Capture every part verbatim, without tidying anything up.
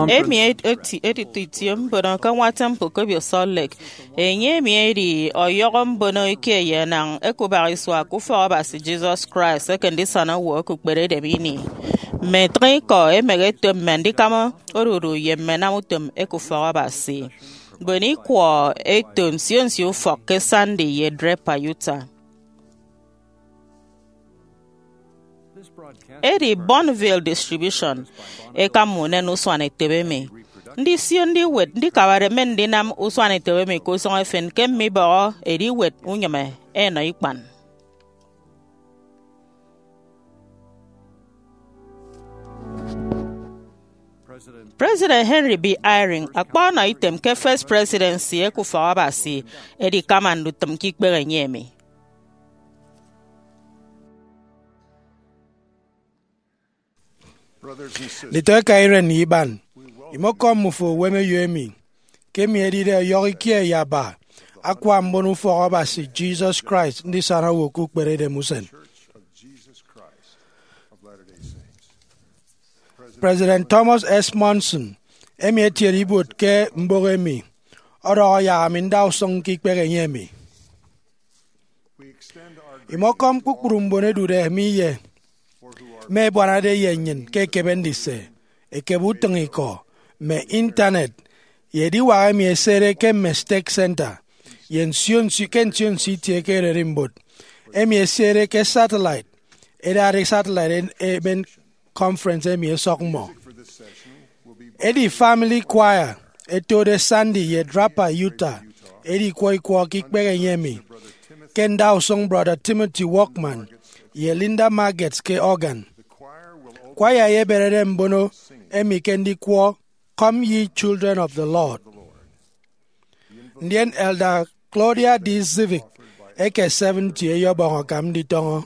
Emi edi eti- editi itie mbono ke Nwa Temple ke Obio Salt Lake. Enye emi edi ọyọhọ mbono ikie ye enañ ekubak isua ke Ufọk Abasi Jesus Christ eke Ndisana Owo ke Ukperedem Ini. Mme ntịñ ikọ emehe eto mme andikama odudu ye mme anam utom eke Ufọk Abasi. Mbon ikwọ eto nsio nsio ufọk ke Sandy ye Draper, Utah. Edi Bonneville Distribution ekama unen usuanetop emi. Ndisio ndiwet ndikabade mme ndinam usuanetop emi ke usụñ efen ke mme ibọhọ ediwet unyịme enọ ikpan. President Henry B. Eyring akpa ọnọ item ke First Presidency eke Ufọk Abasi edikama ndutịm ke ikpehe enye emi. Nditọeka iren ye iban, imọkọm mmufo uwemeyo emi, ke emi edide ọyọhọ ikie ye aba akwa mbon Ufọk Abasi Jesus Christ Ndisana Owo ke Ukperedem Usen. President Thomas S. Monson, emi etiede ibuot ke mbụk emi, ọdọhọ yak ami nda usụñ ke ikpehe enye emi. Imọkọm kpukpru mbon edude mi ye mme ẹbuanade ye nnyịn ke ekebe ndise, ekebe utịñikọ, mme intanet, ye ediwak emi ẹsede ke mme Stake Center, ye nsio nsio ke nsio nsio itie ke ererimbot, emi ẹsede ke satellite, ẹdade satellite e- emen conference emi ẹsọk mmọ. Edi Family Choir ẹtode Sandy ye Draper, Utah, edikwọ ikwọ ke ikpehe enye emi, ke ndausụñ Brother Timothy Walkman ye Linda Margetts ke organ. Choir eyeberede mbono emi ke ndikwọ Come Ye Children of the Lord. Ndien Elder Claudia D. Zivik eke Seventy eyebọñ akam nditọñọ.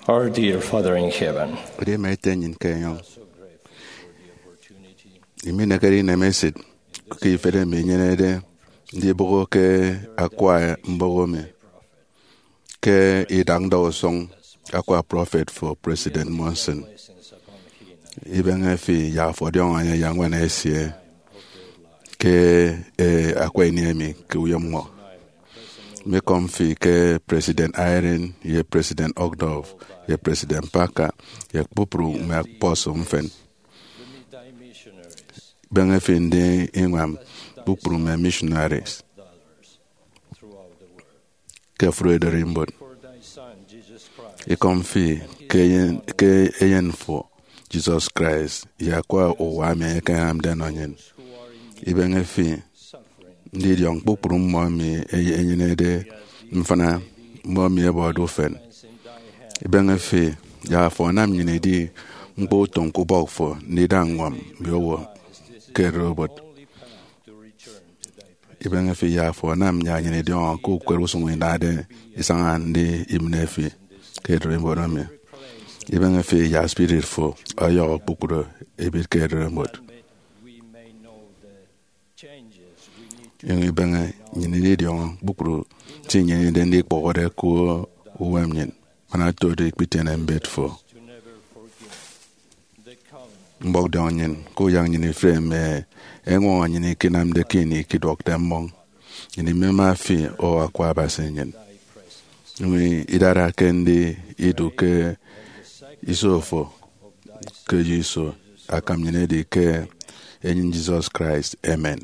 Our dear Father in Heaven, edi ema ete nnyịn ke enyọñ. Iminekere inemesịt ke ifet emi inyenede ndibụhọ ke akwa mbọhọ mi ke idak ndausụñ akwa prọfet fo, President Monson. Ibeñe fi yak afo ọdiọñọ enye yak ñwan esie ke, eh, akwa ini emi ke uyomñkpọ. Mikọm fi ke President Eyring ye President Uchtdorf ye President Packer ye kpukpru mme apostle mfịn. Beñe fi ndi iñwam kpukpru mme missionaries ke ofụri ererimbot. Ikọm fi ke eyen, ke eyen fo, Jesus Christ, ye akwa uwa emi enye ekenamde ọnọ nnyịn. Ibeñe fi ndidiọñ kpukpru mmọ emi enyenede mfịna, mmọ emi ẹbọde ufen. Ibeñe fi yak afo anam nnyịn idi ñkpọ utom ke ubọk fo ndida ññwam mme owo ke ererimbot. Ibeñe fi yak afo anam yak nnyịn idiọñọ ke ukot usụñ inade isaña ndi imen fi ke ererimbot emi. Ibeñe fi yak spirit fo ọyọhọ kpukpru ebịt ke ererimbot. Inyụñ ibeñe nnyịn ididiọñọ kpukpru se inyenede ndikpọhọde ke uwem nnyịn, man otodo ikpitiene mbet fo. Mbọk diọñ nnyịn, kuyak nnyịn ifre mme eñwọñọ nnyịn ikinamde ke ini ikiduọkde mmọñ. Nnyịn imema fi, O Akwa Abasi nnyịn. Nnyụñ idara ke ndi idu ke iso fo, ke eyo iso akam nnyịn edi ke enyịn Jesus Christ. Amen.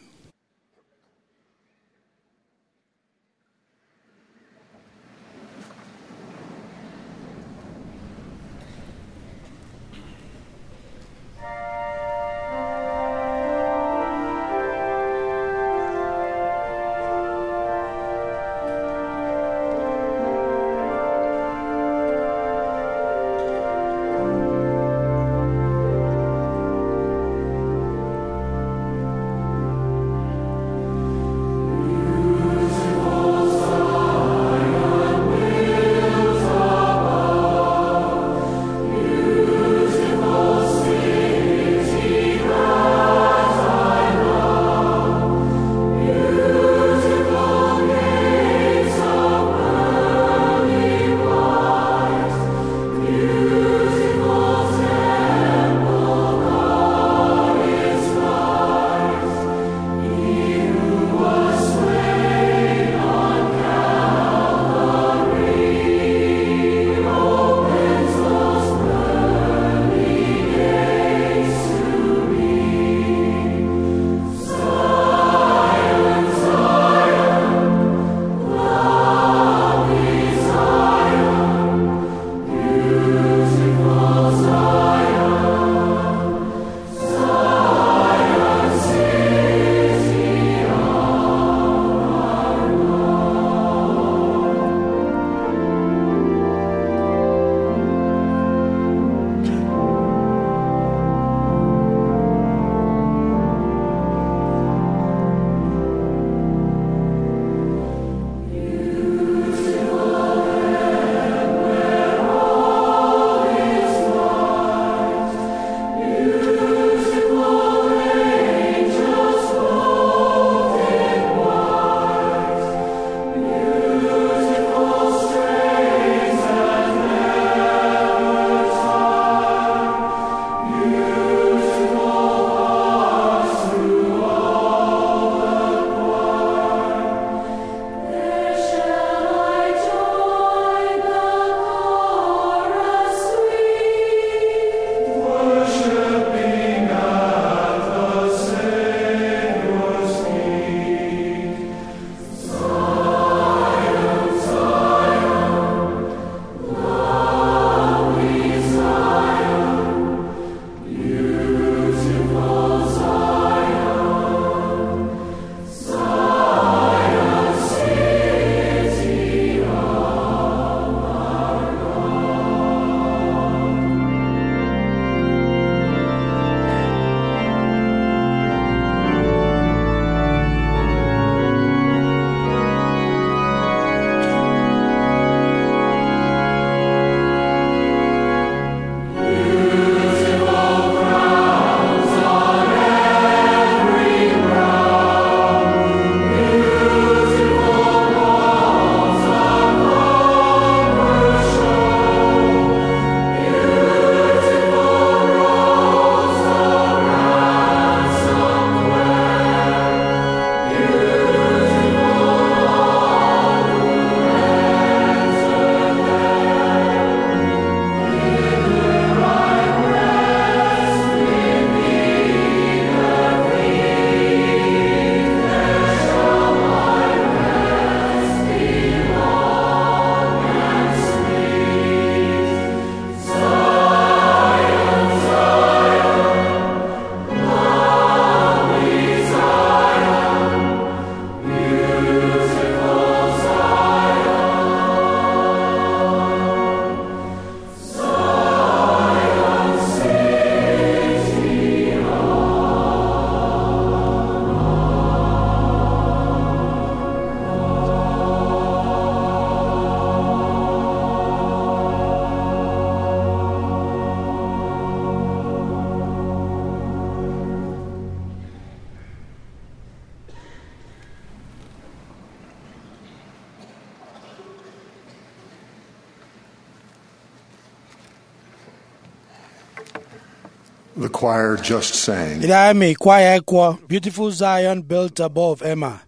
The choir just sang. Idahaemi kwaya ẹkwọ Beautiful Zion Built Above ẹma.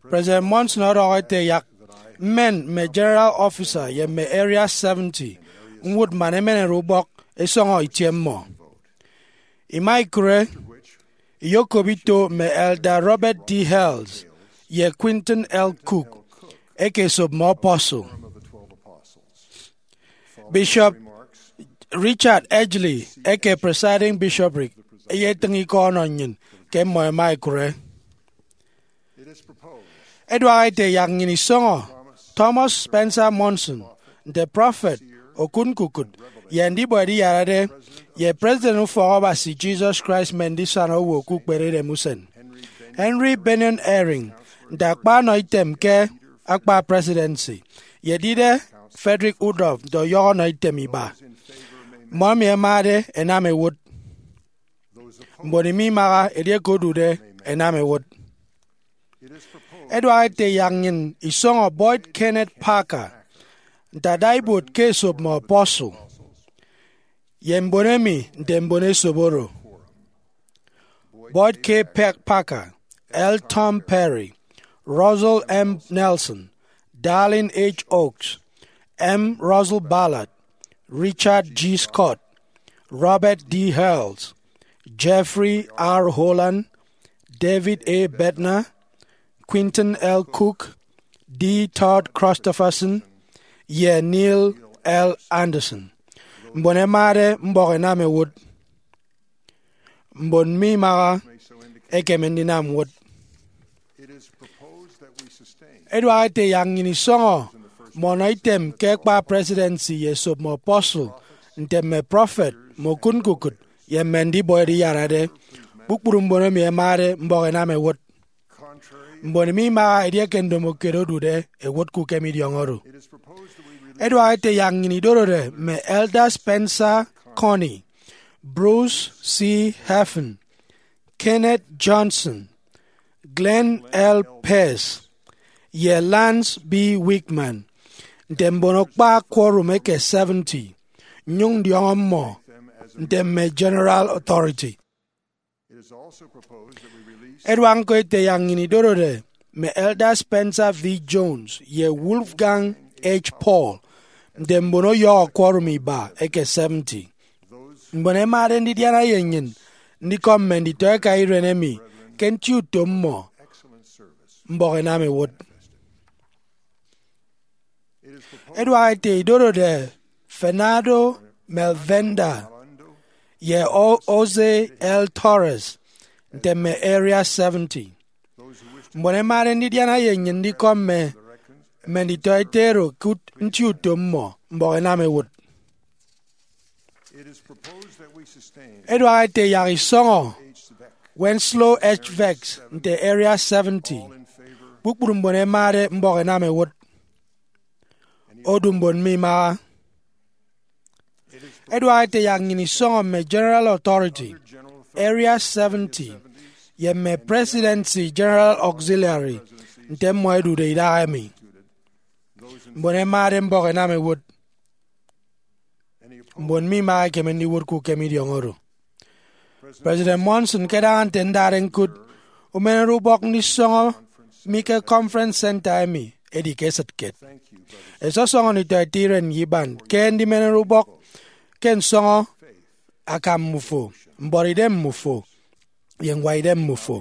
President Monson ọdọhọ ete yak mmen mme General Officer ye mme Area seventy ñwụt man ẹmenere ubọk ẹsọñọ itie mmọ. Ima ikụre, iyokop ito mme Elder Robert D. Hales ye Quentin L. Cook ẹkesop mme apostle. Bishop Richard Edgley eke Presiding Bishopric eyetịñ ikọ ọnọ nnyịn ke mmọ ẹma ẹkụre. Ẹduak ete yak nnyịn isọñọ Thomas Spencer Monson nte prọfet, okụtñkukụt, ye ndibọ ediyarade, ye President Ufọk Abasi Jesus Christ Mme Ndisana Owo ke Ukperedem Usen, Henry Bennion Eyring nte akpa ọnọitem ke akpa presidency, ye edide Frederick Udoh nte ọyọhọ ọnọitem iba. Mmọ emi ẹmade ẹnam ẹwụt. Mbon emi imaha edieke odude ẹnam ẹwụt. Ẹduak ete yak nnyịn isọñọ Boyd Kenneth Packer nte adaibuot ke esop mme apostle, ye mbon emi nte mbon esop oro: Boyd K. Pe- Packer, L. Tom Perry, Russell M. Nelson, Dallin H. Oaks, M. Russell Ballard, Richard G. Scott, Robert D. Hales, Jeffrey R. Holland, David A. Bednar, Quentin L. Cook, D. Todd Christofferson, ye Neil L. Andersen. Mbon ẹmade mbọk ẹnam ẹwụt. Mbon mimaha ẹkeme ndinam ñwụt. Ẹduak ete yak nnyịn isọñọ mme ọnọitem ke akpa presidency ye esop mme apostle nte mme prọfet, mme okụtñkukụt, ye mme ndibọ ediyarade. Kpukpru mbon emi ẹmade mbọk ẹnam ẹwụt. Mbon mimaha edieke ndomokiet odude ẹwụt ke ukem idiọñọ oro. Ẹduak ete yak nnyịn idorode mme Elder Spencer Connie, Bruce C. Hafen, Kenneth Johnson, Glenn L. Pierce, ye Lance B. Wickman nte mbonokpa quorum eke seventy, nnyụñ ndiọñọ mmọ nte mme General Authority. Ẹduak ñko ete yak nnyịn idorode mme Elder Spencer V. Jones ye Wolfgang H. Paul nte mbon ọyọhọ quorum iba eke seventy. Mbon ẹmade ndidiana ye nnyịn ndikọm mme nditọeka iren emi ke nti utom mmọ, mbọk ẹnam ẹwụt. Ẹduak ete idorode Fernando Melvenda ye O- Jose L. Torres nte mme Area seventy. Mbon ẹmade ndidiana ye nnyịn ndikọm mme mme nditọete ero ke ut- nti utom mmọ, mbọk ẹnam ẹwụt. Ẹduak ete yak isọñọ Wenslow H. Vex nte Area seventy. Kpukpru mbon ẹmade mbọk ẹnam ẹwụt. Odu mbon mimaha. Ẹduak ete yak nnyịn isọñọ mme General Authority, Area seventy, ye mme Presidency General Auxiliary nte mmọ ẹdude idahaemi. Mbon ẹmade mbọk ẹnam ẹwụt. Mbon mimaha ẹkeme ndiwụt ke ukem idiọñọ oro. President Monson, ke adaña nte ndade ñkụt umenere ubọk ndisọñọ mi ke Conference Center emi, edi ke esịt kiet. Ẹsọsọñọ nditọete iren ye iban ke ndimenere ubọk ke nsọñọ akam mmufo, mbuọtidem mmufo, ye ñwaidem mmufo.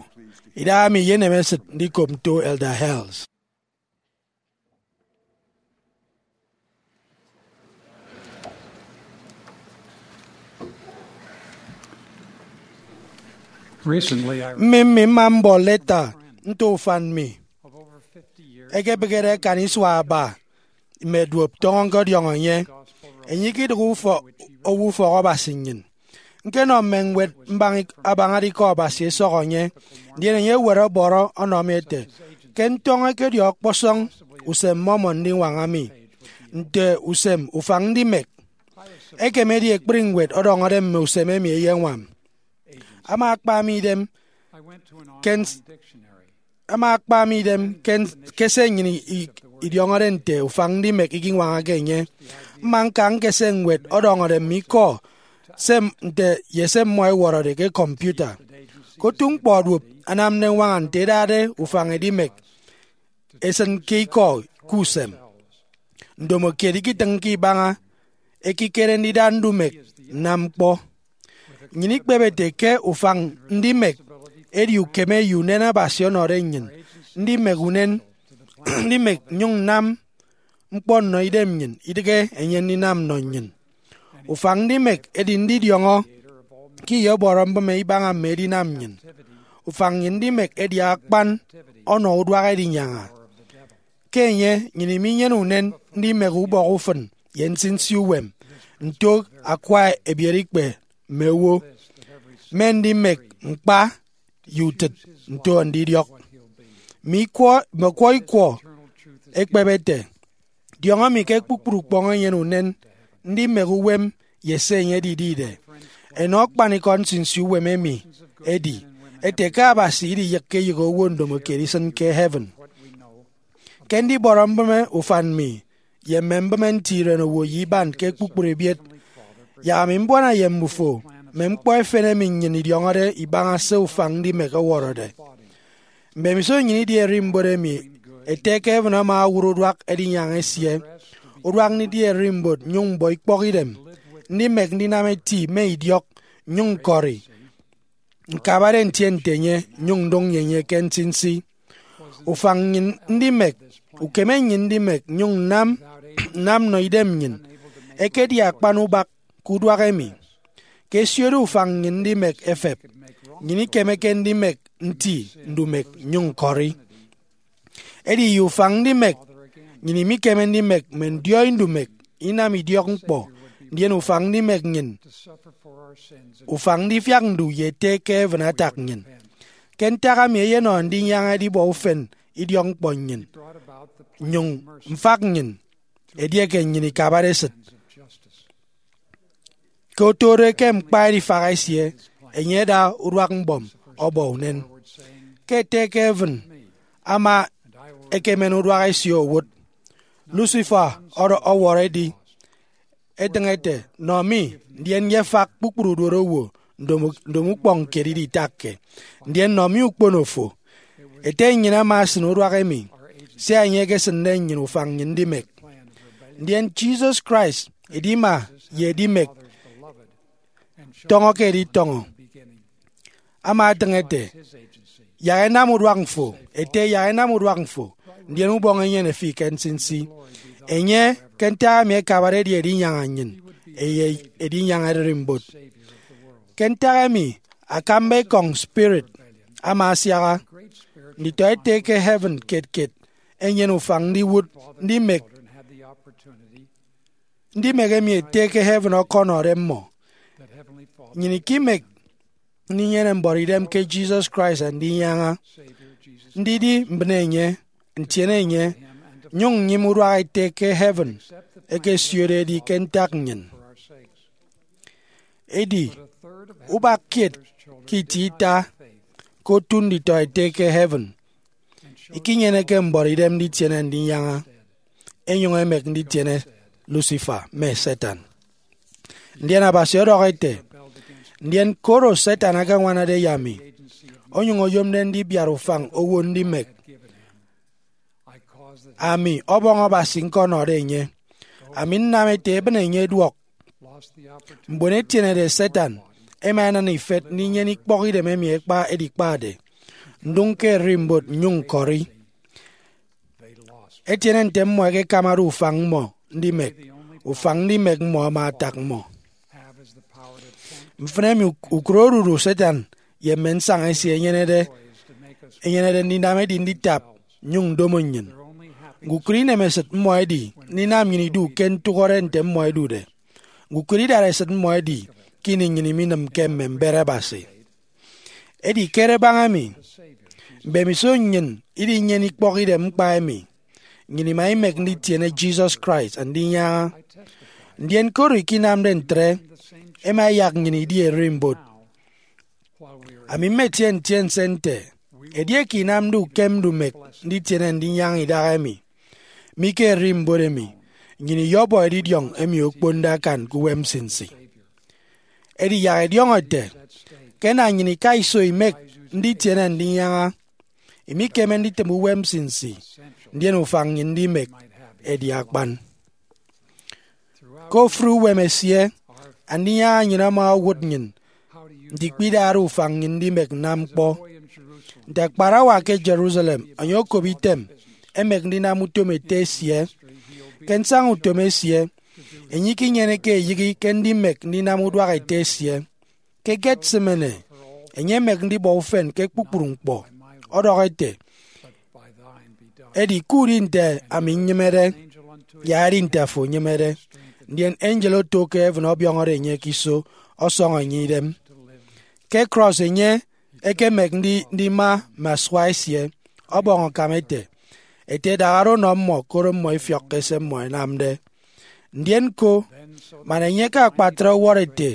Idahaemi iyenem esịt ndikop nto Elder Hales. Recently, I Mmịn mmịn mma mbọ leta nto ufan mi ekebịghede akan isua aba mme duop tọñọ ñkọdiọñọ enye. Enye ikidịghe ufọ- owo ufọk Abasi nnyịn. Ñkenọ mme ñwed mbaña ik- abañade ikọ Abasi ẹsọhọ enye, ndien enye ewet ọbọrọ ọnọ mi ete, ke ntọñọ ekedi ọkpọsọñ usem mmọ-mmọ ndiñwaña mi nte usem ufañ ndimek. Ekemedi ekpri ñwed ọdọñọde mme usem emi eyeñwam. Ama akpa mi idem ke ns- ama akpa mi idem ke ns- ke se nnyịn i- i- idiọñọde nte ufañ ndimek ikiñwañake enye. Mma ñka ñkese ñwed ọdọñọde mme ikọ se m- nte ye se mmọ ẹwọrọde ke kọmputa. Ke otu ñkpọ duop anam nneñwaña nte ẹdade ufañ edimek esịn ke ikọ ke usem. Ndomokiet ikitịñke ibaña ekikere ndida ndumek nnam ñkpọ. Nnyịn ikpep ete ke ufañ ndimek edi ukeme ye unen Abasi ọnọde nnyịn ndimek unen ndimek nnyụñ nnam ñkpọ nnọ idem nnyịn, idịghe enye ndinam nnọ nnyịn. Ufañ ndimek edi ndidiọñọ ke iyọbọrọ mbịme ibaña mme edinam nnyịn. Ufañ nnyịn ndimek edi akpan ọnọ uduak edinyaña. Ke enye, nnyịn iminyene unen ndimek ubọk ufịn ye nsinsi uwem, nto akwa ebiereikpe mme owo, mme ndimek ñkpa ye utịt nto ndidiọk. Mme ikwọ, mme ọkwọ ikwọ ekpep ete, diọñọ mi ke kpukpru ukpọñ enyene unen ndimek uwem ye se enye edidide. Enọ akpanikọ nsinsi uwem emi edi ete ke Abasi idiyịkke eyịghe owo ndomokiet isịn ke heaven. Ke ndibọrọ mbịme ufan mi ye mme mbịme nti irenowo ye iban ke kpukpru ebiet, yak ami mbuana ye mbufo mme ñkpọ efen emi nnyịn idiọñọde ibaña se ufañ ndimek ọwọrọde. Mbemiso nnyịn idi ererimbot emi, Ete ke heaven ama owụt uduak edinyaña esie, uduak ndidi ererimbot nnyụñ mbọ ikpọkidem ndimek ndinam eti mme idiọk, nnyụñ ñkọri, ñkabade ntie nte enye, nnyụñ ndụñ ye enye ke nsinsi. Ufañ nnyịn ndimek, ukeme nnyịn ndimek nnyụñ nnam nnam nnọ idem nnyịn, ekedi akpan ubak ke uduak emi. Ke ẹsiode ufañ nnyịn ndimek efep, nnyịn ikemeke ndimek nti ndumek nnyụñ ñkọri. Edi ye ufañ ndimek, nnyịn imikeme ndimek mme ndiọi ndumek, inam idiọk ñkpọ, ndien ufañ ndimek nnyịn, ufañ ndifiak ndu ye Ete ke heaven atak nnyịn. Ke ntak emi eyenọ ndinyaña edibọ ufen idiọk ñkpọ nnyịn, nnyụñ mfak nnyịn, edieke nnyịn ikabade esịt. Ke otode ke ñkpa edifak esie, enye ada uduak mbọm ọbọ unen. Ke Ete ke heaven ama ekemen uduak esie owụt, Lucifer ọdọ-, ọwọrọ edi, etịñ ete, Nọ mi, ndien yefak kpukpru uduot owo ndomo-, ndomo ukpọñ kiet iditakke, ndien nọ mi ukpono fo. Ete nnyịn ama esịn uduak emi, sia enye ekesịnde nnyịn ufañ nnyịn ndimek. Ndien Jesus Christ, edima ye edimek, tọñọ ke editọñọ, ama etịñ ete, Yak ẹnam uduak mfo, Ete, yak ẹnam uduak mfo, ndien ubọñ enyene fi ke nsinsi. Enye, ke ntak emi, akabade edi edinyaña nnyịn, eye edinyaña ererimbot. Ke ntak emi, akamba ekọñ spirit ama asiaha. Nditọete ke heaven kiet kiet enyene ufañ ndiwụt ndimek ndimek emi Ete ke heaven ọkọnọde mmọ. Nnyịn ikimek ndinyene mbuọtidem ke Jesus Christ andinyaña, ndidi mbịne enye, ntiene enye, nnyụñ nnyịme uduak Ete ke heaven ekesiode edi ke ntak nnyịn. Edi, ubak kiet ke itie ita ke otu nditọete ke heaven ikinyeneke mbuọtidem nditiene ndinyaña, enyụñ emek nditiene Lucifer mme Satan. Ndien Abasi ọdọhọ ete, Ndien koro Satan akañwanade ye ami, onyụñ oyomde ndibiat ufañ owo ndimek, ami Ọbọñ Abasi ñkọnọde enye, ami nnam ete ebịne enye eduọk. Mbon ẹtienede Satan ẹma ẹnana ifet ndinyene ikpọkidem emi ẹkpa edikpade, ndụñ ke ererimbot nnyụñ ñkọri. Ẹtiene nte mmọ ẹkekamade ufañ mmọ ndimek, ufañ ndimek mmọ ama atak mmọ. Mfịn emi uk-, ukot odudu Satan ye mme nsaña esie ẹnyenede, ẹnyenede ndinam edi nditap nnyụñ ndomo nnyịn. Ñkukụre inemesịt mmọ edi ndinam nnyịn idu ke ntụhọde nte mmọ ẹdude. Ñkukụre idatesịt mmọ edi ke ini nnyịn iminịmke mme mbet Abasi. Edi kere baña emi, mbemiso nnyịn idinyene ikpọkidem ñkpa emi, nnyịn ima imek nditiene Jesus Christ andinyaña. Ndien koro ikinamde ntre, ẹma ẹyak nnyịn idi ererimbot. Ami mmetie ntiense nte, edieke inamde ukem ndumek nditiene ndinyaña idahaemi, mi ke ererimbot emi, nnyịn iyọbọ edidiọñ emi okponde akan ke uwem nsinsi. Edi yak ẹdiọñọ ẹte, ke ẹna nnyịn ika iso imek nditiene ndinyaña, imikeme nditịm uwem nsinsi, ndien ufañ nnyịn ndimek edi akpan. Ke ofụri uwem esie, Andinyaña nnyịn ama owụt nnyịn ndikpe idara ufañ nnyịn ndimek nnam ñkpọ. Nte akparawa ke Jerusalem, enye okop item emek ndinam utom ete esie. Ke nsaña utom esie, enye ikinyeneke eyịghe ke ndimek ndinam uduak ete esie. Ke Gethsemane, enye emek ndibọ ufen ke kpukpru ñkpọ, ọdọhọ ete, "Edi kudi nte ami nnyịmede, ya edi nte afo enyịmede." Ndien angel oto ke heaven ọbiọñọde enye ke iso, ọsọñọ enye idem. Ke cross, enye ekemek ndi- ndima mme asua esie, ọbọñ akam ete, ete, "Dahara unọ mmọ, koro mmọ ifiọkke se mmọ ẹnamde." Ndien ñko, man enye ke akpatre ọwọrọ ete,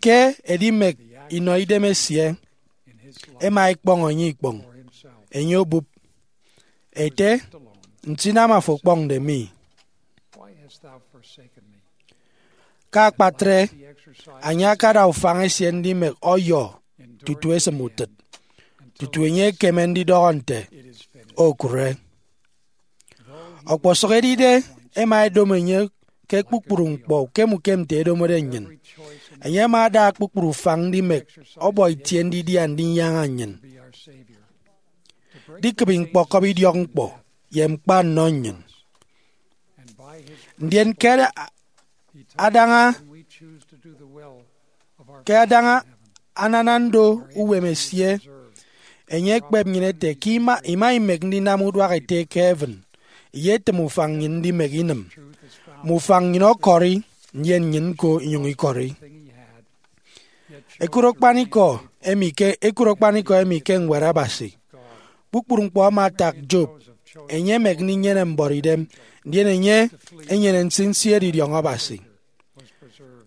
ke edimek inọ idem esie, ẹma ẹkpọñ enye ikpọñ, enye obụp, ete, "Nsinam afo okpọñde mi?" Ke akpatre, enye akada ufañ esie ndimek ọyọ tutu esịm utịt, tutu enye ekeme ndidọhọ nte, "Okụre." Ọkpọsụk edide ẹma ẹdomo enye ke kpukpru ñkpọ ukem ukem nte edomode nnyịn, enye ama ada kpukpru ufañ ndimek ọbọ itie ndidia ndinyaña nnyịn, ndikịbi ñkpọkọbi idiọkñkpọ ye ñkpa nnọ nnyịn. Ndien ke ada- adaña ke adaña anana ndo uwem esie, enye ekpep nnyịn ete ke ima, ima imek ndinam uduak ete ke heaven, iyetịm ufañ nnyịn ndimek inịm. Mme ufañ nnyịn ọkọri, ndien nnyịn ñko inyụñ ikọri. Ekụt akpanikọ emi ke, ekụt akpanikọ emi ke Ñwed Abasi. Kpukpru ñkpọ ama atak Job. Enye emek ndinyene mbọrọidem, ndien enye enyene nsinsi edidiọñ Abasi.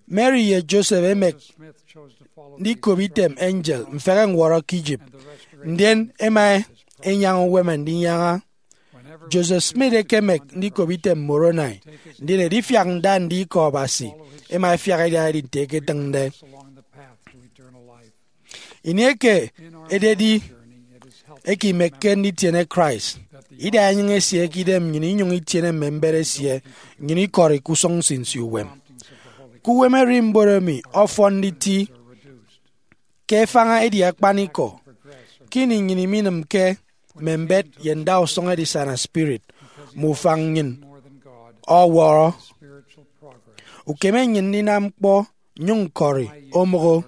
Mary ye Joseph emek ndikop item angel mfehe ñwọrọ ke Egypt, ndien ẹma ẹnyaña uwem ndinyaña. Joseph Smith ekemek ndikop item Moroni, ndien edifiak nda ndi ikọ Abasi ẹma ẹfiak ẹdiaha edi nte eketịñde. Ini eke ededi eke imekke nditiene Christ, ida enyịñ esie ke idem nnyịn inyụñ itiene mme mbet esie, nnyịn ikọri ke usụñ nsinsi uwem. Ke uwem ererimbot emi ọfọn nditi ke efaña edi akpanikọ, ke ini nnyịn iminịmke mme mbet ye ndausụñ edisana spirit, mme ufañ nnyịn ọwọrọ. Ukeme nnyịn ndinam ñkpọ nnyụñ ñkọri omụk.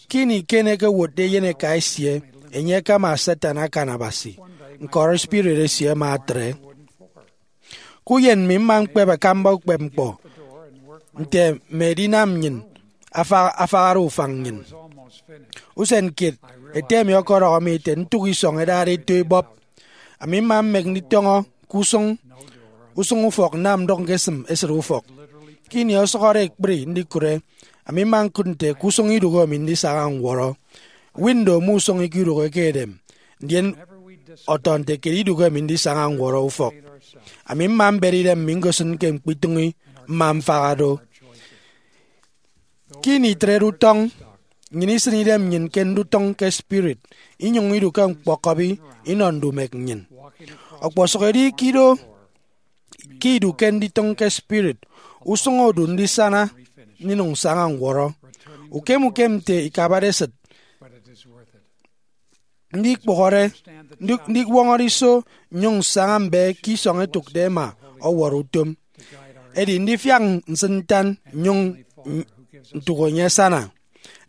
Ke ini Cain ekewotde eyeneka esie, enye akama Satan akan Abasi. Ñkọri spirit esie ama atre. Ke uyen mi mma ñkpep akamba ukpepñkpọ nte mme edinam nnyịn afa- afahade ufañ nnyịn. Usen kiet, ete mi ọkọdọhọ mi ete ntụk isọñ ẹdade eto ibọp. Ami mma mmek nditọñọ ke usụñ usụñ ufọk nnam ndụk ñkesịm esịt ufọk. Ke ini ọsụhọde ekpri ndikụre, ami mma ñkụt nte ke usụñ idụhe mi ndisaña ñwọrọ. Window mme usụñ ikidụhe ke edem, ndien ọtọ nte ke idụhe mi ndisaña ñwọrọ ufọk. Ami mma mbet idem mi ñkosịn ke ñkpitụñi mma mfaha do. Ke ini itrede utọñ, nnyịn isịn idem nnyịn ke ndutịñ ke spirit, inyụñ idu ke ñkpọkọbi inọ ndumek nnyịn. Ọkpọsụk edi ke ido ke idu ke nditịñ ke spirit, usụñ odu ndisana, ndinụñ nsaña ñwọrọ. Ukem ukem nte ikabade esịt, ndikpụhọre, ndi- ndiwọñọre iso nnyụñ nsaña mbe ke isọñ ẹtụkde ẹma ọwọrọ utom. Edi ndifiak nsịn ntan nnyụñ n- ntụk enye asana.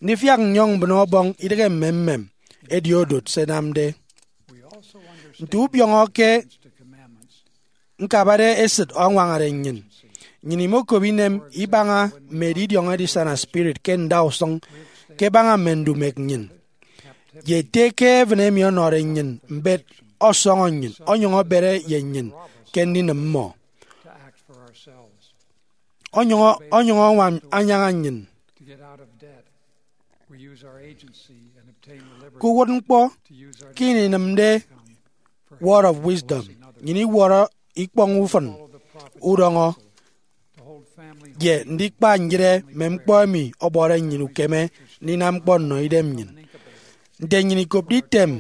Ndifiak nnyọñ mbịne ọbọñ idịghe mme mmem edi odot se ẹnamde. Nte ubiọñọ ke ñkabade esịt añwañade nnyịn, nnyịn imokop inem ibaña mme edidiọñ edisana spirit ke ndausụñ ke ẹbaña mme ndumek nnyịn. Ye ete ke heaven emi ọnọde nnyịn mbet ọsọñọ nnyịn, ọnyụñ ebere ye nnyịn ke ndinịm mmọ. Ọnyụñ, ọnyụñ añwam anyaña nnyịn. Ke uwụtñkpọ, ke ini inịmde Word of Wisdom, nnyịn iwọrọ ikpọñ ufịn udọñọ. ye ndikpa nyịre mme ñkpọ emi ọbọde nnyịn ukeme ndinam ñkpọ nnọ idem nnyịn. Nte nnyịn ikopde item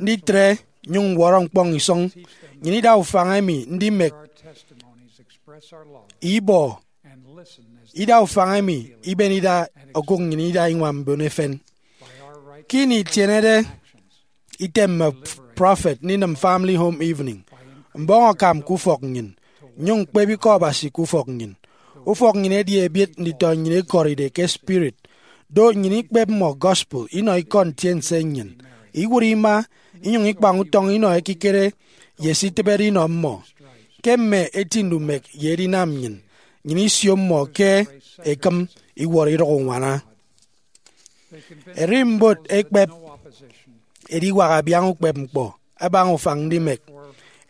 nditre nnyụñ ñwọrọ ñkpọñ isọñ, nnyịn ida ufañ emi ndimek ibọ ida ufañ emi iben ida okụk nnyịn ida iñwam mbon efen. Ke ini itienede item mme prọfet ndinịm Family Home Evening, mbọñ akam ke ufọk nnyịn, nnyụñ ñkpep Ikọ Abasi ke ufọk nnyịn. Ufọk nnyịn edi ebiet nditọ nnyịn ekọride ke spirit. Do nnyịn ikpep mmọ gospel inọ ikọ ntiense nnyịn, iwụt ima, inyụñ ikpañ utọñ inọ ekikere ye se itịbede inọ mmọ. Ke mme eti ndumek ye edinam nnyịn, nnyịn isio mmọ ke ekịm iwọrọ idụk uñwana. Erimbot ekpep ediwak abiaña ukpepñkpọ abaña ufañ ndimek.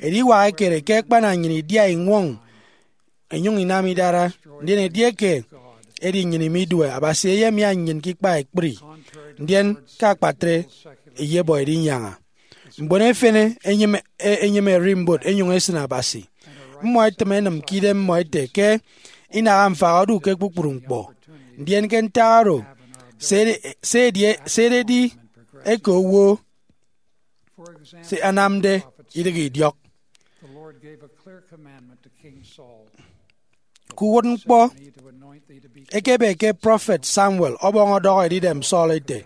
Ediwak ekere ke akpana nnyịn idia iñwọñ inyụñ inam idara, ndien edieke edi nnyịn imidue, Abasi eyemia nnyịn ke ikpa ekpri, ndien ke akpatre eyebọ edinyaña. Mbon efen enyịme, e- enyịme erimbot enyụñ esịn Abasi. Mmọ ẹtịm ẹnịm ke idem mmọ ẹte ke inaha mfak odu ke kpukpru ñkpọ. Ndien ke ntak oro, se edi, se edi, se ededi eke owo se anamde idịghe idiọk. The Lord gave a clear commandment to King Saul. Ke uwụtñkpọ, ekebe ke prọfet Samuel ọbọñ ọdọhọ edidem Saul ete,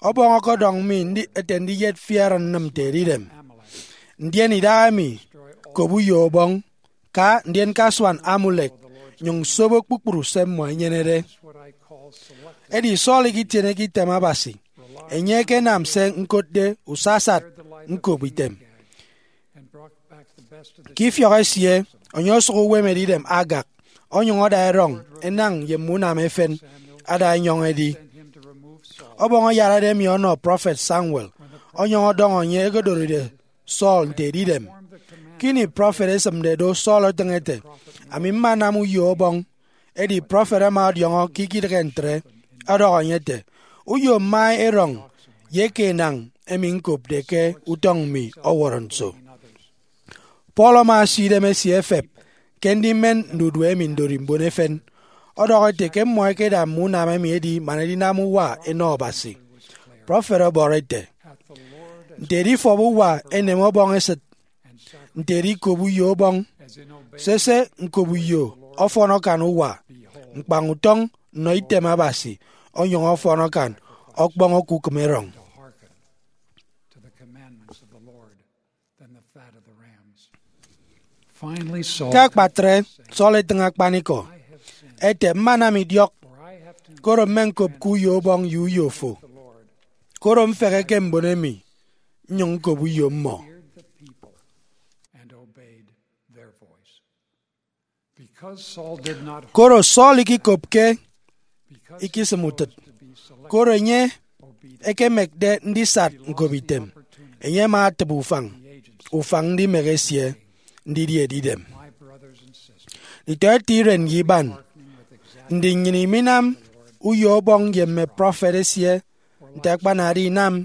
Ọbọñ ọkọdọñ mi ndi- ete ndiyet fi Aaron nnịm nte edidem. Ndien idahaemi, kop uyo ọbọñ, ka ndien kasuan Amulek, nyụñ sobo kpukpru se mmọ ẹnyenede. Edi Saul ikitieneke item Abasi. Enye ekenam se ñkotde usasat ñkop item. Ke ifiọk esie, enye osụk uwem edidem Agag, onyụñ ada erọñ enañ ye mme unam efen ada enyọñ edi. Ọbọñ ayarade emi ọnọ prọfet Samuel, onyụñ ọdọñọ enye ekedoride Saul nte edidem. Ke ini prọfet esịmde do, Saul etịñ ete, Ami mmanam uyo ọbọñ. Edi prọfet ama ọdiọñọ ke ikidịghe ntre, ọdọhọ enye ete, Uyo mma erọñ ye eke enañ emi ñkopde ke utọñ mi ọwọrọ nso? Paul ama asio idem esie efep ke ndimen ndudue emi ndori mbon efen. Ọdọhọ ete ke mmọ ẹkeda mme unam emi ẹdi man ẹdinam uwa ẹnọ Abasi. Prọfet ọbọrọ ete, Nte edifọp uwa enem ọbọñ esịt, nte edikop uyo ọbọñ, sese, ñkop uyo ọfọn akan uwa, ñkpañ utọñ nnọ item Abasi, onyụñ ọfọn akan ọkpọñ okukịm erọñ. Ke akpatre, Saul etịñ akpanikọ ete, Mmanam idiọk, koro mmeñkop ke uyo ubọñ ye uyo fo, koro mfehe ke mbon emi, nnyụñ ñkop uyo mmọ. Koro Saul ikikopke ikisịm utịt, koro enye ekemekde ndisat ñkop item, enye ama atịbe ufañ, ufañ ndimek esie ndidi edidem. Nditọete iren ye iban, ndi nnyịn iminam uyo ọbọñ ye mme prọfet esie nte akpanade inam?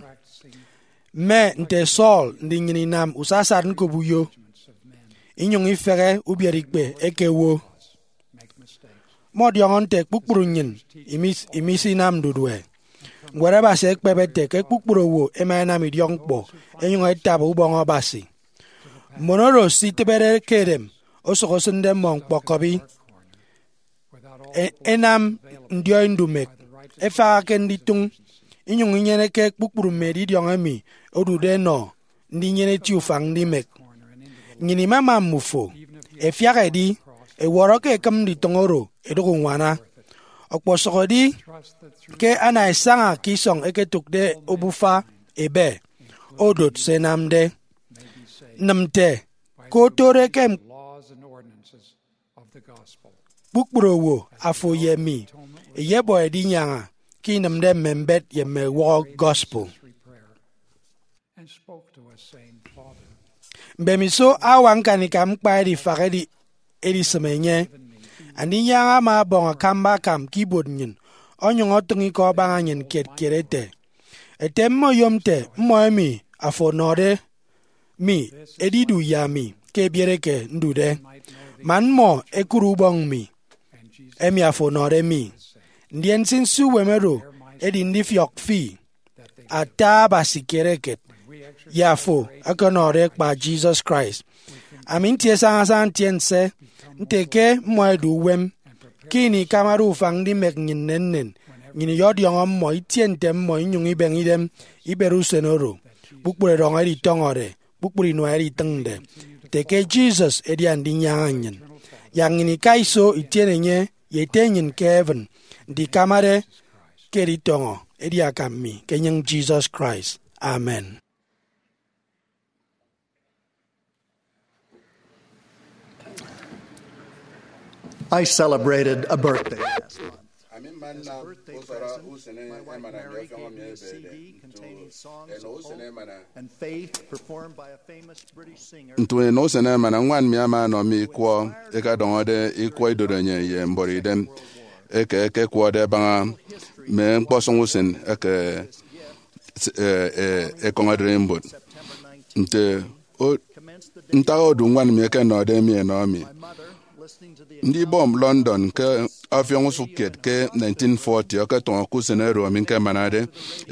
Mme nte Saul, ndi nnyịn inam usasat ñkop uyo, inyụñ ifehe ubiereikpe eke owo? Mmọdiọñọ nte kpukpru nnyịn imis- imisinam ndudue. Ñwed Abasi ekpep ete ke kpukpru owo ẹma ẹnam idiọkñkpọ ẹnyụñ ẹtabi ubọñ Abasi. Mbon oro se itịbede ke edem osụk osịnde mmọ ñkpọkọbi, e- ẹnam ndiọi ndumek, ẹfaha ke nditụñ, inyụñ inyeneke kpukpru mme edidiọñ emi odude ẹnọ ndinyene eti ufañ ndimek. Nnyịn imama mmufo, ẹfiak ẹdi, ẹwọrọ ke ekịm nditụñ oro ẹdụk uñwana. Ọkpọsọk edi ke ana ẹsaña ke isọñ ẹketụkde obufa ebe, odot se ẹnamde. Nịm nte ke otode ke kpukpru owo, afo ye mi, eyebọ edinyaña ke inịmde mme mbet ye mme uwọhọ gospel. Mbemiso awa ñkanika ñkpa edifak edi- edisịm enye, Andinyaña ama ọbọñ akamba akam ke ibuot nnyịn, onyụñ ọtịñ ikọ abaña nnyịn kiet kiet ete, Ete mme oyom nte mmọ emi afo ọnọde mi ẹdidu ye ami ke ebiet eke ndude, man mmọ ẹkụre ubọñ mi. emi afo ọnọde mi, ndien nsinsi uwem oro edi ndifiọk fi ata Abasi kiet eket ye afo ọkọnọde kpa Jesus Christ. Ami ntie sañasaña ntiense nte ke mmọ ẹdu uwem. Ke ini ikamade ufañ ndimek nnyịn nnennen, nnyịn iyọdiọñọ mmọ itie nte mmọ inyụñ ibeñe idem iberi usen oro kpukpru erọñ editọñọde, kpukpru inua editịñde, nte ke Jesus edi Andinyaña nnyịn. Yak nnyịn ika iso itiene enye ye ete nnyịn ke heaven, nte ikamade ke editọñọ edi akam mi ke enyịñ Jesus Christ. Amen. I celebrated a birthday last month. Ami mma nnam usọrọ usen emana mi ọfiọñ mi ebede ntu enọ usen emana. Ntu enọ usen emana, ñwan mi ama anọ mi ikwọ ẹkadọñọde ikwọ idorenyin ye mbọrọidem eke ẹkekwọde ẹbaña mme ñkpọsọñ usen eke e, e, ekọñ ererimbot. Nte o- ntak odu ñwan mi ekenọde mi enọ mi? Ndibọm London ke ọfiọñ usụk kiet ke nineteen forty ọkọtọñọ ke usen oro ami ñkemanade.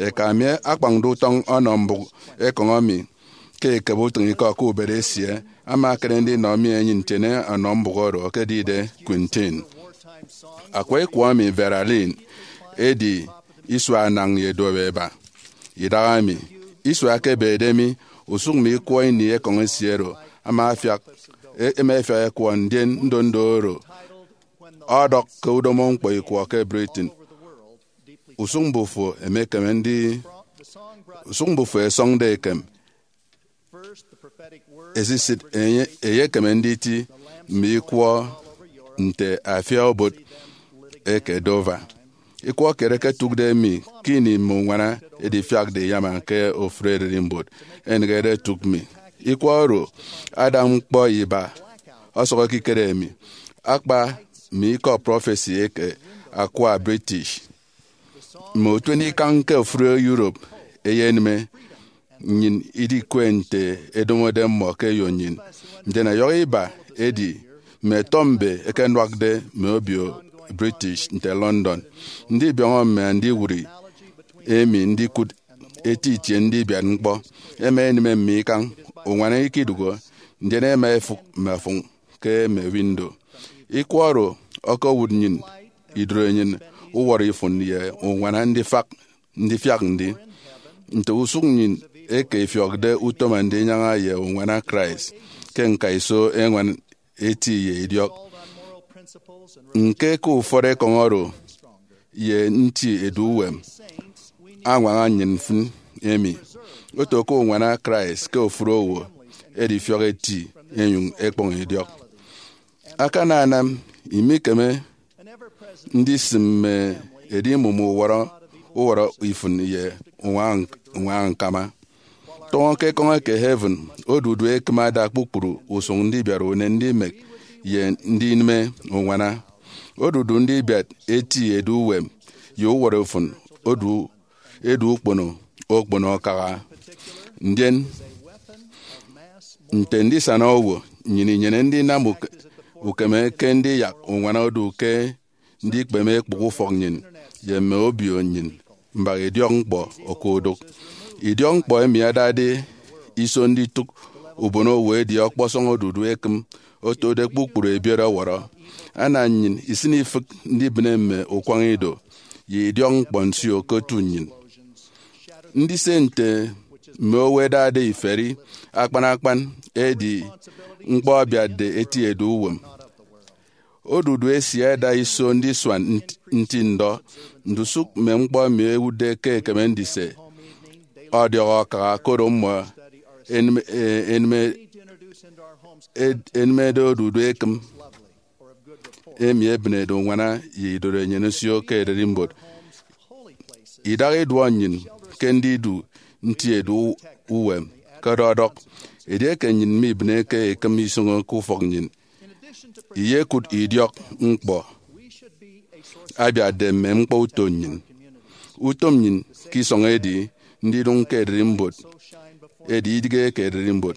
Eka mi akpañde utọñ ọnọ mbụk ekọñ emi ke ikebe utịñikọ ke ubet esie ama ekere ndinọ mi enyịn ntiene ọnọ mbụk oro ekedide Quintin. Akwa ikwọ emi Vera Lynn edi isua anañ ye duop eba. Idahaemi, isua ke ebede mi, usụk mme ikwọ ini ekọñ esie oro ama afiak, e- ema efiak ekwọ, ndien ndondo oro ọdọk ke udomo ñkpọ ikwọ ke Britain. Usụk mbufo emekeme ndi, usụk mbufo ẹsọñde ekem esisịt enye eyekeme nditi mme ikwọ nte afia obot eke Dover. Ikwọ kiet eketụkde mi ke ini mme uñwana edifiakde iyama ke ofụri ererimbot, enịghede etụk mi. Ikwọ oro ada ñkpọ iba ọsọk ekikere emi, akpa mme ikọ prọfesi eke akwa British. Mme utuenikañ ke ofụri Europe eyenịme nnyịn idikwe nte edomode mmọ ke eyo nnyịn. Ndien ẹyọhọ iba edi mme tọmbe ẹkenuakde mme obio British nte London ndibiọñọ mme andiwụri emi ndikụt eti itie ndibiat ñkpọ. Ẹma ẹnịme mme ikañ, uñwana ikidụhe, ndien ẹma ẹfụk mme afụñ ke mme window. Ikwọ oro ọkowụt nnyịn idorenyin, uwọrọ ifụn ye uñwana ndifak ndifiak ndi. Nte usụk nnyịn eke ifiọkde utom Andinyaña ye uñwana Christ ke ñkaiso eñwan eti ye idiọk. Ñke ke ufọt ekọñ oro ye nti edu uwem añwaña nnyịn mfịn emi, oto ke uñwana Christ ke ofụri owo edifiọk eti enyụñ ekpọñ idiọk. Akananam imikeme ndisịm mme edimụm uwọrọ uwọrọ ifụn ye uñwana ñkama. Tọñọ ke ekọñ eke heaven, odudu ekịm ada kpukpru usụñ ndibiat unen ndimek ye ndinịme uñwana. Odudu ndibiat eti edu uwem ye uwọrọ ifụn odu edu ukpono okpono akaha. Ndien, nte ndisana owo, nnyịn inyene ndinam uke- ukeme ke ndiyak uñwana odu ke ndikpeme ekpụk ufọk nnyịn ye mme obio nnyịn mbak idiọk ñkpọ okodụk. Idiọk ñkpọ emi adade iso nditụk ubonowo edi ọkpọsọñ odudu ekịm otode kpukpru ebiet ọwọrọ. Ana nnyịn isịn ifịk ndibịne mme ukwañ ido ye idiọk ñkpọ nsio ke otu nnyịn. Ndise nte mme owo ẹdade iferi akpan akpan edi ñkpọ abiatde eti edu uwem. Odudu esie ada iso ndisuan nt- nti ndọ ndusụk mme ñkpọ emi ẹwụtde ke ẹkeme ndise ọdiọk akaha, koro mmọ enịm- e- enịme- ed- enịmede odudu ekịm emi ebịnede uñwana ye idorenyin nsio ke ererimbot. Idaha iduọ nnyịn ke ndidu nti edu uwem ke ọdọdọk. Edieke nnyịn mibịneke ekịm isọñọ ke ufọk nnyịn, iyekụt idiọk ñkpọ abiatde mme ñkpọ uto nnyịn. Utom nnyịn ke isọñ edi ndidụñ ke ererimbot, edi idịghe ke ererimbot.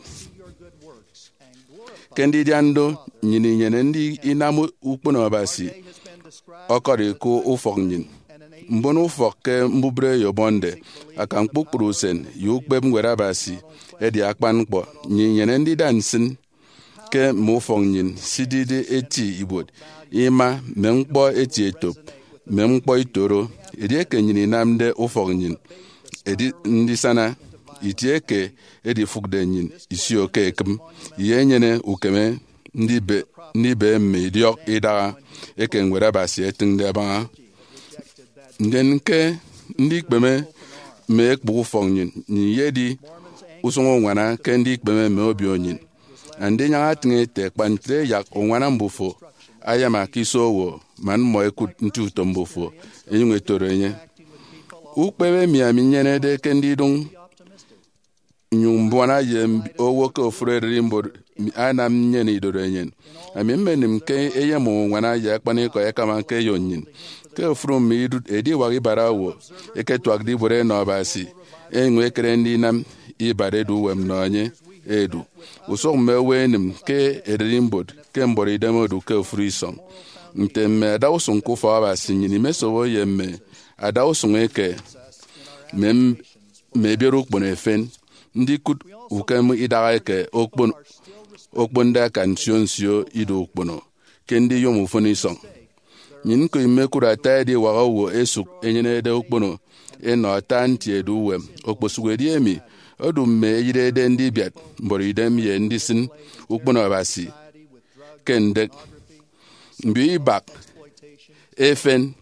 Ke ndidian do, nnyịn inyene ndinam ukpono Abasi ọkọri ke ufọk nnyịn. Mbon ufọk ke mbubreyo bọñde akan kpukpru usen ye ukpep Ñwed Abasi edi akpan ñkpọ. Nnyịn inyene ndida nsịn ke mme ufọk nnyịn sidide eti ibuot, ima mme ñkpọ eti etop, mme ñkpọ itoro. Edieke nnyịn inamde ufọk nnyịn edi ndisana itie ke edifụkde nnyịn isio ke ekịm, iyenyene ukeme ndibe, ndibe mme idiọk idaha eke Ñwed Abasi etịñde abaña. Ndien ke ndikpeme mme ekpụk ufọk nnyịn, nnyịn iyedi usụñ uñwana ke ndikpeme mme obio nnyịn. Andinyaña atịñ ete, kpa ntre yak uñwana mbufo ayama ke iso owo, man mmọ ẹkụt nti utom mbufo, ẹnyụñ ẹtoro enye. Ukpep emi ami nyenede ke ndidụñ nnyụñ mbuana ye mb-, owo ke ofụri ererimbot anam nnyene idorenyin. Ami mmenịm ke eyem uñwana ye akpanikọ ẹkama ke eyo nnyịn. Ke ofụri mme idụt, ediwak ibat owo eketuakde ibuot enọ Abasi, enyụñ ekere ndinam ibat edu uwem nnọ enye edu. Usụk mme owo ẹnịm ke ererimbot ke mbuọtidem odu ke ofụri isọñ. Nte mme adausụñ ke ufọk Abasi, nnyịn imesobo ye mme adausụñ eke mme mme ebiet ukpono efen, ndikụt ukem idaha eke okpon-, okponde akan nsio nsio ido ukpono ke ndiyom ufịn isọñ. Nnyịn ñko imekụt ata ediwak owo ẹsụk ẹnyenede ukpono ẹnọ ata nti edu uwem, okposụkedi emi odu mme eyịrede ndibiat mbuọtidem ye ndisịn ukpono Abasi ke ndek. Mbio ibak efen,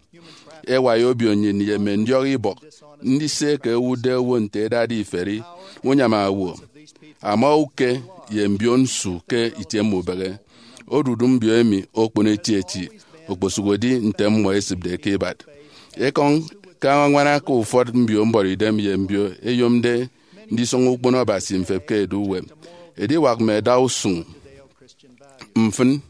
ẹwai obio nnyịn ye mme ndiọk ibọk, ndise eke ẹwụtde owo nte ẹdade iferi, unyama owo, ama uke, ye mbio nsu ke itie mme ubehe. Odudu mbio emi okpon etieti, okposụkedi nte mmọ ẹsịpde ke ibat. Ekọñ ke añwañwana ke ufọt mbio mbuọtidem ye mbio ẹyomde ndisọñọ ukpono Abasi mfep ke edu uwem. Ediwak mme adausụñ mfịn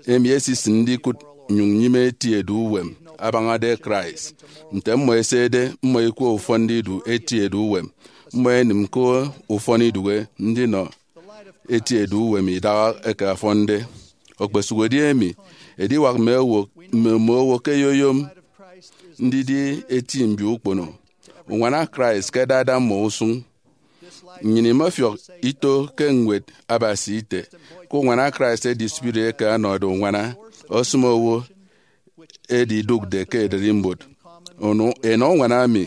emi esisịn ndikụt nnyụñ nyịme eti edu uwem abañade Christ. Nte mmọ ẹsede, mmọ ikwe ufọn ndidu eti edu uwem. Mmọ ẹnịm ke ufọn idụhe ndinọ eti edu uwem idaha eke afọnde. Okposụkedi emi, ediwak mme owo, mme, mme owo ke ẹyoyom ndidi eti mbio ukpono uñwana Christ ke ẹdada mmọ usụñ. Nnyịn imọfiọk ito ke Ñwed Abasi ite ke uñwana Christ edi spirit eke ọnọde uñwana, osịm owo, edi idụkde ke ererimbot. Ono, enọ uñwana emi,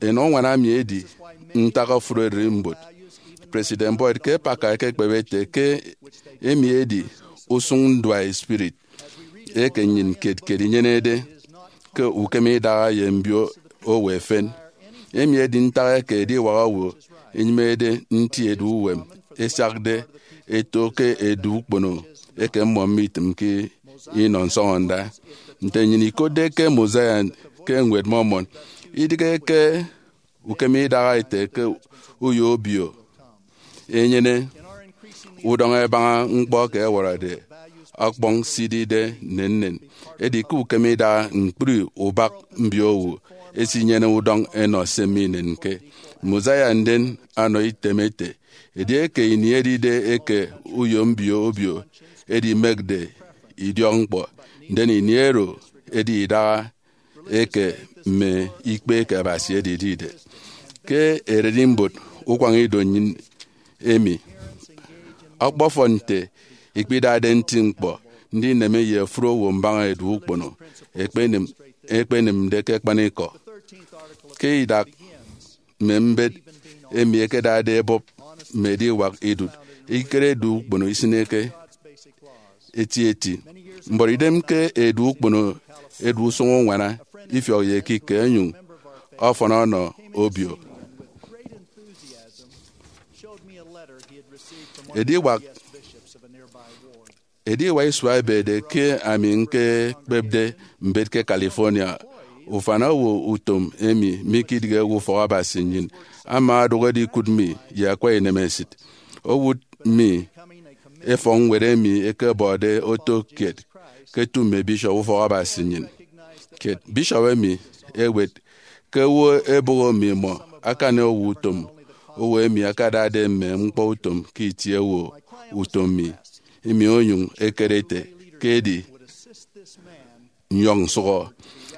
enọ uñwana emi edi ntak ofụri ererimbot. President Boyd K. Packer ekekpep ete ke emi edi usụñ nduae spirit eke nnyịn kiet kiet inyenede ke ukem idaha ye mbio owo efen. Emi edi ntak eke ediwak owo enyịmede nti edu uwem esiakde eto ke edu ukpono eke mmọ mitịmke inọ nsọñọnda. Nte nnyịn ikotde ke Mosiah ke Ñwed Mormon, idịghe ke ukem idaha ete ke uyo obio enyene udọñ ẹbaña ñkpọ ke ẹwọrọde ọkpọñ sidide nnennen. Edi ke ukem idaha, ñkpri ubak mbio owo esinyene udọñ ẹnọ se minenke. Mosiah ndien ọnọ item ete, edieke ini edide eke uyo mbio obio edimekde idiọkñkpọ, ndien ini ero edi idaha eke mme ikpe eke Abasi edidide. Ke ererimbot ukwañido nnyịn emi, ọkpọfọn nte ikpidade nti ñkpọ ndineme ye ofụri owo mbaña edu ukpono ekpenịm-, ekpenịmde ke akpanikọ. Ke idak mme mbet emi ẹkedade ẹbọp mme ediwak idụt, ekikere edu ukpono isịneke etieti. Mbuọtidem ke edu ukpono edu usụñ uñwana, ifiọk ye ekike, ẹnyụñ ọfọn ọnọ obio. Ediwak, ediwak isua ebede ke ami ñkekpepde mbet ke California, ufan owo utom emi mikidịghe ufọk Abasi nnyịn ama odụk edikụt mi ye akwa inemesịt. Owụt mi efọk ñwed emi ẹkebọde oto kiet ke etu mme bishop ufọk Abasi nnyịn kiet. Bishop emi ewet ke owo ẹbụhọ mmimọ akani owo utom, owo emi akadade mme ñkpọ utom ke itie owo utom mi. Emi onyụñ ekere ete ke edi nyọñ nsụhọ.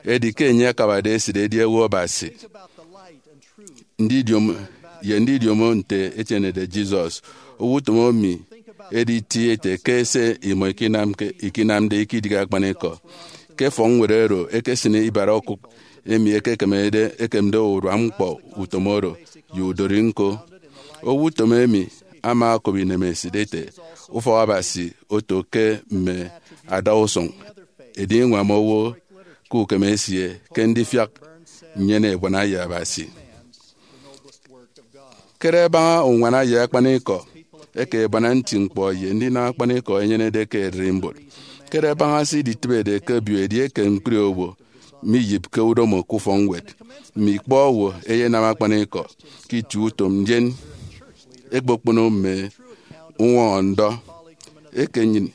Edi ke enye akabade esịt edi owo Abasi, ndidiom ye ndidiomo nte etienede Jesus, owo utom emi edi eti ete ke se imọ ikinamke, ikinamde ikidighe akpanikọ. Ke efọkñwed oro ekesịne ibara okụk emi ekekemede, ekemde urua ñkpọ utom oro ye udori ñko. Owo utom emi ama okop inemesịt ete, ufọk Abasi oto ke mme adausụñ, edi iñwam owo ke ukem esie ke ndifiak nnyene ebuana ye Abasi. Kere baña uñwana ye akpanikọ eke ebuana nti ñkpọ ye ndinam akpanikọ enyenede ke ererimbot. Kere baña se iditịbede ke obio edieke ñkpri owo miyịp ke udomo ke ufọkñwed, mme ikpọ owo eyenam akpanikọ ke itie utom, ndien ekpokpono mme uñwọñọ ndọ eke nnyịn.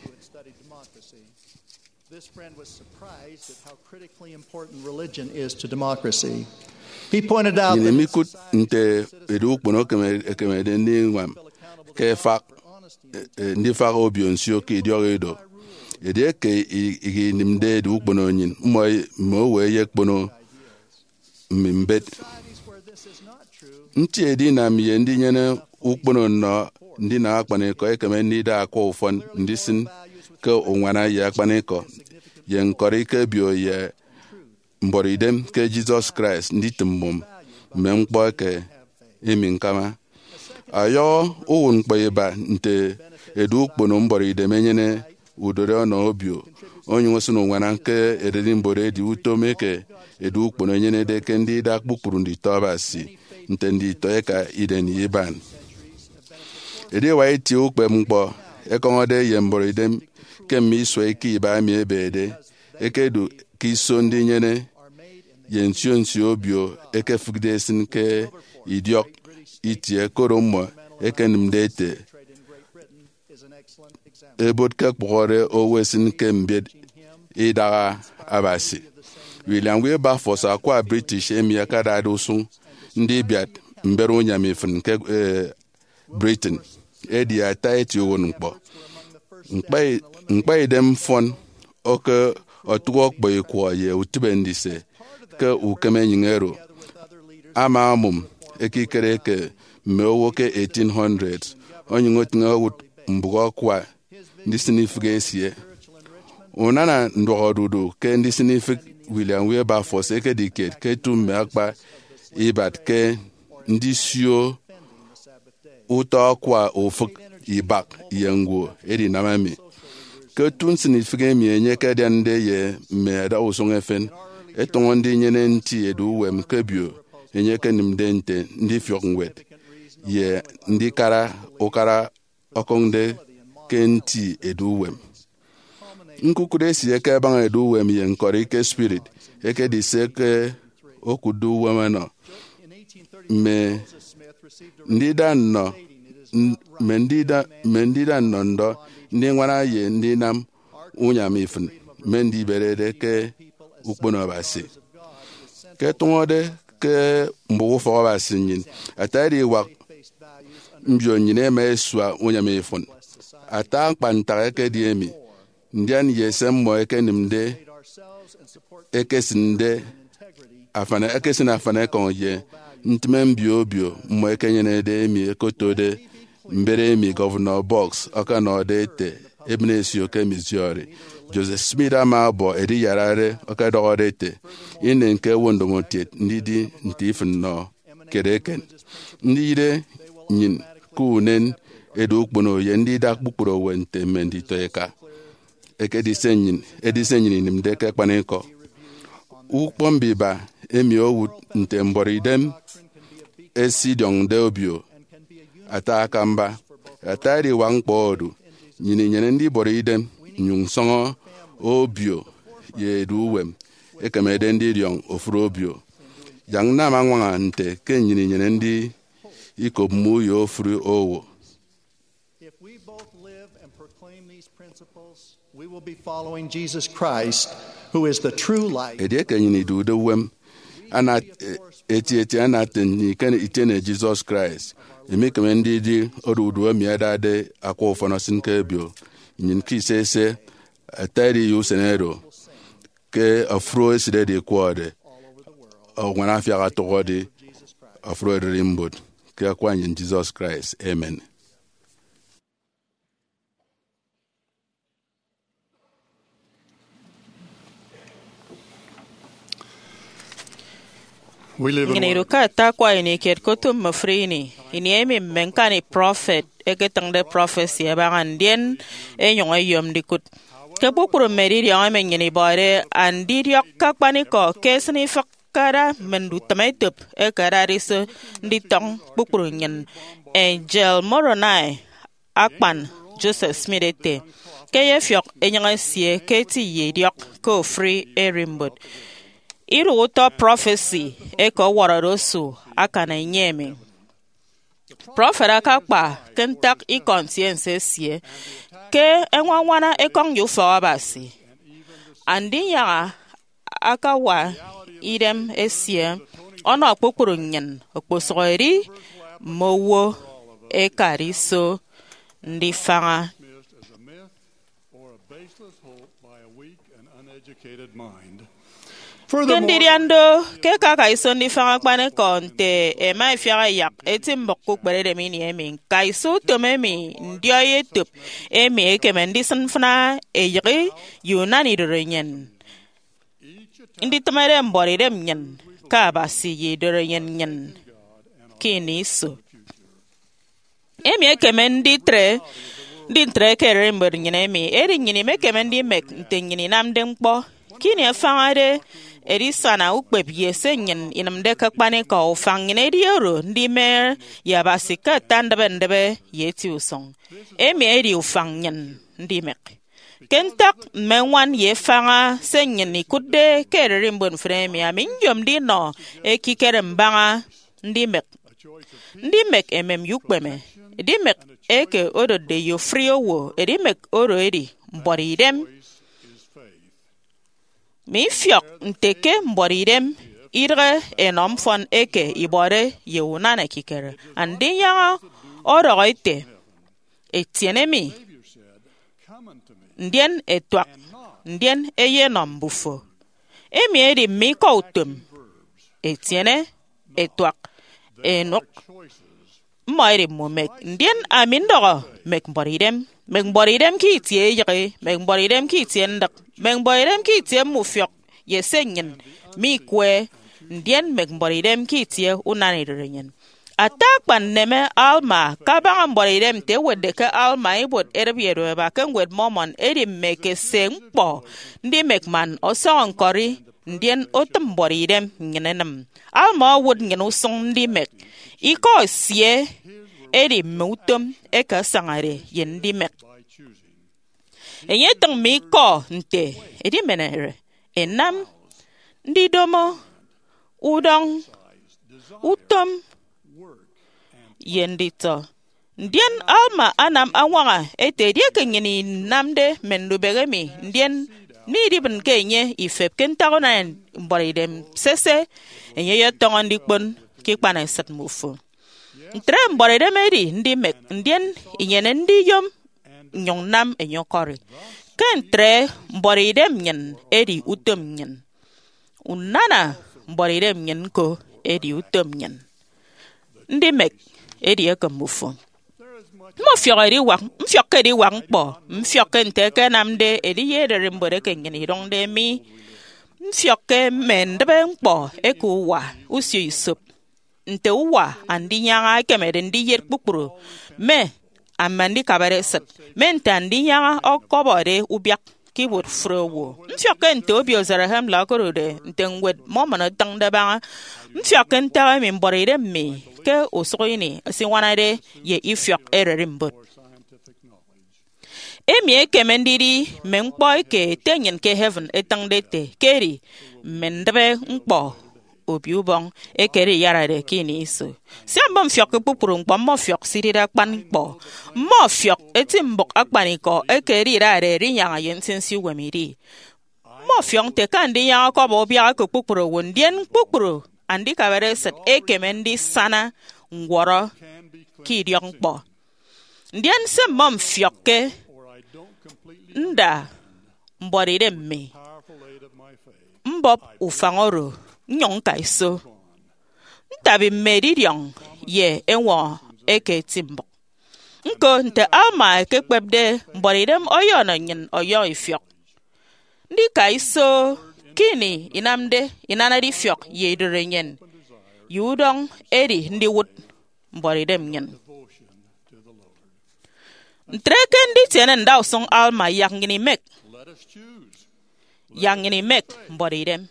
This friend was surprised at how critically important religion is to democracy. He pointed out Nnyịn that mikụt nte edu ukpono ekeme- ekemede ndiñwam ke efak, eh, ndifak obio nsio ke idiọk ido. Edieke i- ikinịmde edu ukpono nnyịn, mmọ mme owo eyekpono mme mbet. Nti edinam ye ndinyene ukpono nnọ ndinam akpanikọ ekeme ndida akwa ufọn ndisịn ke uñwana ye akpanikọ ye ñkọri ke obio ye mbọrọidem ke Jesus Christ nditịm mmụm mme ñkpọ eke emi ñkama. Ọyọhọ uwụtñkpọ iba nte edu ukpono mbọrọidem enyene udori ọnọ obio, onyụñ osịn uñwana ke ererimbot edi utom eke edu ukpono enyenede ke ndida kpukpru nditọ Abasi nte nditọ eka iren ye iban. Ediwak itie ukpepñkpọ ẹkọñọde ye mbọrọidem ke mme isua eke iba emi ẹbede ẹkedu ke iso ndinyene ye nsio nsio obio ẹkefịkde ẹsịn ke idiọk itie, koro mmọ ẹkenịmde ẹte ebot ke ẹkpụhọde owo ẹsịn ke mbiet idaha Abasi. William Wilberforce, akwa British emi akadade usụñ ndibiat mbet unyam ifịn ke, eh, Britain, edi ata eti uwụtñkpọ. Ñkpa-, ñkpaidem mfọn oke otụk ọkpọ ikwọ ye utịbe ndise ke ukem enyịñ oro. Ama omụm ekikere eke mme owo ke eighteen hundred, onyụñ otịñ owụt mbụk akwa ndisịn ifịk esie. Unana nduọkodudu ke ndisịn ifịk William Wilberforce ekedi kiet ke etu mme akpa ibat ke ndisio utọ akwa ufịk ibak ye ñwo edinam emi. Ke otu nsịnifịk emi enye ekediande ye mme adausụñ efen, ẹtọñọ ndinyene nti edu uwem ke obio enye ekenịmde nte ndifiọk ñwed ye ndikara ukara ọkọñde ke nti edu uwem. Ñkukụt esie ke ẹbaña edu uwem ye ñkọri ke spirit ekedi se ke okụtde uwem ọnọ mme ndida nnọ, mme ndida, mme ndida nnọ ndọ ndiñwana ye ndinam unyam ifịn mme ndiberede ke ukpono Abasi. Ke ẹtụñọde ke mbụk ufọk Abasi nnyịn, ata ediwak mbio nnyịn ẹma ẹsua unyam ifịn. Ata akpan ntak ekedi emi, ndian ye se mmọ ẹkenịmde, ẹkesịnde afan, ẹkesịn afan ekọñ ye ntịme mbio obio mmọ ẹkenyenede emi ẹkotode mbet emi Governor Boggs ọkọnọde ete ebịne esio ke Missouri. Joseph Smith ama ọbọ ediyarare ọkọdọhọde ete, inen ke owo ndomokiet ndidi nte ifịn nnọ kiet eken. Ndiyịre nnyịn ke unen edu ukpono ye ndida kpukpru owo nte mme nditọ eka. Ekedi se nnyịn, edi se nnyịn inịmde ke akpanikọ. Ukpọñ mbiba emi owụt nte mbọrọidem esidiọñde obio ata akamba. Ata ediwak ñkpọ odu, nnyịn inyene ndibọrọ idem nnyụñ nsọñọ obio ye edu uwem ekemede ndidiọñ ofụri obio. Yak nnam añwaña nte ke nnyịn inyene ndi ikop mme uyo ofụri owo. If we both live and proclaim these principles, we will be following Jesus Christ, who is the true light. Edieke nnyịn idude uwem, ana etieti ana itiene Jesus Christ, imikeme ndidi odudu emi adade akwa ufọn osịn ke obio nnyịn ke ise ise, ata edi ye usen oro. ke ofụri esịt edi ẹkwọrọde, oñwan afiak otụhọde ofụri ererimbot, ke akwa nnyịn Jesus Christ. Amen. Nnyịn idu ke ata akwa ini kiet ke otu mme ofụri ini, ini emi mme ñkani prọfet ẹketịñde prọfesi ẹbaña ndien ẹnyụñ ẹyom ndikụt. Ke kpukpru mme edidiọñ emi nnyịn ibọde andidiọk ke akpanikọ ke esịn ifịk ke ada mme ndutịm etop eke adade iso nditọñ kpukpru nnyịn. Angel Moroni akpan Joseph Smith ete ke ẹyefiọk enyịñ esie ke eti ye idiọk ke ofụri ererimbot. Idu utọ prọfesi eke ọwọrọde osu akan enye emi. Prọfet akakpa ke ntak ikọ ntiense esie ke ẹñwañwana ekọñ ye ufọk Abasi. Andinyaña akawa idem esie ọnọ kpukpru nnyịn, okposụkedi mme owo ẹkade iso ndifaña. Ke ndidian do, ke ẹkaka iso ndifaña akpanikọ nte ẹma ẹfiak ẹyak eti mbụk ke ukperedem ini emi, ñkaiso utom emi ndiọi etop emi ekeme ndisịn mfịna eyịghe ye unana idorenyin. Nditịmede mbuọtidem nnyịn ke Abasi ye idorenyin nnyịn ke ini iso. Emi ekeme nditre ndi ntre ke ererimbot nnyịn emi, edi nnyịn imekeme ndimek nte nnyịn inamde ñkpọ. Ke ini afañade edisana ukpep ye se nnyịn inịmde ke akpanikọ, ufañ nnyịn edi oro ndime ye Abasi ke ata ndịbe ndịbe ye eti usụñ. Emi edi ufañ nnyịn ndimek. Ke ntak mme ñwan ye efaña se nnyịn ikụtde ke ererimbot mfịn emi, ami nyomde inọ ekikere mbaña ndimek. Ndimek emem ye ukpeme. Edimek eke odotde ye ofụri owo, edimek oro edi mbuọtidem. Mifiọk nte ke mbuọtidem idịghe enọ mfọn eke ibọde ye unana ekikere. Andinyaña ọdọhọ ete, "Etiene mi, ndien ẹtuak, ndien ẹyenọ mbufo." Emi edi mme ikọ utom, etiene, ẹtuak, ẹnụk. Mmọ edi mme umek. Ndien ami ndọhọ, mek mbuọtidem, mek mbuọtidem ke itie eyịghe, mek mbuọtidem ke itie ndịk, mek mbuọtidem ke itie mme ufiọk ye se nnyịn mikwe, ndien mek mbuọtidem ke itie unana idorenyin. Ata akpan nneme Alma kabaña mbuọtidem nte ẹwetde ke Alma ibuot edịp ye edụk eba ke Ñwed Mormon edi mme ekese ñkpọ ndimek man ọsọñọ ñkọri, ndien otịm mbuọtidem nnyịn enịm. Alma owụt nnyịn usụñ ndimek. Ikọ esie edi mme utom eke asañade ye ndimek. Enye etịñ mme ikọ nte edimenere, enam, ndidomo, udọñ, utom, ye nditọ. Ndien Alma anam añwaña ete edieke nnyịn inamde mme ndubịk emi, ndien midibịnke enye ifep ke ntak unana mbuọtidem, sese, enye eyetọñọ ndikpon ke ikpanesịt mmufo. Ntre mbuọtidem edi ndimek, ndien inyene ndiyom nnyụñ nnam enye ọkọri. Ke ntre mbuọtidem nnyịn edi utom nnyịn. Unana mbuọtidem nnyịn ñko edi utom nnyịn. Ndimek edieke mbufo. Mmọfiọk ediwak, mfiọk ke ediwak ñkpọ, mfiọk ke nte ẹkenamde ediye ererimbot eke nnyịn idụñde mi. Mfiọk ke mme ndịbe ñkpọ eke uwa usio isop, nte uwa Andinyaña ekemede ndiyet kpukpru mme ama ndikabare esịt, mme nte Andinyaña ọkọbọde ubiak ke ibuot ofụri owo. Mfiọk ke nte obio Zarahemla okodude, nte Ñwed Mormon etịñde abaña. Mfiọk ke ntak emi mbuọtidem mi ke usụk ini esiñwanade ye ifiọk ererimbot. Emi ekeme ndidi mme ñkpọ eke Ete nnyịn ke heaven etịñde ete ke edi mme ndịbe ñkpọ Obio Ubọñ eke ediyarade ke ini iso. Sia mmọfiọk ke kpukpru ñkpọ, mmọfiọk se idide akpan ñkpọ. Mmọfiọk eti mbụk akpanikọ eke edidade Edinyaña ye Nsinsi Uwem idi. Mmọfiọk nte ke Andinyaña ọkọbọ ubiak eke kpukpru owo, ndien kpukpru andikabare esịt ekeme ndisana ñwọrọ ke idiọkñkpọ. Ndien se mmọfiọk ke nda mbuọtidem mi. mbọp ufañ oro nnyụñ ñka iso. Ntabi mme edidiọñ ye eñwọñọ eke eti mbụk. Ñko, nte Alma ekekpepde, mbuọtidem ọyọnọ nnyịn ọyọhọ ifiọk. Ndika iso ke ini inamde inanade ifiọk ye idụt enyịn ye udọñ edi ndiwụt mbuọtidem nnyịn. Ntre ke nditiene ndausụñ Alma, yak nnyịn imek yak nnyịn imek mbuọtidem.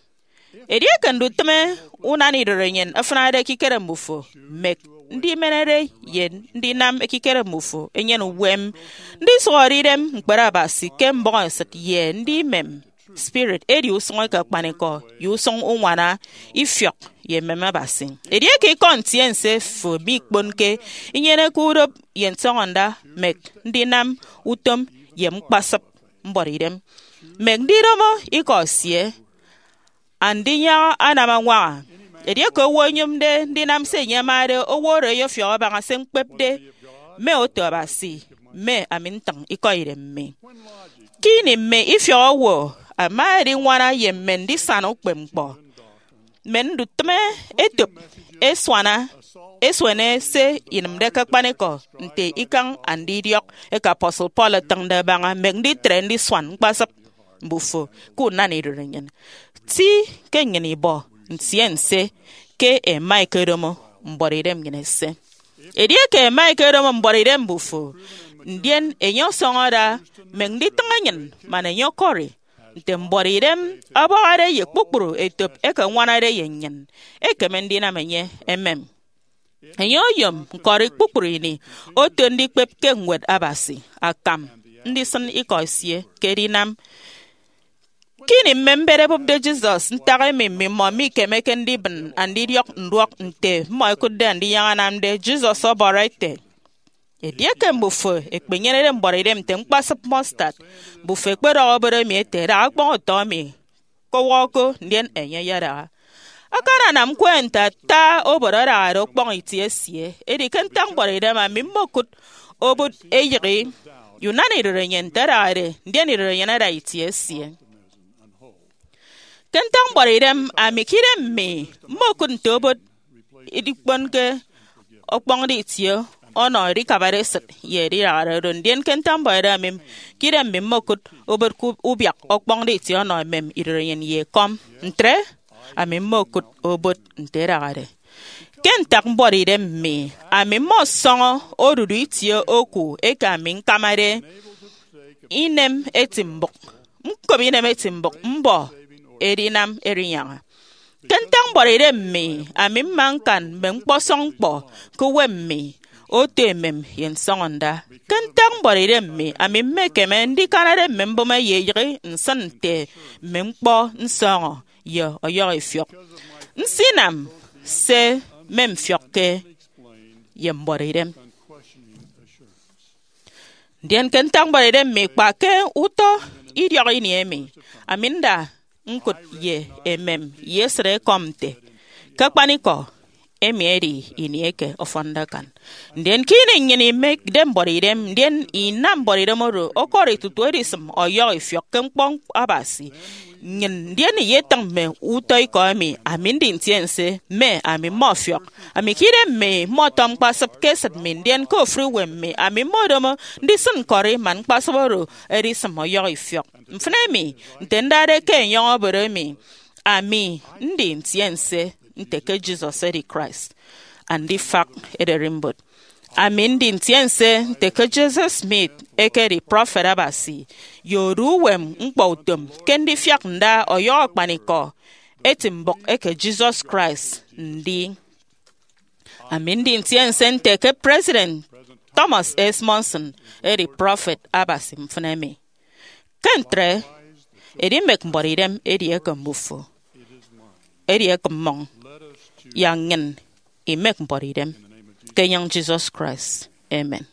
Edieke ndutịme unana idụt enyịn afịnade ekikere mbufo, mek ndimenede ye ndinam ekikere mbufo enyene uwem. Ndisụhọde idem ñkpere Abasi ke mbọhọesịt ye ndimem spirit edi usụñ eke akpanikọ ye usụñ uñwana ifiọk ye emem Abasi. Edieke ikọ ntiense fo mikponke, inyeneke udop ye nsọñọnda, mek ndinam utom ye ñkpasịp mbuọtidem. Mek ndidomo ikọ esie andinyaña anam añwaña. Edieke owo oyomde ndinam se enye amade, owo oro eyefiọk abaña se ñkpepde mme oto Abasi, mme ami ntịñ ikọ idem mi. Ke ini mme ifiọk owo ama ediñwana ye mme ndisana ukpepñkpọ, mme ndutịme etop esuana esuene se inịmde ke akpanikọ nte ikañ andidiọk eke apostle Paul etịñde abaña, mek nditre ndisuan ñkpasịp mbufo ke unana idụt enyịn. Ti ke nnyịn ibọ ntiense ke ẹma ẹkedomo mbuọtidem nnyịn ẹse. Edieke ẹma ẹkedomo mbuọtidem mbufo, ndien enye ọsọñọ ada, mek nditịñ enyịn man enye ọkọri nte mbuọtidem ọbọhọde ye kpukpru etop eke añwanade ye nnyịn, ekeme ndinam enye emem. Enye oyom ñkọri kpukpru ini oto ndikpep ke Ñwed Abasi akam ndisịn ikọ esie ke edinam. Ke ini mme mbet ẹbụpde Jesus ntak emi mmimọ mikemeke ndibịn andidiọk nduọk nte mmọ ẹkụtde andinyaña anamde, Jesus ọbọrọ ete, edieke mbufo ekpenyenede mbuọtidem nte ñkpasịp mustard, mbufo ekpedọhọ obot emi ete, daha ọkpọñ utọ emi, kọwọ ko, ndien enye ayadaha. Akananam ñkwe nte ata obot adahade ọkpọñ itie esie. Edi ke ntak mbuọtidem, ami mmokụt obot eyịghi ye unana idụt enyịn nte adahade, ndien idụt enyịn ada itie esie. Ke ntak mbuọtidem, ami ke idem mi mmokụt nte obot idikponke ọkpọñde itie ọnọ edikabade esịt ye edidahade do, ndien ke ntak mbuọtidem, ami ke idem mi mmokụt obot ke ubiak ọkpọñde itie ọnọ emem idụt enyịn ye ekọm. Ntre, ami mmokụt obot nte edahade. Ke ntak mbuọtidem mi, ami mmọsọñọ odudu itie oku eke ami ñkamade inem eti mbụk, ñkop inem eti mbụk mbọ edinam erinyaña. Ke ntak mbuọtidem mi, ami mma ñkan mme ñkpọsọñ ñkpọ ke uwem mi, oto emem ye nsọñọnda. Ke ntak mbuọtidem mi, ami mmekeme ndikanade mme mbụme ye eyịghi nsịn nte mme ñkpọ nsọñọ ye ọyọhọ ifiọk. Nsinam se memfiọkke ye mbuọtidem. Ndien ke ntak mbuọtidem mi, kpa ke utọ idiọk ini emi, ami nda ñkụt ye emem ye esịt ekọm nte, ke akpanikọ, emi edi ini eke ọfọnde akan. Ndien ke ini nnyịn imekde mbuọtidem, ndien inam mbuọtidem oro ọkọri tutu edisịm ọyọhọ ifiọk ke ñkpọ Abasi, nnyịn ndien iyetịñ mme utọ ikọ emi, ami ndi ntiense, mme ami mmọfiọk. Ami ke idem mi mmọtọ ñkpasịp ke esịt mi, ndien ke ofụri uwem mi, ami mmodomo ndisịn ñkọri man ñkpasịp oro edisịm ọyọhọ ifiọk. Mfịn emi, nte ndade ke enyọñ obot emi, ami ndi ntiense nte ke Jesus edi Christ, Andifak Ererimbot. Ami ndi ntiense nte ke Joseph Smith ekedi prọfet Abasi ye odu uwem ñkpọutom ke ndifiak nda ọyọhọ akpanikọ eti mbụk eke Jesus Christ ndi. Ami ndi ntiense nte ke President Thomas S. Monson edi prọfet Abasi mfịn emi. Ke ntre, edimek mbuọtidem edieke mbufo, edieke mmọñ, yak nnyịn imek mbuọtidem ke enyịñ Jesus Christ. Amen.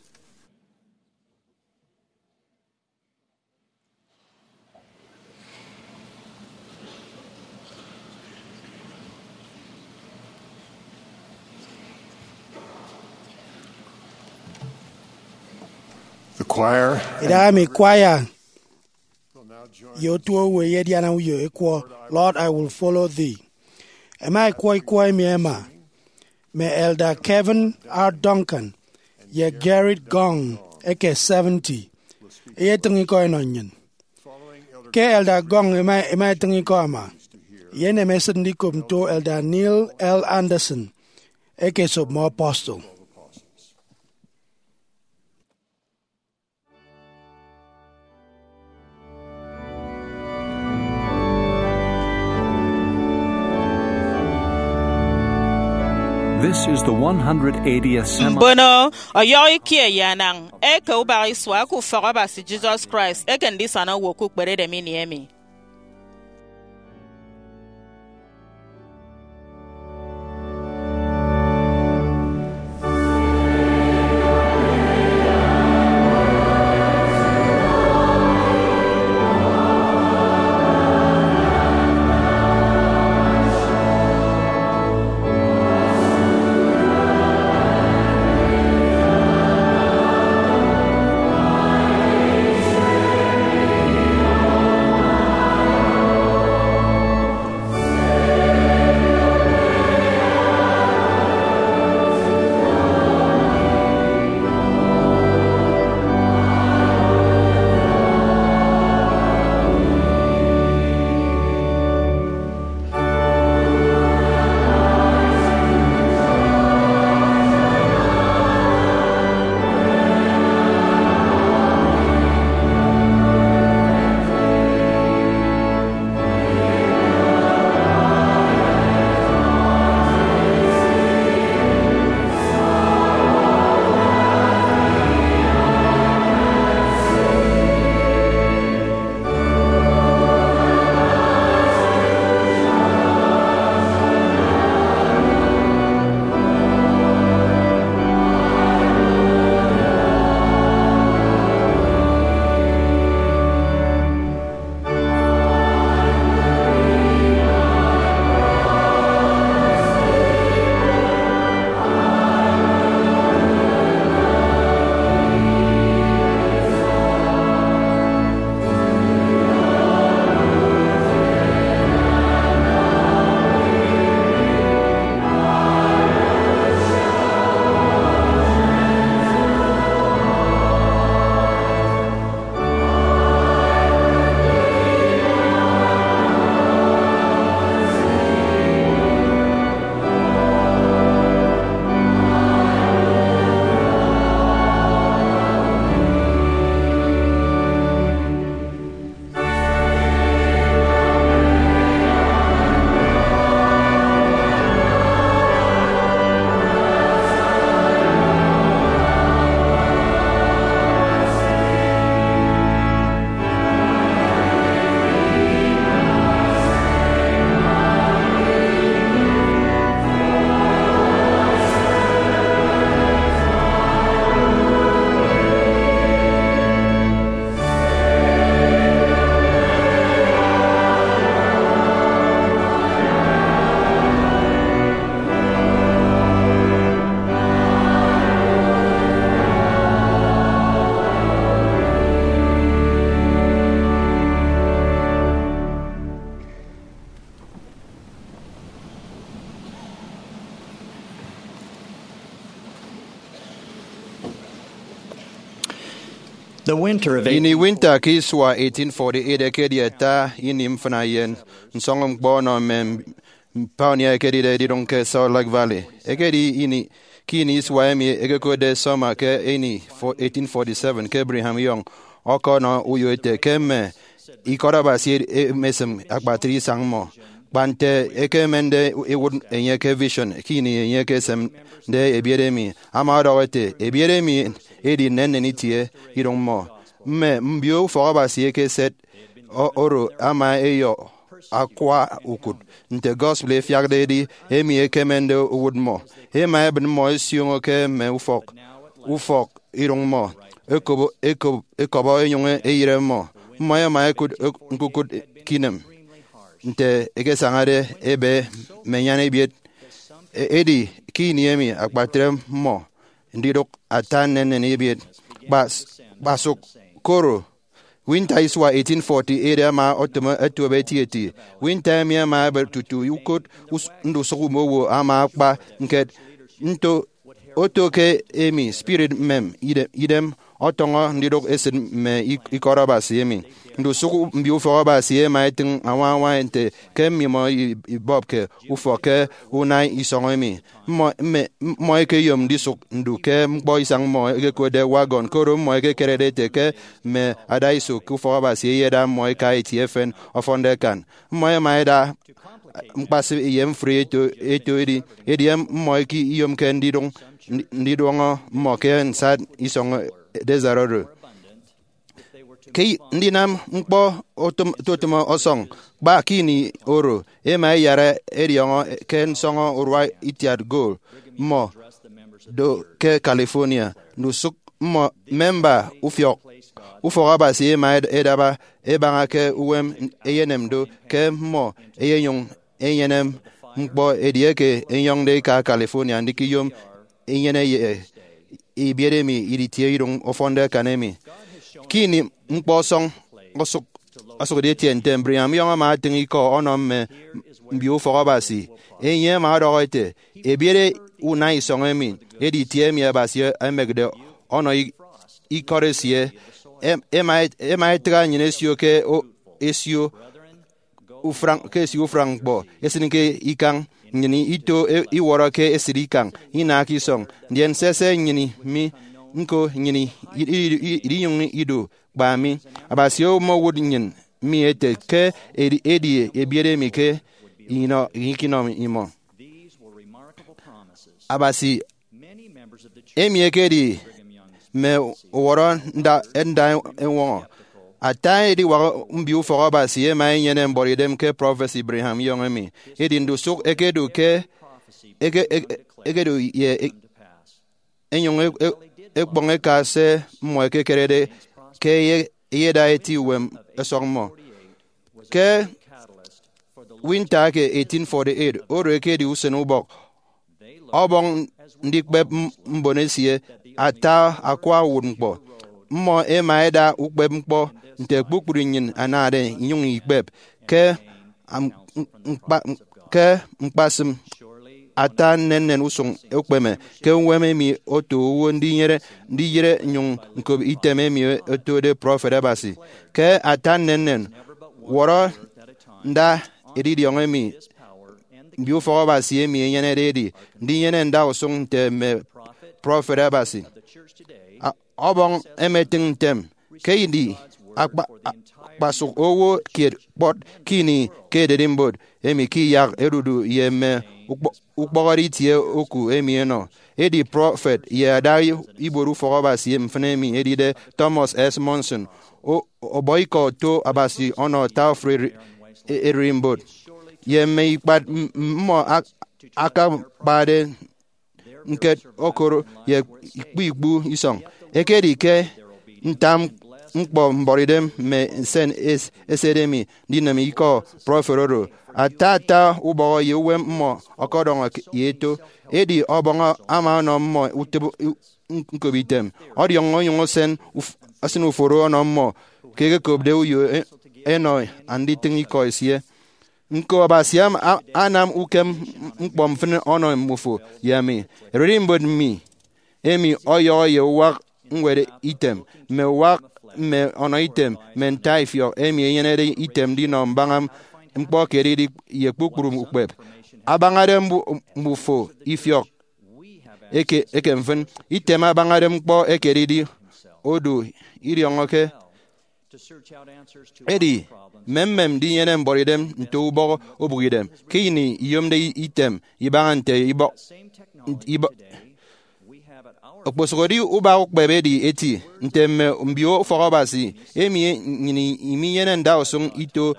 The choir. Idahaemi kwaya ye otu owo eyediana uyo ekwọ Lord, I Will Follow Thee. Ẹma ẹkwọ ikwọ emi ẹma mme Elder Kevin R. Duncan ye Gerrit Gong eke seventy eyetịñ ikọ ẹnọ nnyịn. Ke Elder Gong ema, ema etịñ ikọ ama, eyenem esịt ndikop nto Elder Neil L. Andersen eke esop mme apostle. This is the one hundred eightieth Semi- Mbono ọyọhọ ikie ye anañ eke ubak isua eke Ufọk Abasi Jesus Christ eke Ndisana Owo ke Ukperedem ini emi. The winter of Ini winter ke isua eighteen forty-eight ekedi ata ini mfịna ye nsọñọñkpọ ọnọ mme pioneer ẹkedide edidụñ ke Salt Lake Valley. Ekedi ini, ke ini isua emi ẹkekotde summer ke ini fo-, eighteen forty-seven, ke Brigham Young ọkọnọ uyo ete ke mme ikọt Abasi ed-, emesịm akpatre isañ mmọ, kpa nte ẹkemende ẹwụt enye ke vision ke ini enye ekesemde ebiet emi. Ama ọdọhọ ete, ebiet emi edi nnennen itie idụñ mmọ. Mme mbio ufọk Abasi ekeset o-, oro ama eyọ akwa ukụt nte gospel efiakde edi emi ekemende owụt mmọ. Ema ebịn mmọ esioño ke mme ufọk, ufọk idụñ mmọ, ekobo, ekob-, ekọbọ enyụñ eyịre mmọ. Mmọ ema ekụt ek-, ñkukụt ke inem nte ekesañade ebe mme enyana ebiet. E-, edi ke ini emi akpatre mmọ ndidụk ata nnennen ebiet. Kpas-, kpasụk koro, Winter isua eighteen forty-eight ama otịm etuowo etieti. Winter emi ama ebet tutu ukot us- ndusụk mme owo ama akpa ñket nto oto ke emi spirit mmem ide- idem ọtọñọ ndidụk esịt mme ik- ikọt Abasi emi. Ndusụk mbio ufọk Abasi ẹma ẹtịñ añwaña nte ke mmimọ i- ibọpke ufọk ke unana isọñ emi. Mmọ, mme, mmọ ẹkeyom ndisụk ndu ke ñkpọ isañ mmọ ẹkekotde wagon, koro mmọ ẹkekerede ete ke mme adaiso ke ufọk Abasi ẹyeda mmọ ẹka eti efen ọfọnde akan. Mmọ ẹma ẹda ñkpasịp ye mfri eto, eto edi, edi mmọ ẹkeyomke ndidụñ, ndi- ndidụñọ mmọ ke nsat isọñ desert oro. Ke ndinam ñkpọ otịm- otịm ọsọñ, kpa ke ini oro, ẹma ẹyara ẹdiọñọ ke nsọñọ urua itiat gold mmọ do ke California. Ndusụk mmọ, memba ufiọk ufọk Abasi, ẹma ẹd- ẹdaba ẹbaña ke uwem ẹyenem do ke mmọ ẹyenyụñ ẹnyenem ñkpọ edieke ẹnyọñde ẹka California ndikiyom inyene ye ebiet emi iditie idoñ ọfọnde akan emi. Ke ini ñkpọ ọsọñ osụk, osụkde etie ntem, Brigham Young ama atịñ ikọ ọnọ mme mbio ufọk Abasi. Enye ama ọdọhọ ete, ebiet unana isọñ emi edi itie emi Abasi emekde ọnọ i- ikọt esie. Em- ema et- ema etịgha nnyịn esio ke o- esio ufran- ke esio ufran ñkpọ, esịn ke ikañ nnyịn ito e- iwọrọ ke esịt ikañ, inaak isọñ, ndien sese nnyịn mi ñko nnyịn i- i- i- idinyụñ idu kpa mi. Abasi omowụt nnyịn mi ete ke edi, edi ebiet emi ke inọ- ikinọ imọ. Abasi emi ekedi mme uwọrọ nda, nda eñwọñọ. Ata ediwak mbio ufọk Abasi ẹma ẹnyene mbuọtidem ke prọfesi Brigham Young emi. Edi ndusụk ẹkedu ke, eke- eke- ẹkedu ye e- ẹnyụñ e- e- ẹkpọñ ẹka se mmọ ẹkekerede ke ẹye- ẹyeda eti uwem ẹsọk mmọ. Ke winter eke eighteen forty-eight, oro ekedi usen ubọk, ọbọñ ndikpep m- mbon esie ata akwa uwụtñkpọ. Mmọ ẹma ẹda ukpepñkpọ nte kpukpru nnyịn anade inyụñ ikpep ke am- ñkpa- ke ñkpasịm ata nnennen usụñ ukpeme. Ke uwem emi oto owo ndinyere ndiyịre nnyụñ ñkop item emi otode prọfet Abasi. Ke ata nnennen, wọrọ nda edidiọñ emi mbio ufọk Abasi emi enyenede edi ndinyene nda usụñ nte mme prọfet Abasi. A- ọbọñ emetịñ ntem ke ini akpa- a- kpasụk owo kiet kpọt ke ini ke ererimbot emi ke iyak ẹdudu ye mme ukpọ- ukpọhọde itie oku emi ẹnọ. Edi prọfet ye ada ibuot ufọk Abasi mfịn emi edide Thomas S. Monson o- ọbọ ikọ oto Abasi ọnọ ata ofụri eri- e- ererimbot ye mme ikpat m- mmọ ak- akakpade ñket okoro ye ikpu ikpu isọñ. Ekedi ke nta ñkpọ mbuọtidem mme nsen es- esede mi ndinịm ikọ prọfet oro. Ata ata ubọhọ ye uwem mmọ ọkọdọñọ ye eto. Edi ọbọñ ama ọnọ mmọ utịp u- ñkop item, ọdiọñ onyụñ ọsịn uf- ọsịn uforo ọnọ mmọ ke ẹkekopde uyo e- ẹnọ anditịñ ikọ esie. Ñko, Abasi am- a- anam ukem ñkpọ mfịn ọnọ mmufo ye ami. Ererimbot mi emi ọyọhọ ye uwak ñwed item, mme uwak mme ọnọ item, mme ntaifiọk emi enyenede item ndinọ mbaña ñkpọ ke edidi ye kpukpru ukpep. Abañade mbu- mbufo ifiọk eke, eke mfịn. Item abañade ñkpọ eke edidi odu idiọñọke. Edi, mmemmem ndinyene mbuọtidem nto ubọhọ obụkidem ke ini iyomde item ibaña nte ibọ-, ibọ-, okposụkedi ubak ukpep edi eti nte mme mbio ufọk Abasi emi nnyịn iminyene ndausụñ ito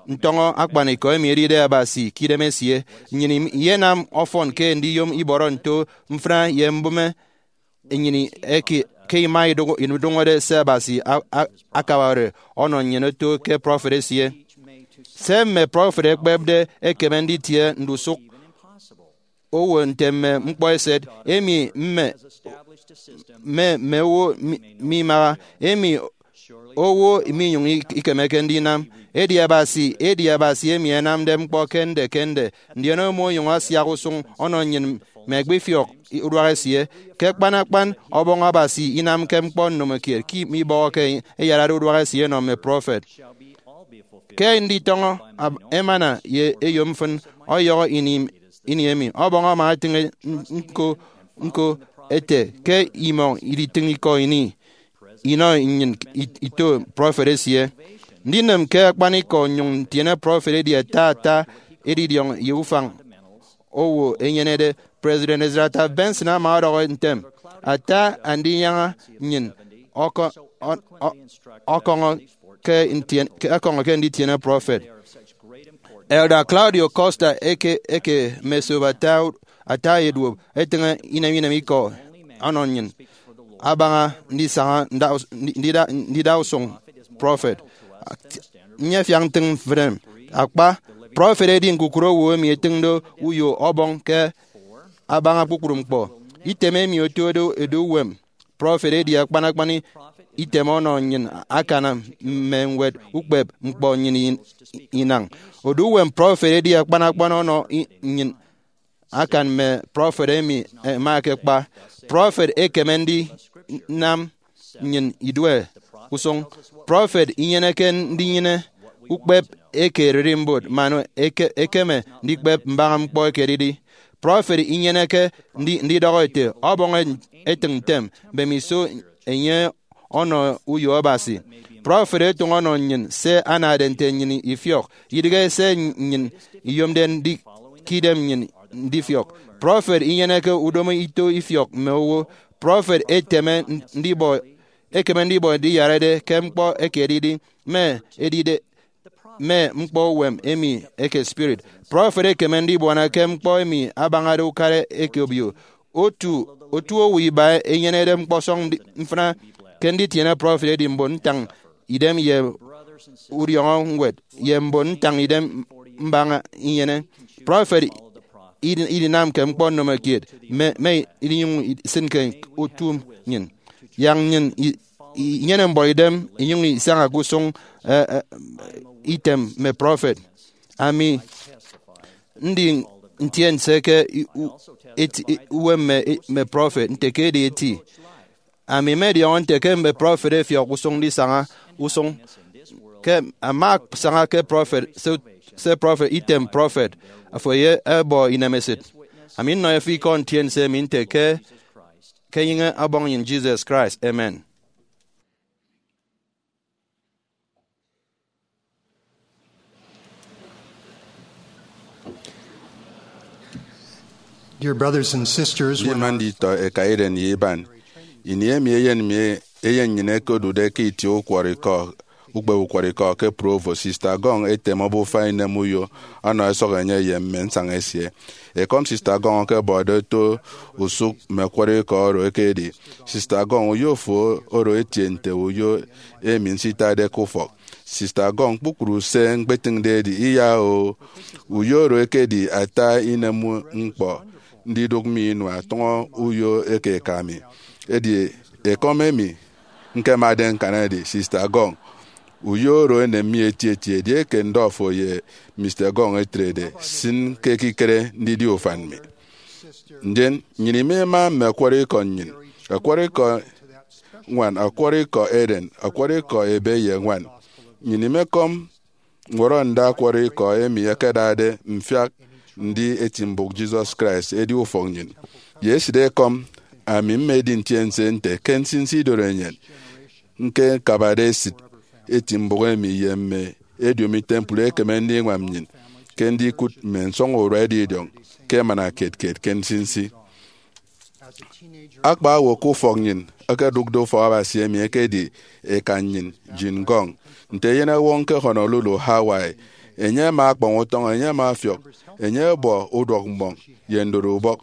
ntọñọ akpanikọ emi edide Abasi ke idem esie. Nnyịn im- iyenam ọfọn ke ndiyom ibọrọ nto mfịna ye mbụme nnyịn eke, ke ima idụñ- idụñọde se Abasi a- a- akabade ọnọ nnyịn oto ke prọfet esie. Se mme prọfet ẹkpepde ekeme nditie ndusụk owo nte mme ñkpọ eset emi mme, mme, mme owo mi- mimaha, emi owo minyụñ ik- ikemeke ndinam. Edi Abasi, edi Abasi emi anamde ñkpọ ke nde ke nde, ndien omonyụñ asiak usụñ ọnọ nnyịn mme ẹkpifiọk uduak esie. Ke akpan akpan, Ọbọñ Abasi inamke ñkpọ ndomokiet ke mibọhọke eyarade uduak esie enọ mme prọfet. Ke nditọñọ ab- emana ye eyomfịn ọyọhọ ini, ini emi, Ọbọñ ama etịñ nko nko ete ke imọ iditịñ ikọ ini inọ nnyịn it- ito prọfet esie. Ndinịm ke akpanikọ nnyụñ ntiene prọfet edi ata ata edidiọñ ye ufañ owo enyenede. President Ezra Taft Benson ama ọdọhọ ntem, ata andinyaña nnyịn ọkọ- ọ- ọ- ọkọñọ ke ntien- ke ọkọñọ ke nditiene prọfet. Elder Claudio Costa eke eke mesop ata ata eduop etịñ inem inem ikọ ọnọ nnyịn abaña ndisaña nda- ndida ndida usụñ prọfet. Nyefiak ntịñ mfịn akpa, prọfet edi ñkukụre owo emi etịñde uyo Ọbọñ ke abaña kpukpru ñkpọ. Item emi otode edu uwem prọfet edi akpan akpan item ọnọ nnyịn akanam mme ñwed ukpep ñkpọ nnyịn in- inañ. Odu uwem prọfet edi akpan akpan ọnọ i- nnyịn akan mme prọfet emi ẹma ẹkekpa. Prọfet ekeme ndinam nnyịn idue usụñ. Prọfet inyeneke ndinyene ukpep eke ererimbot man eke- ekeme ndikpep mbaña ñkpọ ekededi. Prọfet inyeneke ndi- ndidọhọ ete, Ọbọñ etịñ ntem, mbemiso enye ọnọ uyo Abasi. Prọfet etụñ ọnọ nnyịn se anade nte nnyịn ifiọk, idịghe se nnyịn iyomde ndi- ke idem nnyịn ndifiọk. Prọfet inyeneke udomo ito ifiọk mme owo. Prọfet eteme ndibọ ekeme ndibọ ndiyarade ke ñkpọ eke edidi mme edide mme ñkpọ uwem emi eke spirit. Prọfet ekeme ndibuana ke ñkpọ emi abañade ukara eke obio. Otu otu owo iba enyenede ñkpọsọñ ndi- mfịna ke nditiene prọfet edi mbon ntañ idem ye udiọñọ ñwed ye mbon ntañ idem mbaña inyene. Prọfet idi- idinamke ñkpọ ndomokiet mme mme idinyụñ isịnke utu nnyịn. Yak nnyịn i- i- inyene mbuọtidem inyụñ isaña ke usụñ, eh, eh, item mme prọfet. Ami ndi ntiense ke i- u- eti- i- uwem mme mme prọfet nte ke edi eti. Ami mmediọñọ nte ke mme prọfet ẹfiọk usụñ ndisaña usụñ. Ke ama asaña ke prọfet se- se prọfet item prọfet, afo ye ẹbọ inemesịt. Ami nnọ efịk ikọ ntiense emi nte ke ke enyịñ Ọbọñ nnyịn Jesus Christ. Amen. Dear brothers and sisters, when Ndima nditọ eka iren ye iban, ini emi eyen mi eyen nnyịn ekodude ke itie ukwọrọikọ ukpep ukwọrọikọ ke Provo, Sista Gong etem obufa inem uyo ọnọ ẹsọk enye ye mme nsaña esie. Ekọm Sista Gong ẹkebọde oto usụk mme ukwọrọikọ oro ekedi, Sista Gong, uyo fo oro etie nte uyo emi nsitade ke ufọk. Sista Gong, kpukpru se ñkpetịñde edi iya o. Uyo oro ekedi ata inem ñkpọ ndidụk mi inua tụñọ uyo eke eka mi. Edi ekọm emi ñkemade ñkan edi, Sista Gong, uyo oro enem mi etieti edieke ndọ fo ye Mista Gong etrede, sịn ke ekikere ndidi ufan mi. Ndien nnyịn ima ima mme ọkwọrọ ikọ nnyịn, ọkwọrọ ikọ ñwan, ọkwọrọ ikọ eren, ọkwọrọ ikọ ebe ye ñwan. Nnyịn imekọm ñwọrọnda ọkwọrọ ikọ emi ẹkedade mfiak ndi eti mbụk Jesus Christ edi ufọk nnyịn. Ye esịt ekọm, ami mmedi ntiense nte ke nsinsi idorenyin ñkekabade esịt eti mbụk emi ye mme ediomi temple ekeme ndiñwam nnyịn ke ndikụt mme nsọñurua edidiọñ ke emana kiet kiet ke nsinsi. Akpa owo ke ufọk nnyịn ẹkedụkde ufọk Abasi emi ekedi eka nnyịn, Jean Gong, nte eyenọwọñ ke Honolulu, Hawaii. Enye ama akpọñ utọñ, enye ama ọfiọk, enye ọbọ uduọkmboñ ye ndoro ubọk.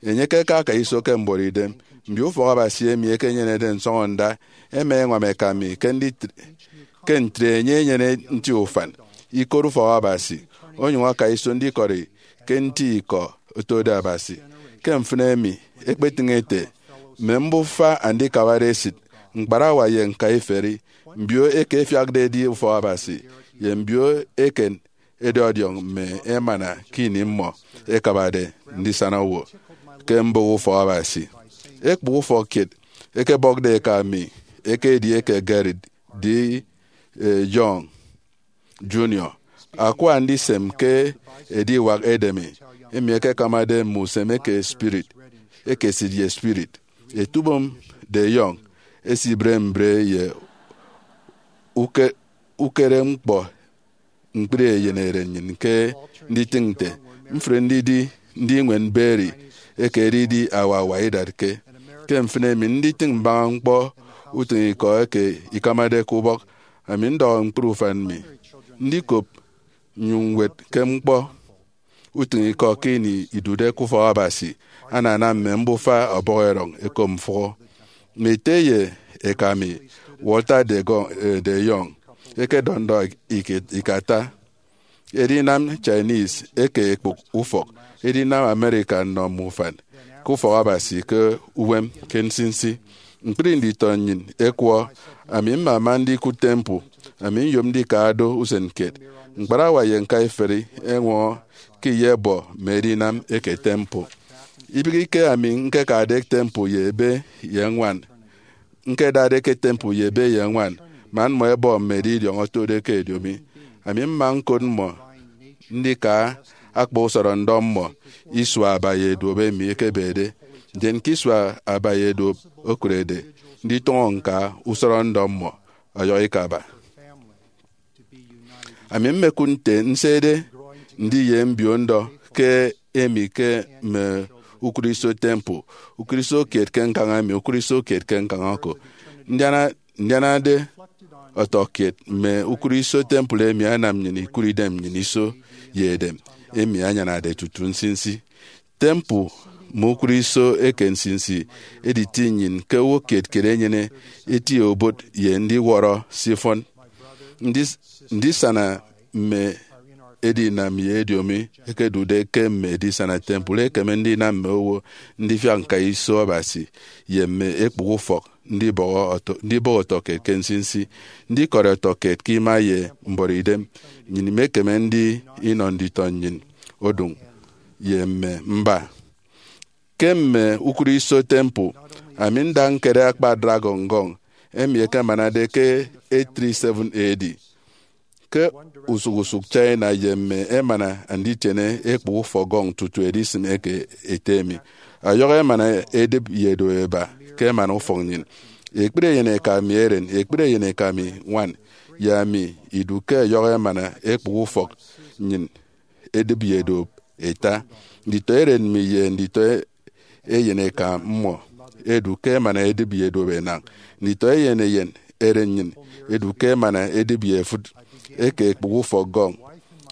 Enye ke aka iso ke mbuọtidem. Mbio ufọk Abasi emi ẹkenyenede nsọñọnda ẹma ẹñwam eka mi ke nditre- ke ntre enye enyene nti ufan, ikot ufọk Abasi, onyụñ aka iso ndikọri ke nti ikọ otode Abasi. Ke mfịn emi, ekpetịñ ete, mme mbufa andikabade esịt, ñkparawa ye ñkaiferi, Mbio eke ẹfiakde ẹdi ufọk Abasi ye mbio eken ẹdi ọdiọñ mme emana ke ini mmọ ẹkabade ndisana owo ke mbụk ufọk Abasi. Ekpụk ufọk kiet ẹkebọkde eka mi eke edieke Gary D. Young Junior akwa ndisem ke ediwak edeme, emi ẹkekamade mme usem eke spirit, eke seed ye spirit. Etubom de Young esibre mbre ye uke-, ukere ñkpọ ñkpri eyeneren nnyịn ke nditịñ nte mfri ndidi ndiñwen berry eke edidi awawa idatke. Ke mfịn emi, nditịñ mbaña ñkpọ utịñikọ eke ikamade ke ubọk, ami ndọhọ ñkpri ufan mi ndikop nnyụñ ñwet ke ñkpọ utịñikọ ke ini idude ke ufọk Abasi. Anana mme mbufa ọbọhọ erọñ ẹkop mfụhọ. Mme ete ye eka mi, Walter de Go-, eh, de Young, ẹkedọndọ ik-, ikata edinam Chinese eke ekpụk ufọk edinam America nnọ mme ufan ke ufọk Abasi ke uwem ke nsinsi. Ñkpri nditọ nnyịn ẹkwọ. Ami mmama ndikụt temple. Ami nyom ndika do usen kiet. Ñkparawa ye ñkaiferi ẹñwọñọ ke iyebọ mme edinam eke temple. Ibịghike ami ñkekade temple ye ebe ye ñwan, ñkedade ke temple ye ebe ye ñwan, man mmọ ẹbọ mme edidiọñ otode ke ediomi. Ami mma ñkot mmọ ndika akpa usọrọ ndọ mmọ isua aba ye duop emi ekebede. Ndien ke isua aba ye duop okurede nditụñọ ñka, usọrọ ndọ mmọ ọyọhọ ikaba. Ami mmekụt nte nsede ndi ye mbio ndọ ke emi ke mme ukụriso temple, ukụriso kiet ke ñkañ emi, ukụriso kiet ke ñkañ oko. Ndiana-, ndianade ọtọkiet mme ukụriso temple emi anam nnyịn ikụre idem nnyịn iso ye edem emi anyanade tutu nsinsi. Temple mme ukụriso eke nsinsi editi nnyịn ke owo kiet kiet enyene eti obot ye ndiwọrọ se ifọn. Ndis-, ndisana mme edinam ye ediomi ẹkedude ke mme edisana temple ekeme ndinam mme owo ndifiak ñka iso Abasi ye mme ekpụk ufọk ndibọhọ ọtọ-, ndibọhọ ọtọkiet ke nsinsi. Ndikọri ọtọkiet ke ima ye mbuọtidem nnyịn imekeme ndi inọ nditọ nnyịn odụñ ye mme mba. Ke mme ukụriso temple, ami nda ñkere akpa dragon gong emi ẹkemanade ke eight three seven A D. Ke usụk usụk China ye mme emana anditiene ekpụk ufọk gong tutu edisịm eke ete emi. Ọyọhọ emana edịp ye edo ẹba ke emana ufọk nnyịn. Ekpri eyeneka mi eren, ekpri eyeneka mi ñwan, ye ami idu ke ọyọhọ emana ekpụk ufọk nnyịn edịp ye edo ẹta. Nditọ eren mi ye nditọ eyeneka mmọ ẹdu ke emana edịp ye edo ẹnañ. Nditọ eyen eyen eren nnyịn ẹdu ke emana edịp ye efụt eke ekpụk ufọk gong.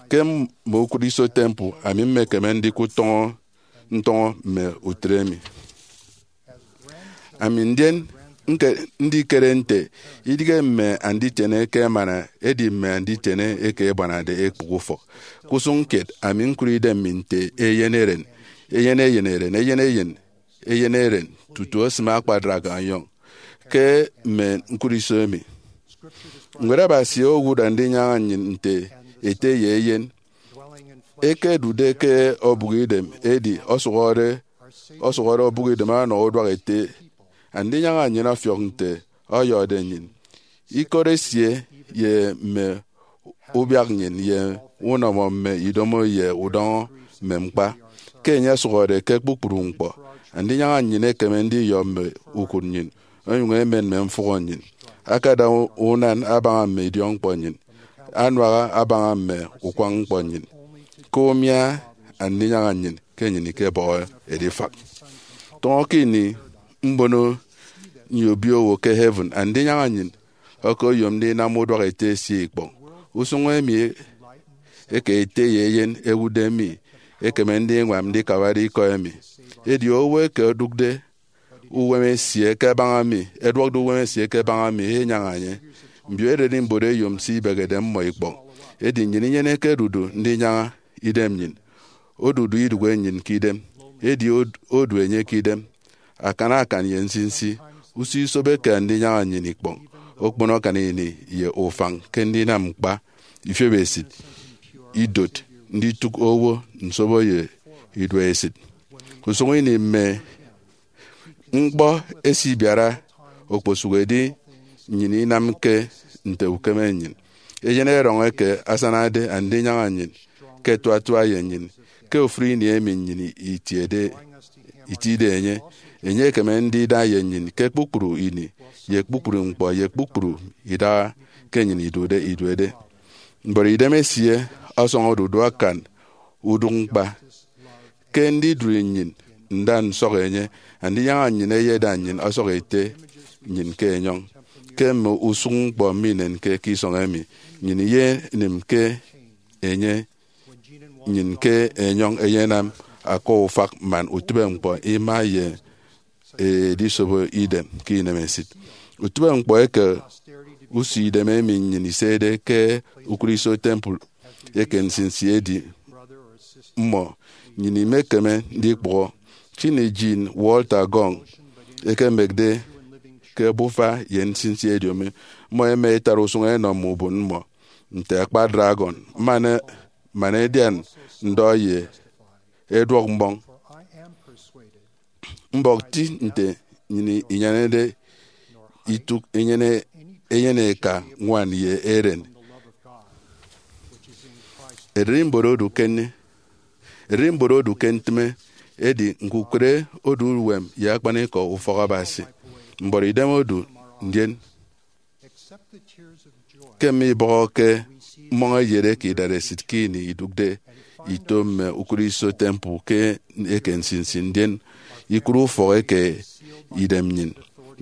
Ke mme ukụriso temple, ami mmekeme ndikụt ntọñọ, ntọñọ mme utre emi. Ami ndien ñke-, ndikere nte idịghe mme anditiene eke emana edi mme anditiene eke ẹbuanade ekpụk ufọk. Ke usụñ kiet, ami ñkụre idem mi nte eyen eren, eyen eyen eren, eyen eyen, eyen eren, tutu osịm akpa dragon young ke mme ñkụriso emi. Ñwed Abasi owụt Andinyaña nnyịn nte ete ye eyen ekedude ke obụk idem, edi ọsụhọde, ọsụhọde obụk idem ọnọ uduak ete. Andinyaña nnyịn ọfiọk nte ọyọhọde nnyịn, ikot esie, ye mme ubiak nnyịn, ye unọmọ mme idomo ye udọñọ mme ñkpa. Ke enye ọsụhọde ke kpukpru ñkpọ, Andinyaña nnyịn ekeme ndiyọ mme ukụt nnyịn, onyụñ emen mme mfụhọ nnyịn, akada unan abaña mme idiọkñkpọ nnyịn, anuaha abaña mme ukwañ ñkpọ nnyịn. Ke umia Andinyaña nnyịn ke nnyịn ikebọhọ edifak. Tọñọ ke ini mbono nyobio owo ke heaven, Andinyaña nnyịn ọkoyom ndinam uduak ete esie ikpọñ. Usụñ emi eke ete ye eyen ewụtde mi ekeme ndiñwam ndikabade ikọ emi. Edi owo eke odụkde uwem esie ke abaña mi, ẹduọkde uwem esie ke abaña mi, enyaña enye. Mbio ererimbot ẹyom se ibehede mmọ ikpọñ. Edi nnyịn inyeneke ẹdudu ndinyaña idem nnyịn. Odudu idụhe nnyịn ke idem, edi od-, odu enye ke idem. Akan akan ye nsinsi, usio isobeke Andinyaña nnyịn ikpọñ. okpono akan ini ye ufañ ke ndinam ñkpa, ifiop esit, idot, nditụk owo, nsobo ye iduesit. Usụñ ini mme ñkpọ ẹsibiara okposụkedi nnyịn inamke nte ukeme nnyịn. Eyen erọñ eke asanade Andinyaña nnyịn ke ẹtuatua ye nnyịn ke ofụri ini emi nnyịn itiede, itide enye. Enye ekeme ndida ye nnyịn ke kpukpru ini, ye kpukpru ñkpọ, ye kpukpru idaha ke nnyịn idude iduede. Mbuọtidem esie ọsọñọde udu akan udụk ñkpa. Ke ndidụri nnyịn nda nsọk enye, Andinyaña nnyịn eyeda nnyịn ọsọk ete nnyịn ke enyọñ. Ke mme usụñ ñkpọ minenke ke isọñ emi, nnyịn iyenịm ke enye nnyịn ke enyọñ eyenam akwa ufak man utịbeñkpọ ima ye edisobo idem ke inemesit. Utịbeñkpọ eke usio idem emi nnyịn isede ke ukụriso temple eke nsinsi edi mmọ, nnyịn imekeme ndikpụhọ. Chin Jean Walter Gong ekemekde ke ebufa ye nsinsi ediomi, mmọ ẹma ẹtara usụñ ẹnọ mme ubon mmọ nte akpa dragon, man, man ẹdian ndọ ye ẹduọk mbọñ. Mbọk ti nte nnyịn inyenede itụk enyene, enyene eka ñwan ye eren. Ererimbot odu ke nne, ererimbot odu ke ntịme, edi ñkukụre odu uwem ye akpanikọ ufọk Abasi. Mbuọtidem odu, ndien ke mme ibọhọke mmọñ eyet eke idaresit ke ini idụkde ito mme ukụriso temple ke eke nsinsi, ndien ikụre ufọk eke idem nnyịn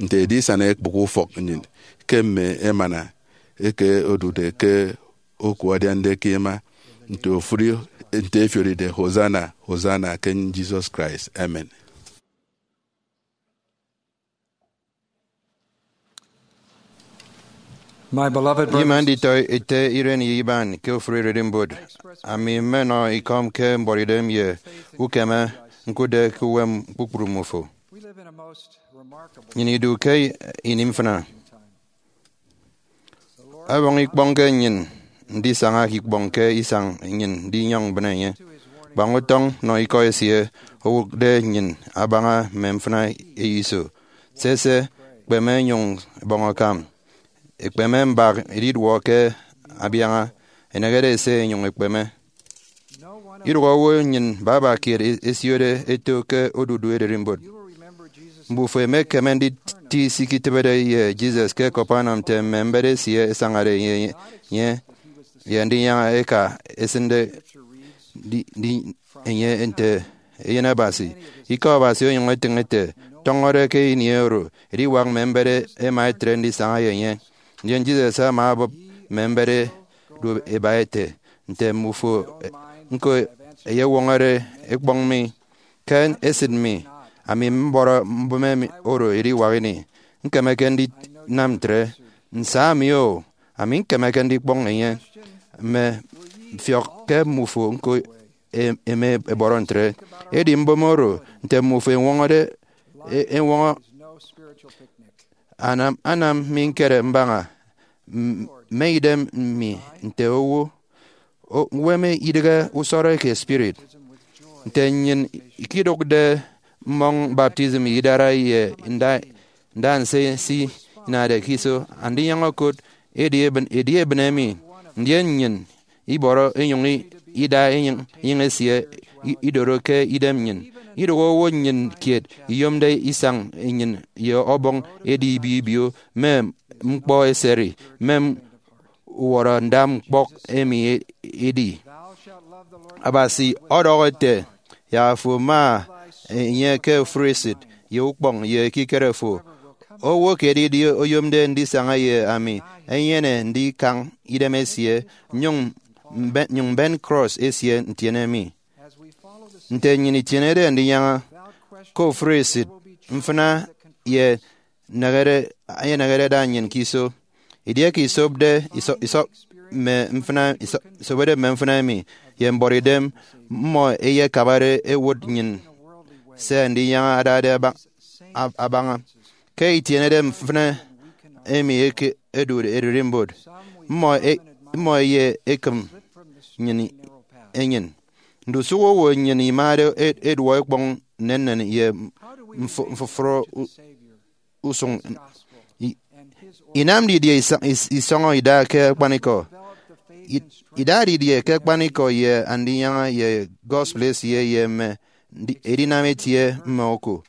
nte edisana ekpụk ufọk nnyịn ke mme emana eke odude ke oku adiande ke ima, nte ofụri, nte efioride, Hosanna, Hosanna ke Jesus Christ. Amen. My beloved Ima brothers, nditọ ete iren ye iban ke ofụri ererimbot, ami mmenọ ikọm ke mbuọtidem ye ukeme ñkụtde ke uwem kpukpru mmufo. We live in a most remarkable Nnyịn idu ke ini mfịna. Ọbọñ ikpọñ ke nnyịn ndisaña ke ikpọñ ke isañ nnyịn ndinyọñ mbịne enye. Kpañ utọñ nọ ikọ esie owụkde nnyịn abaña mme mfịna eyo iso. Sese, kpeme nyụñ bọñ akam. Ekpeme mbak ediduọ ke abiaña, enehede ese enyụñ ekpeme. Idụhe owo nnyịn baba kiet e-, esiode eto ke odudu ererimbot. Mbufo emekeme nditi se iketịbede ye Jesus ke Capernaum nte mme mbet esie ẹsañade ye, ye, ye Andinyaña eka esịnde di, di, enye nte Eyen Abasi. Ikọ Abasi onyụñ etịñ ete, tọñọde ke ini oro ediwak mme mbet ẹma ẹtre ndisaña ye enye. Ndien Jesus ama obụp mme mbet ẹdu ẹba ete, nte mmufo ñko ẹyewọñọde ekpọñ mi ke esịt mi, ami mbọrọ mbụme mi oro ediwak ini. Ñkemeke ndinam ntre. Nsa mi o, ami ñkemeke ndikpọñ enye. Mme mfiọk ke mmufo ñko e-, eme ẹbọrọ ntre. Edi mbụme oro, nte mmufo ẹñwọñọde, e-, ẹñwọñọ anam, anam mi ñkere mbaña m-, mme idem mi nte owo, o-, uwem idịghe usọrọ eke spirit. Nte nnyịn ikidụkde mmọñ baptism idara ye nda, nda nse si inade ke iso, Andinyaña okot edi ebịn, edi ebịne mi, ndien nnyịn ibọrọ inyụñ i-, ida enyịñ, enyịñ esie i-, idoro ke idem nnyịn. Idụhe owo nnyịn kiet iyomde isañ nnyịn ye Ọbọñ edi ibio ibio mme ñkpọ eseri, mme uwọrọ nda ñkpọk emi e-, edi. Abasi ọdọhọ ete, yak afo ma enye ke ofụri esịt, ye ukpọñ, ye ekikere fo. Owo ke edidi oyomde ndisaña ye ami, enyene ndikañ idem esie, nyụñ mbe-, nyụñ mben krọs esie ntiene mi. Nte nnyịn itienede Andinyaña ke ofụri esịt, mfịna ye nehede, enehede ada nnyịn ke iso. Edieke isopde, iso-, isop mme mfịna, iso-, isobode mme mfịna emi ye mbuọtidem, mmọ eyekabade ẹwụt nnyịn se Andinyaña adade aba-, ab-, abaña. Ke itienede mfịna emi eke, ẹdude ererimbot. Mmọ e- mmọ ẹyekịm nnyịn enyịn. Ndusụk owo nnyịn imade e- eduọ ikpọñ nnennen ye mf- mfụfọrọ u- usụñ. I- inam didie isa- is- isọñọ ida ke akpanikọ? I- ida didie ke akpanikọ ye Andinyaña ye gospel esie ye mme ndi- edinam etie mme oku?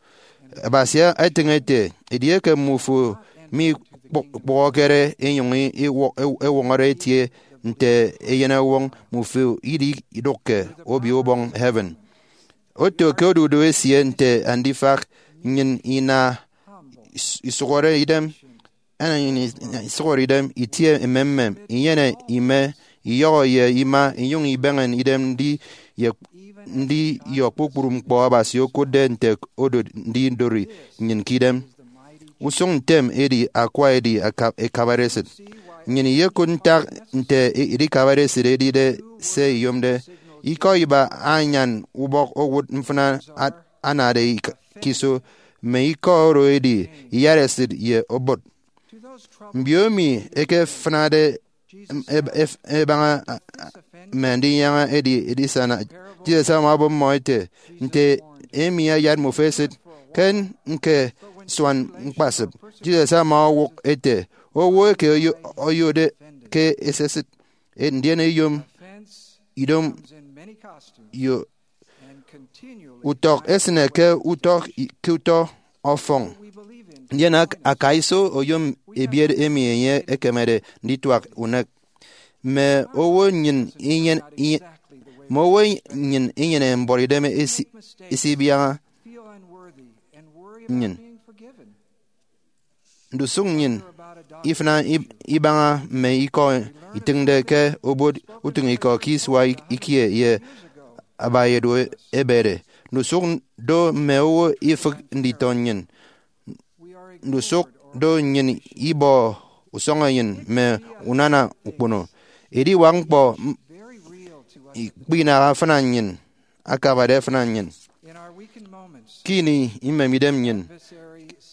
Abasi etịñ ete, edieke mmufo mikpụhọkere inyụñ iwọ- ewọñọre etie nte eyenewọñ, mmufo idi idụkke Obio Ubọñ heaven. Oto ke odudu esie nte andifak nnyịn ina is- isụhọre idem, ina nnyịn isụhọre idem, itie emem, inyene ime, iyọhọ ye ima, inyụñ ibeñe idem ndi ye ndi yọ kpukpru ñkpọ Abasi okụtde nte odot ndidori nnyịn ke idem. Usụñ ntem edi akwa edi aka- ekabare esịt. Nnyịn iyekụt ntak nte edikabare esịt edide se iyomde. Ikọ iba anyan ubọk owụt mfịna a- anade ik- ke iso, mme ikọ oro edi iyat esịt ye obot. Mbiomi ẹkefịnade em- eb- ef- ebaña a- a- mme Andinyaña edi edisana, Jesus ama obọ mmọ ete, nte emi ayat mmufo esịt? Ke ñke suan ñkpasịp, Jesus ama owụk ete, owo eke oyo- oyode ke esesịt, e- ndien eyom idomo. Utọk esịne ke utọ ke utọ ọfọñ. Ndien ak- akaiso oyom ebiet emi enye ekemede ndituak unek. Mme owo nnyịn inyen- inye- mme owo nnyịn inyene mbuọtidem esi- esibiaña nnyịn. Ndusụk nnyịn ifịna ib- ibaña mme ikọ itịñde ke obot utịñikọ ke isua ikie ye abaedu ebede. Ndusụk do mme owo ifịk nditọ nnyịn. Ndusụk do nnyịn ibọ usọñenyịn mme unana ukpono. Ediwak ñkpọ m- ikpinaha afịna nnyịn, akabade afịna nnyịn. Ke ini imemidem nnyịn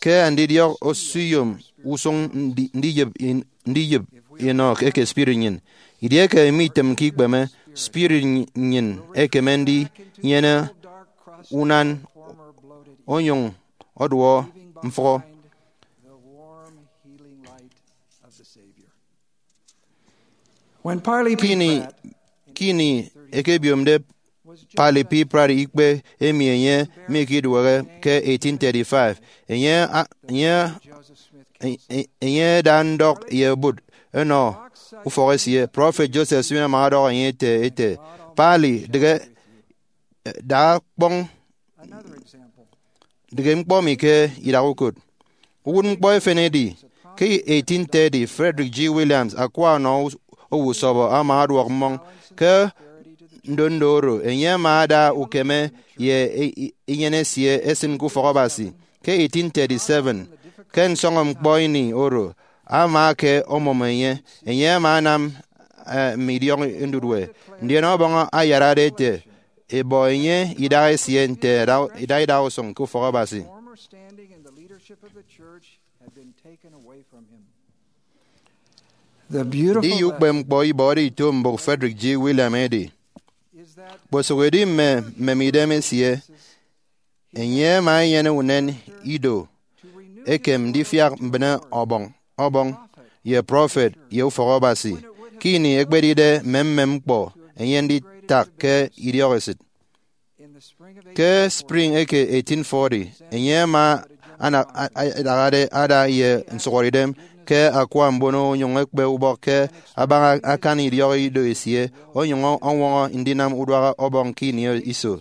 ke andidiọk osiyom usụñ ndi- ndiyịp in- ndiyịp inọ eke spirit nnyịn, idieke mitịmke ikpeme, spirit nnyịn ekeme ndinyene unan onyụñ ọduọ mfụhọ. When Parley P. Kini Pratt kini ekebiomde Parley P. Pratt ikpe emi enye mikiduehe ke eighteen thirty-five, enye a- enye e- e- enye ada ndọk ye obot enọ ufọk esie. Prọfet Joseph Smith ama ọdọhọ enye ete, ete, Parley, dịghe, da kpọñ dịghe ñkpọ mi ke idak ukot. Uwụtñkpọ efen edi, ke eighteen thirty, Frederick G. Williams, akwa ọnọ owo usọbọ, ama ọduọk mmọñ ke ndondo oro enye ama ada ukeme ye e- e- enyịn esie esịn ke ufọk Abasi. Ke eighteen thirty-seven, ke nsọñọñkpọ ini oro, ama eke omụm enye, enye ama anam eh, mme idiọk ndudue, ndien Ọbọñ ayarade ete, ebọ enye idaha esie nte ada- idaha idaha usụñ ke ufọk Abasi. The beautiful Ediye ukpepñkpọ ibọhọde ito mbụk Frederick G. William edi, kposụk edi mme mmemidem esie, enye ama enyene unen ido ekem ndifiak mbịne Ọbọñ, Ọbọñ, ye prọfet, ye ufọk Abasi, ke ini ekpedide mmemmem ñkpọ enye nditak ke idiọk esịt. Ke spring eke eighteen forty, enye ama ana- a- a- adahade ada ye nsụhọdeidem ke akwa mbono onyụñ ekpe ubọk ke abaña akan idiọk ido esie, onyụñ ọñwọñọ ndinam uduak Ọbọñ ke ini iso.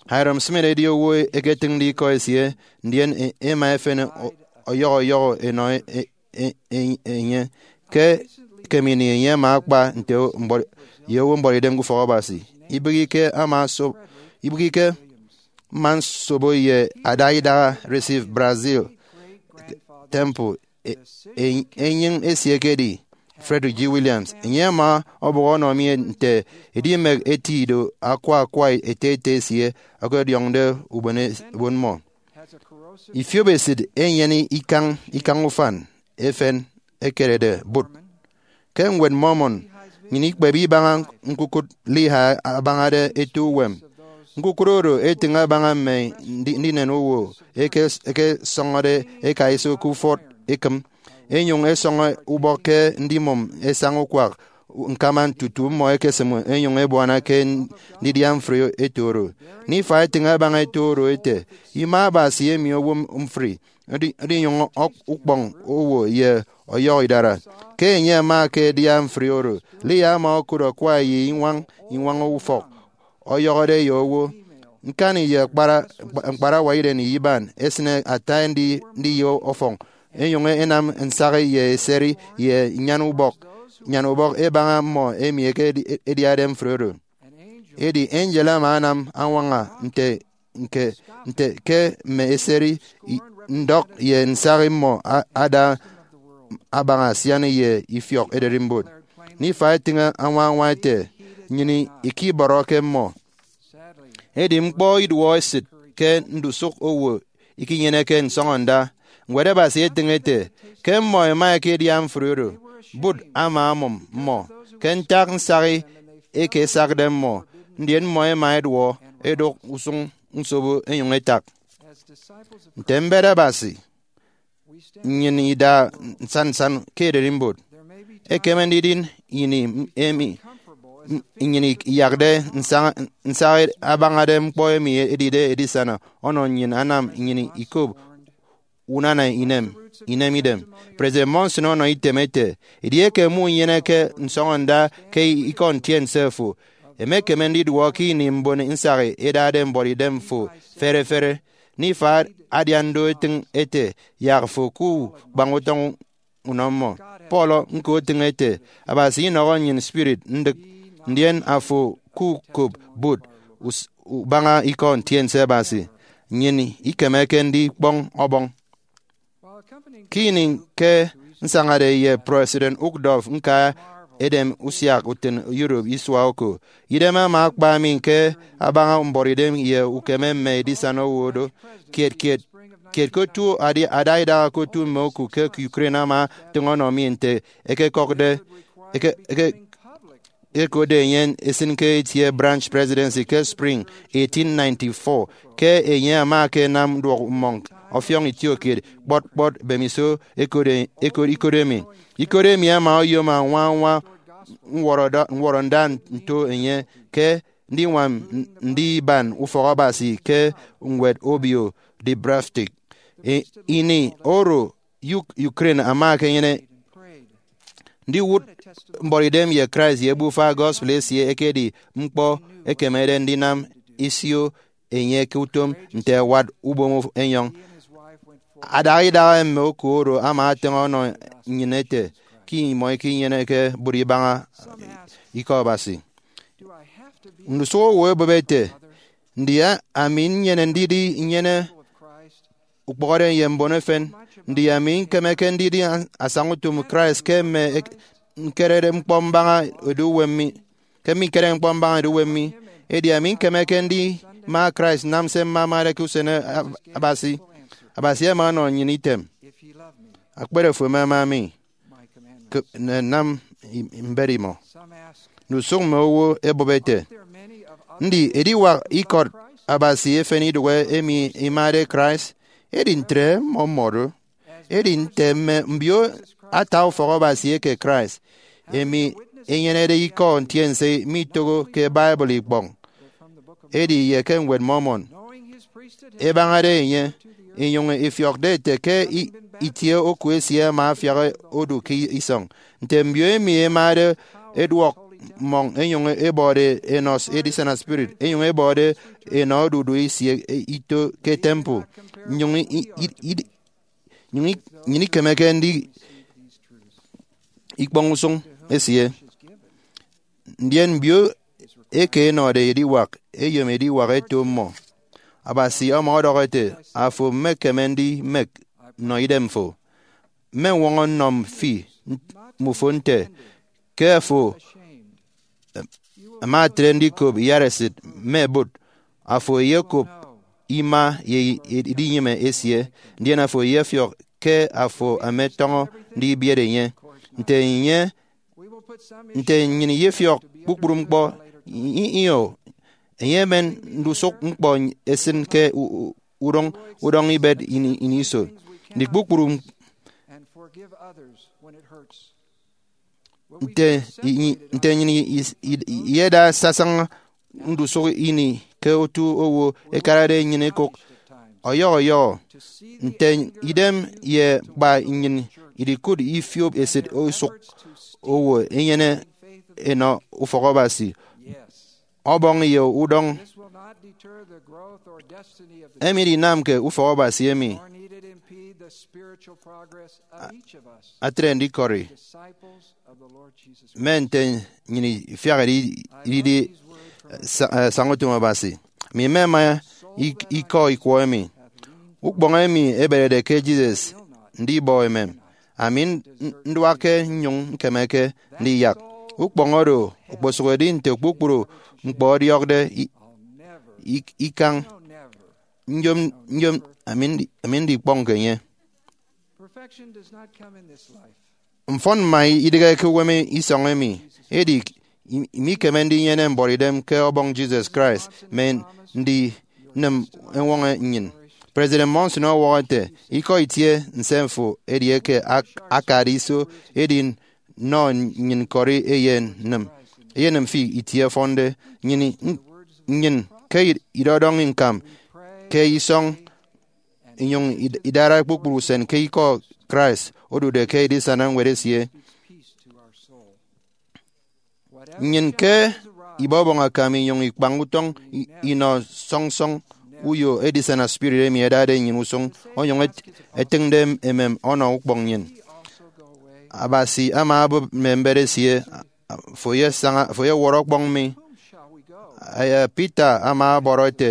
Hyrum Smith edi owo eketịñde ikọ esie, ndien e- ema efen ọ- ọyọhọ ọyọhọ enọ e- e- e- enye. Ke ekem ini enye ama akpa nte mbọ- ye owo mbuọtidem ke ufọk Abasi. Ibịghike ama so- ibịghike mma nsobo ye ada idaha Recife, Brazil, temple e- e- enyịñ esie ekedi Frederick G. Williams. Enye ama ọbọhọ ọnọ mi nte edimek eti ido akwa akwa ete ete esie ọkọdiọñde ubon e- ubon mmọ. Ifiop esịt enyene ikañ ikañ ufan efen ekerede bụt. Ke Ñwed Mormon, nnyịn ikpep ibaña ñkukụt Lehi abañade eto uwem. Ñkukụt oro etịñ abaña mme ndi- ndinen owo eke- ekesọñọde eka iso ke ufọt ekịm, enyụñ esọñọ ubọk ke ndimụm esaña ukwak ñkaman tutu mmọ ekesịm enyụñ ebuana ke ndidia mfri eto oro. Nifai etịñ abaña eto oro ete, Ima Abasi emi owo mfri, edi- edinyụñ ọk- ukpọñ owo ye ọyọhọ idara. Ke enye ama ke edia mfri oro, Leah ama okụt akwa ye iñwañ iñwañ ufọk, ọyọhọde ye owo. Ñkani ye akpara- ñkparawa iren ye iban esịne ata ndi- ndiye ọfọñ, enyụñ enam nsahi ye eseri ye nyan ubọk, nyan ubọk ebaña mmọ emi eke- ediade mfri oro. Edi angel ama anam añwaña nte nke nte ke mme eseri i- ndọk ye nsahi mmọ a- ada abaña asian ye ifiọk ererimbot. Nifai etịñ añwañwa ete, Nnyịn ikibọrọke mmọ. Edi ñkpọ iduọ esịt ke ndusụk owo ikinyeneke nsọñọnda. Ñwed Abasi etịñ ete, Ke mmọ ẹma ẹkedia mfri oro, bụt ama amụm mmọ ke ntak nsahi eke esakde mmọ, ndien mmọ ẹma ẹduọ ẹdụk usụñ nsobo ẹnyụñ ẹtak. Nte mbet Abasi, nnyịn ida nsan nsan ke ererimbot. Ekeme ndidi ini emi nnyịn iyakde nsahi abañade ñkpọ emi edide edisana ọnọ nnyịn, anam nnyịn ikop unana inem inem idem. President Monson ọnọ item ete, Edieke munyeneke nsọñọnda ke ikọ ntiense fo, emekeme ndiduọ ke ini mbon nsahi ẹdade mbuọtidem fo fere fere. Nifai adian do etịñ ete, Yak fo ku kpañ utọñ unọ mmọ. Paul ñko etịñ ete, Abasi inọhọ nnyịn spirit ndịk, ndien afo ku kop bụt us- ubaña ikọ ntiense Abasi. Nnyịn ikemeke ndikpọñ ọbọñ. Ke ini ke nsañade ye President Uchtdorf ñka edem usiak utịn Europe isua oko, idem ama akpa mi ke abaña mbuọtidem ye ukeme mme edisana owo do. Kiet kiet kiet ke otu adi- ada idaha ke otu mme oku ke Ukraine ama tịñ ọnọ mi nte ekekọkde eke- eke- ekode enye esịn ke itie branch presidency ke spring eighteen ninety-four. Ke enye ama akanam nduọk mmọñ ọfiọñ itiokiet kpọt kpọt, bemiso ekode ekod- ikode mi. Ikode mi ama oyom añwa añwa ñwọrọda- ñwọrọnda nto enye ke ndiñwam ndi iban ufọk Abasi ke ñwed obio Dubrovnik. I- ini oro Uk- Ukraine ama ekenyene ndiwụt mbuọtidem ye Christ ye ebufa gospel esie ekedi ñkpọ ekemede ndinam isio enye ke utom nte ẹwat ubom enyọñ. Adaha idaha mme oku oro ama atịñ ọnọ nnyịn ete ke imọ ikinyeneke bụt ibaña ikọ Abasi. Ndusụk owo ẹbụp ete, Ndi ami nnyene ndidi nnyene ukpọhọde ye mbon efen? Ndi ami ñkemeke ndidi asañautom Christ ke mme ñkerede ñkpọ mbaña edu uwem mi? Ke mme ñkerede ñkpọ mbaña edu uwem mi? Edi ami ñkemeke ndima Christ nnam se mmamade ke usen Abasi? Abasi ama ọnọ nnyịn item, Akpere fo emama mi, nam mbet imọ. Ndusụk mme owo ẹbụp ẹte, Ndi ediwak ikọt Abasi efen idụhe emi imade Christ? Edi ntre mmọ mmọdo. Edi nte mme mbio ata ufọk Abasi eke Christ, emi enyenede ikọ ntiense mitoho ke Bible ikpọñ, edi ye ke Ñwed Mormon, ebañade enye, inyụñ ifiọkde ete ke itie oku esie ama afiak odu ke isọñ. Nte mbio emi ẹmade ẹduọk mmọñ ẹnyụñ ẹbọde ẹnọ edisana spirit, ẹnyụñ ẹbọde ẹnọ odudu esie ito ke temple, nnyụñ nnyịn ikemeke ndi ikpọñ usụñ esie. Ndien mbio eke ẹnọde ediwak ẹyom ediwak ẹto mmọ. Abasi ama ọdọhọ ete, Afo mmekeme ndimek nnọ idemfo. Mmeñwọñọ nnọ fi mmufo nte ke afo ama etre ndikop iyaresit mme bụt. Afo eyekop ima ye edinyịme esie, ndien afo eyefiọk ke afo ama etọñọ ndibiere enye. Nte enye, nte nnyịn iyefiọk kpukpru ñkpọ, i- i- io, enye emen ndusụk ñkpọ esịn ke u- u- udọñ udọñ ibet ini ini iso. Ndi kpukpru nte i- nte nnyịn i- i- i- iyeda sasaña ndusụk ini ke otu owo ẹkarade nnyịn ẹkụk ọyọhọ ọyọhọ, nte idem ye kpa nnyịn idikụt ifiop esịt usụk owo ẹnyene ẹnọ ufọkabasi, ọbọñ ye udọñ. Emi idinamke ufọkabasi emi atre ndikọri mme nte nnyịn ifiak idi- ididi sa- eh, sañautom Abasi. Mi mmema ik- ikọ ikwọ emi. Ukpọñ emi eberede ke Jesus ndibọ emem, ami n- nduakke nnyụñ ñkemeke ndiyak. Ukpọñ oro okposụkedi nte kpukpru ñkpọ ọdiọkde i- ik- ikañ. Nyom nyom ami ndi- ami ndikpọñke enye. Mfọn mma idịghe ke uwem isọñ emi, edi i- imikeme ndinyene mbuọtidem ke ọbọñ Jesus Christ mme ndinịm eñwọñọ nnyịn. President Monson ọwọhọ ete, ikọ itie nsemfo edieke ak- akade iso edi nọ nnyịn kọri eyenịm eyenịm fi itie ọfọnde nnyịn i- nnyịn ke idọdọñ ñkam ke isọñ inyụñ id- idara kpukpru usen ke ikọ Christ odude ke edisana ñwed esie. Nnyịn ke ibọbọñ akam inyụñ ikpañ utọñ i- inọ sọñsọñ uyo edisana spirit emi ẹdade nnyịn usụñ onyụñ et- etịñde emem ọnọ ukpọñ nnyịn. Abasi ama obụp mme mbet esie, fo ye saña fo ye wọrọ ọkpọñ mi. Aya Peter ama ọbọrọ ete,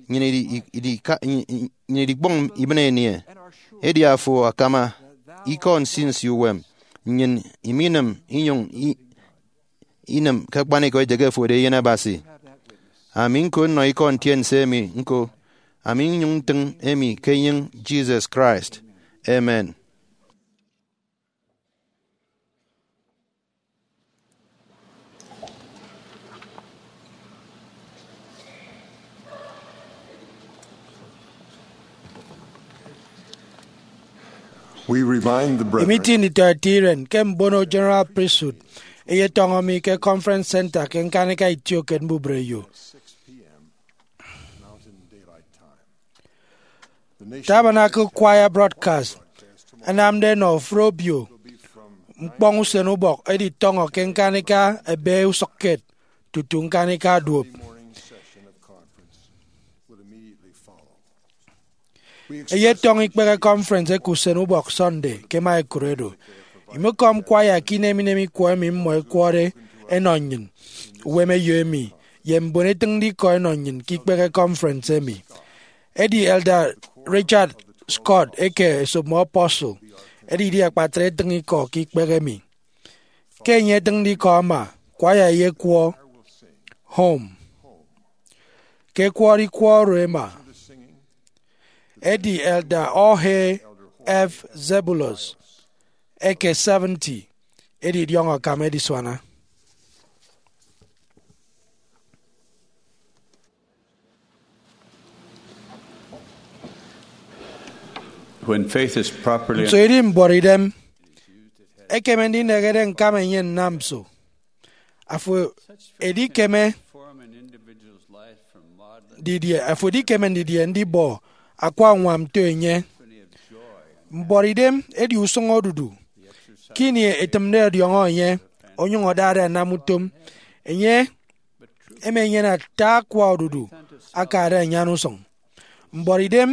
nnyịn idi- idi- idika- nnyịn idikpọñ ibịne enie? Edi afo akama ikọ nsinsi uwem, nnyịn iminịm inyụñ i- inịm ke akpanikọ ete ke fo edi Eyen Abasi. Ami ñko nnọ ikọ ntiense emi ñko, ami nnyụñ ntịñ emi ke enyịñ Jesus Christ. Amen. We remind the brethren. Imiti nditọete iren ke mbono General Priesthood eyetọñọ mi ke Conference Center ke ñkanika itiokiet mbubreyo. Tabernacle Choir broadcast anamde enọ ofụri obio ñkpọñ usen ubọk editọñọ ke ñkanika ebe usụkkiet tutu ñkanika duop. Eyetọñọ ikpehe conference eke usen ubọk Sunday ke Maikoro Edo. Imekọm kwaya ke inem inem ikwọ emi mmọ ẹkwọde ẹnọ nnyịn, uwem eyo emi, ye mbon etịñde ikọ ẹnọ nnyịn ke ikpehe conference emi. Edi Elder Richard Scott eke Esop Mme Apostle edidi akpatre etịñ ikọ ke ikpehe emi. Ke enye etịñde ikọ ama, kwaya eyekwọ Home. Ke ẹkwọde ikwọ oro ẹma, edi Elder Jorge F. Zeballos eke seventy edidiọñ akam edisuana. When faith is properly Nso idi mbuọtidem ekeme ndinehede ñkam enye nnam nso? Afo edikeme didie, afo edikeme ndidie ndibọ akwa uñwam nto enye? Mbuọtidem edi usụñ odudu. Ke ini etịmde ọdiọñọ enye, onyụñ adade anam utom, enye emenyene ata akwa odudu akade anyan usụñ. Mbuọtidem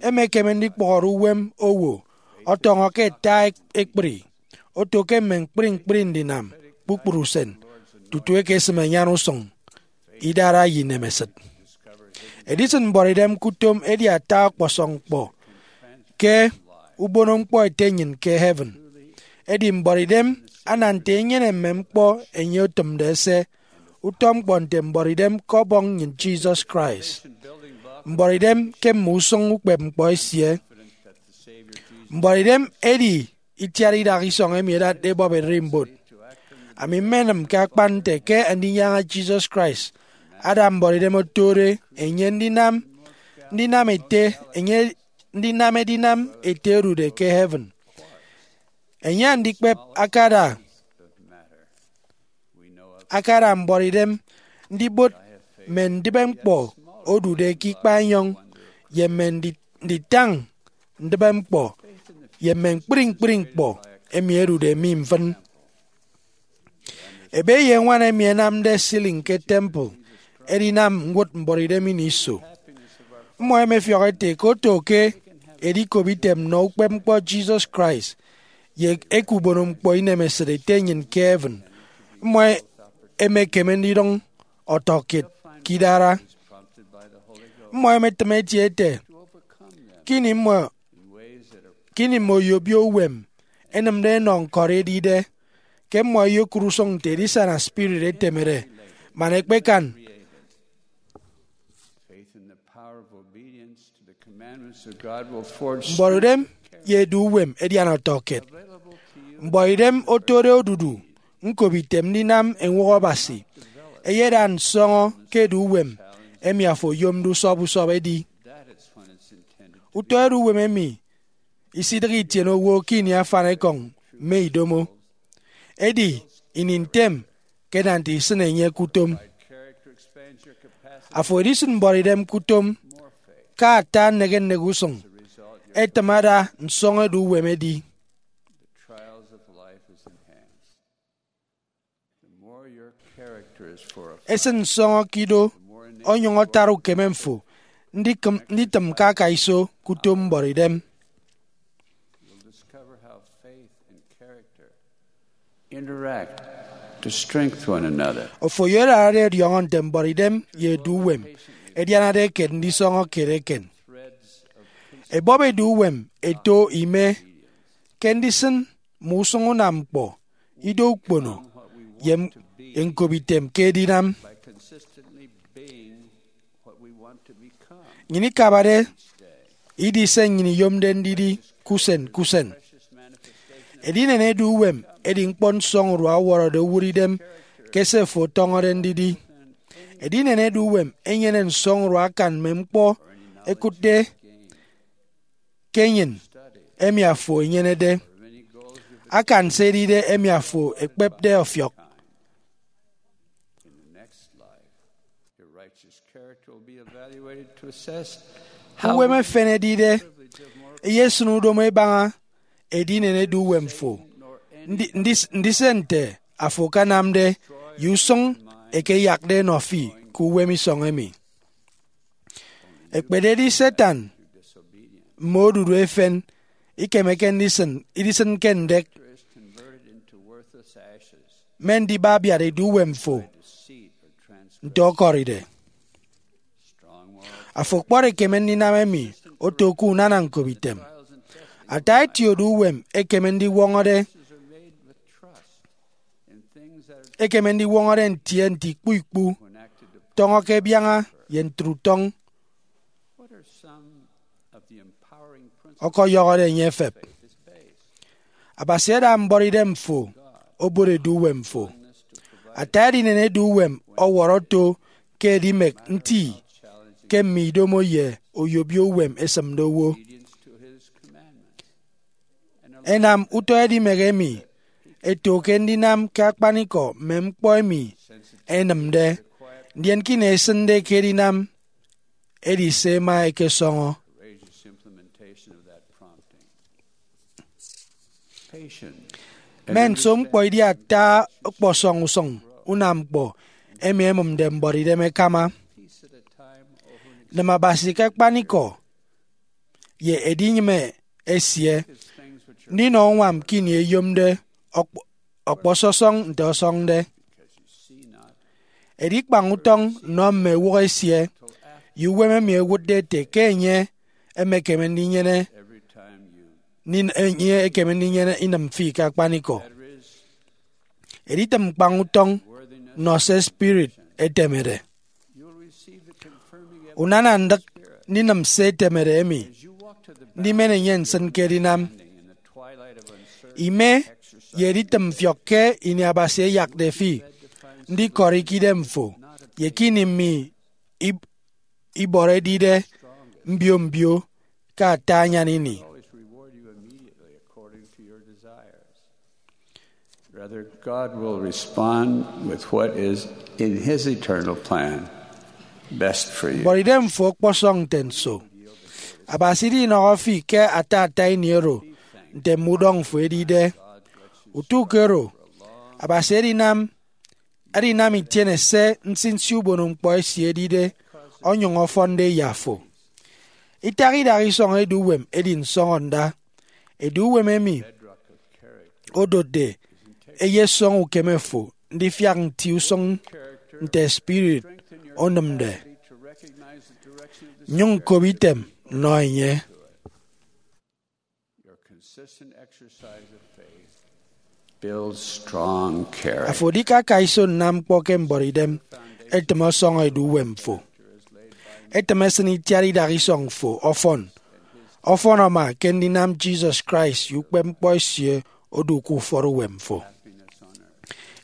emekeme ndikpọhọre uwem owo ọtọñọ ke ata ekpri, oto ke mme ñkpri ñkpri ndinam kpukpru usen, tutu ekesịm anyan usụñ, idara, ye inemesịt. Edisịn mbuọtidem ke utom edi ata ọkpọsọñ ñkpọ ke ubonoñkpọ Ete nnyịn ke heaven. Edi mbuọtidem ana nte enyene mme ñkpọ enye otịmde ese, utọ ñkpọ nte mbuọtidem ke Ọbọñ nnyịn Jesus Christ, mbuọtidem ke mme usụñ ukpepñkpọ esie, Mbuọtidem edi itiat idak isọñ emi edatde ebọp ererimbot. Ami mmenịm ke akpan nte ke Andinyaña Jesus Christ ada mbuọtidem otode enye ndinam ndinam ete enye ndinam edinam ete odude ke heaven. Enye andikpep akada akada mbuọtidem ndibot mme ndịbe ñkpọ odude ke ikpaenyọñ ye mme ndi- nditañ ndịbe ñkpọ ye mme ñkpri ñkpri ñkpọ emi ẹdude mi mfịn. Ebe ye ñwan emi ẹnamde ceiling ke temple ẹdinam ñwụt mbuọtidem ini iso. Mmọ ẹmefiọk ẹte ke oto ke edikop item nnọ ukpepñkpọ Jesus Christ ye eke ubonoñkpọ inemesịt ete nnyịn ke heaven, mmọ ẹmekeme ndidụñ ọtọkiet ke idara. Mmọ ẹmetịm ẹtie ẹte, ke ini mmọ ke ini mme oyobio uwem ẹnịmde ẹnọ ñkọri edide, ke mmọ ẹyokụt usụñ nte edisana spirit etemede man ẹkpekan. Faith in the power of obedience to the commandments of God will forge Mbuọtidem ye edu uwem ẹdian ọtọkiet. Mbuọtidem otode odudu ñkobitem ndinam eñwọk Abasi eyeda nsọñọ ke edu uwem emi afo oyomde usọp usọp edi. Utọ edu uwem emi isidịghe itiene owo ke ini afanikọñ mme idomo. Edi ini ntem ke nant isịn enye ke utom. Afo edisịn mbuọtidem ke utom ke ata nnịk nnịk usụñ etịm ada nsọñọ edu uwem edi. Esịn nsọñọ ke ido onyụñ atara ukeme mfo ndikịm- nditịm ke akaiso ke utom mbuọtidem. Interact to strengthen one another. Ofo oyodade ọdiọñọ nte mbuọtidem ye edu uwem ẹdianade eken ndisọñọ kiet eken. Ebọp edu uwem eto ime ke ndisịn mme usụñ unam ñkpọ, ido ukpono, ye m- ye ñkobitem ke edinam. Nnyịn ikabade idi se nnyịn iyomde ndidi ke usen ke usen. Edinen edu uwem edi ñkpọ nsọñurua ọwọrọde owụt idem ke se fo ọtọñọde ndidi. Edinen edu uwem enyene nsọñurua akan mme ñkpọ ẹkụtde ke enyịn emi afo enyenede, akan se edide emi afo ekpepde ọfiọk. Uwem efen edide eyesịn udomo ebaña edinen edu uwem fo, ndi- ndis- ndise nte afo akanamde ye usụñ eke iyakde ẹnọ fi ke uwem isọñ emi. Ekpededi Satan mme odudu efen ikemeke ndisịn idisịnke ndek mme ndibabiat edu uwem fo nte ọkọride. Afo kpọt ekeme ndinam emi oto ke unana ñkobitem. Ata eti edu uwem ekeme ndiwọñọde ekeme ndiwọñọde ntie nte ikpu ikpu, tọñọ ke biaña ye ntre utọñ ọkọyọhọde enye efep. Abasi ada mbuọtidem fo obot edu uwem fo. Ata edinen edu uwem ọwọrọ oto ke edimek nti ke mme idomo ye oyobio uwem esịmde owo. Ẹnam utọ edimek emi ẹto ke ndinam ke akpanikọ mme ñkpọ emi ẹnịmde, ndien ke ini ẹsịnde ke edinam, edi se ẹma ẹkesọñọ. Mme nso ñkpọ idi ata ọkpọsọñ usụñ unam ñkpọ emi ẹmụmde mbuọtidem ẹkama. Nịm Abasi ke akpanikọ ye edinyịme esie ndinọ uñwam ke ini eyomde ọkp- ọkpọsọsọñ nte ọsọñde. Edikpañ utọñ nnọ mme ewụhọ esie ye uwem emi ẹwụtde ete ke enye emekeme ndinyene nin- enye ekeme ndinyene inịm fi ke akpanikọ. Editịm ñkpañ utọñ nọ se spirit etemede. Unana ndịk ndinịm se etemede emi ndimen enye nsịn ke edinam. ime, ye editịm mfiọk ke ini Abasi eyakde fi ndikọri ke idemfo ye ke ini mme ib- ibọrọ edide mbio mbio ke ata anyan ini. Rather, God will respond with what is in His eternal plan best for you. Bọrọ idemfo ọkpọsọñ nte nso. Abasi idinọhọ fi ke ata ata ini oro nte mme udọñfo edide. Utu ke oro, Abasi edinam edinam itiene se nsinsi ubonoñkpọ esie edide, onyụñ ọfọnde ye afo. Itak idaha isọñ eduuwem edi nsọñọnda. Eduuwem emi odotde eyesọñ ukeme fo ndifiak nti usụñ nte spirit onịmde. Nyụñ kop item nọ enye. Afo edikaka iso nnam ñkpọ ke mbọrọidem, etịm ọsọñọ eduuwem fo. Etịm esịn itiat idaha isọñ fo ọfọn. Ọfọn ama ke ndinam Jesus Christ ye ukpepñkpọ esie odu ke ufọt uwem fo.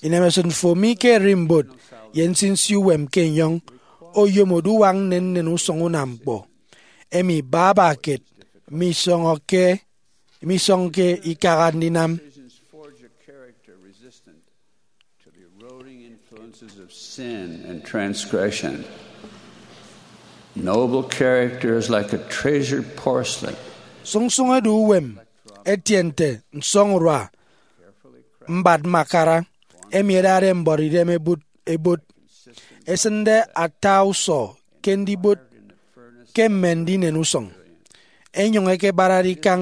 Inemesịt fo mi ke ererimbot ye nsinsi uwem ke enyọñ oyom oduwak nnennen usụñ unam ñkpọ emi baba kiet misọñọke misọñke ikaha ndinam. Decisions forge a character resistant to the eroding influences of sin and transgression. Noble character is like a treasured porcelain. Sụñsụñ eduuwem etie nte nsọñurua mbat makara emi ẹdade mbọrọidem ebot ebot, esịnde ata usọ ke ndibot ke mme ndinen usụñ, enyụñ ẹkebarade ikañ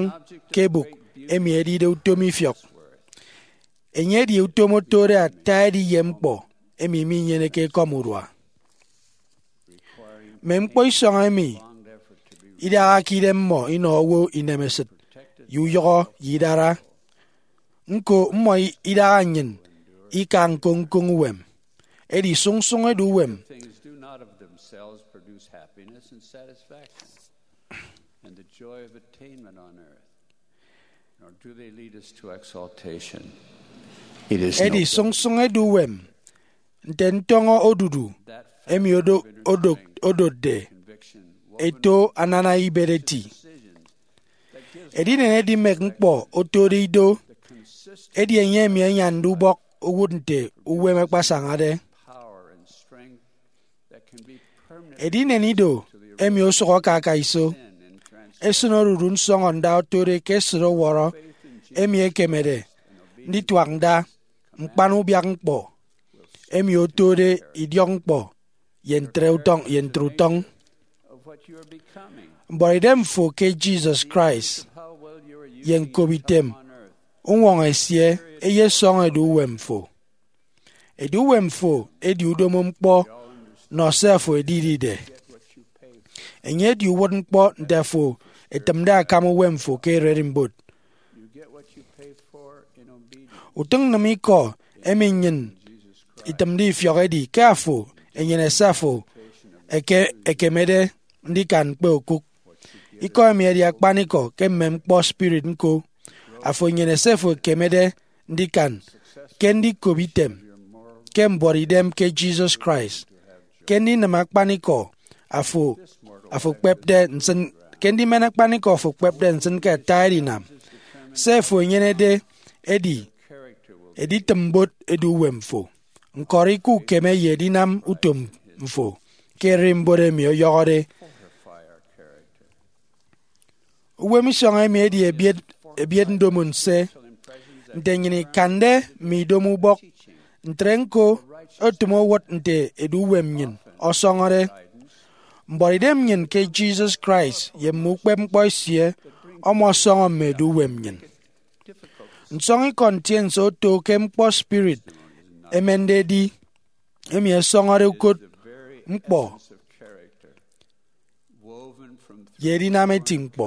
ke ebụk emi edide utom ifiọk. Enye edi utom otode ata edi ye ñkpọ emi minyeneke ekọm urua. Mme ñkpọ isọñ emi idaha ke idem mmọ inọ owo inemesịt ye uyọhọ ye idara. Ñko, mmọ idaha nnyịn ika ñkoñ ñkoñ uwem. Edi sụñsụñ eduuwem. Things do not of themselves produce happiness and satisfaction and the joy of attainment on earth, nor do they lead us to exaltation. It is edi no sụñsụñ eduuwem nte ntọñọ odudu emi odo- odok- odotde eto anana ibet eti. Edinen edimek ñkpọ otode ido, edi enye emi anyande ubọk owụt nte uwem akpasañade. Edinen ido emi osụk aka aka iso, esịn odudu nsọñọnda otode ke esịt ọwọrọ emi ekemede ndituak nda, ñkpan ubiak ñkpọ emi otode idiọkñkpọ ye ntre utọñ ye ntre utọñ. Mbọrọidem fo ke Jesus Christ ye ñkobitem uñwọñọ esie eyesọñ eduuwem fo. Eduuwem fo edi udomo ñkpọ nọ se afo edidide. Enye edi uwụtñkpọ nte afo etịmde akam uwem fo ke ererimbot. Utịñnnịm ikọ emi nnyịn itịmde ifiọk edi ke afo enyene se afo eke- ekemede ndikan ñkpe okụk. Ikọ emi edi akpanikọ ke mme ñkpọ spirit ñko. Afo enyene se afo ekemede ndikan ke ndikop item ke mbuọt idem ke Jesus Christ, ke ndinịm akpanikọ afo afo kpepde nsịn ke ndimen akpanikọ afo kpepde nsịn ke ata edinam. Se afo enyenede edi editịm mbot eduuwem fo, ñkọri ke ukeme ye edinam utom mfo ke ererimbot emi ọyọhọde. Uwem isọñ emi edi ebiet ebiet ndomo nse. Nte nnyịn ikande mme idomo ubọk, ntre ñko otịm owụt nte eduuwem nnyịn ọsọñọde. Mbọrọidem nnyịn ke Jesus Christ ye mme ukpepñkpọ esie ọmọsọñọ mme eduuwem nnyịn. Nsọñikọ ntiense oto ke ñkpọ spirit ẹmende ẹdi, emi ẹsọñọde ukot ñkpọ ye edinam eti ñkpọ.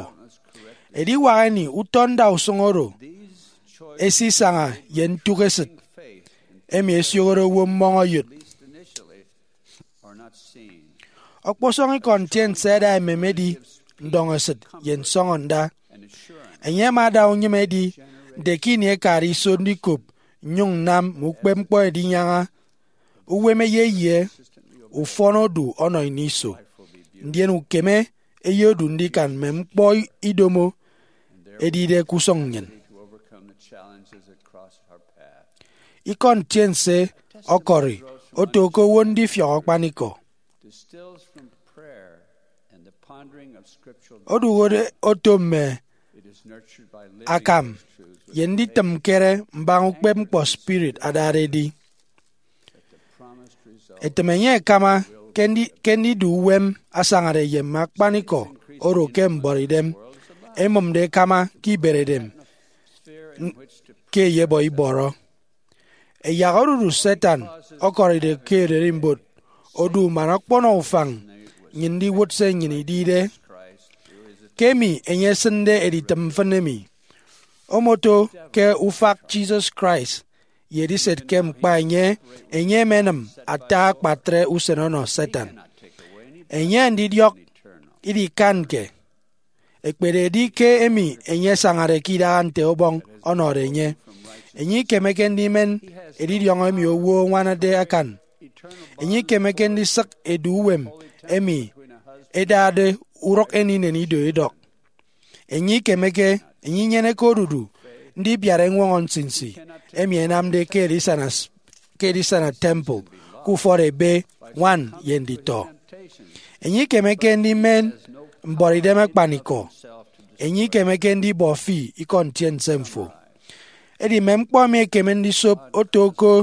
Ediwak ini utọ ndausụñ oro esisaña ye ntụk esịt emi esiohode owo mmọñ oyot. Ọkpọsọñ ikọ ntiense ẹda emem edi ndọñesịt ye nsọñọnda. Enye ama ada unyịme edi Nte ke ini ekade iso ndikop nnyụñ nnam mme ukpepñkpọ edinyaña, uwem eyeyie, ufọn odu ọnọ ini iso, ndien ukeme eyedu ndikan mme ñkpọ idomo edide ke usụñ nnyịn. Ikọ ntiense ọkọri oto ke owo ndifiọk akpanikọ. Oduhode oto mme akam ye nditịm ñkere mbaña ukpepñkpọ spirit adade edi. Etịm enye ẹkama ke ndi- ke ndidu uwem asañade ye mme akpanikọ oro ke mbuọtidem emụmde ẹkama ke iberedem n- ke eyebọ ibọrọ. Ẹyak odudu Satan ọkọride ke ererimbot odu man ọkpọnọ ufañ nnyịn ndiwụt se nnyịn idide. Ke emi enye esịnde editịm mfịn emi, omoto ke ufak Jesus Christ ye ediset ke ñkpa enye, enye emenịm ata akpatre usen ọnọ Satan. Enye ndidiọk idikanke ekpededi ke emi enye asañade ke idaha nte Ọbọñ ọnọde enye. Enye ikemeke ndimen edidiọñ emi owo añwanade akan. Enye ikemeke ndisịk edu uwem emi edade urụk eninen ido edọk. Enye ikemeke, enye inyeneke odudu ndibiat eñwọñọ nsinsi emi ẹnamde ke edisana s- ke edisana temple, ke ufọt ebe, ñwan, ye nditọ. Enye ikemeke ndimen mbuọtidem akpanikọ. Enye ikemeke ndibọ fi ikọ ntiense mfo. Edi mme ñkpọ emi ẹkeme ndisop oto oko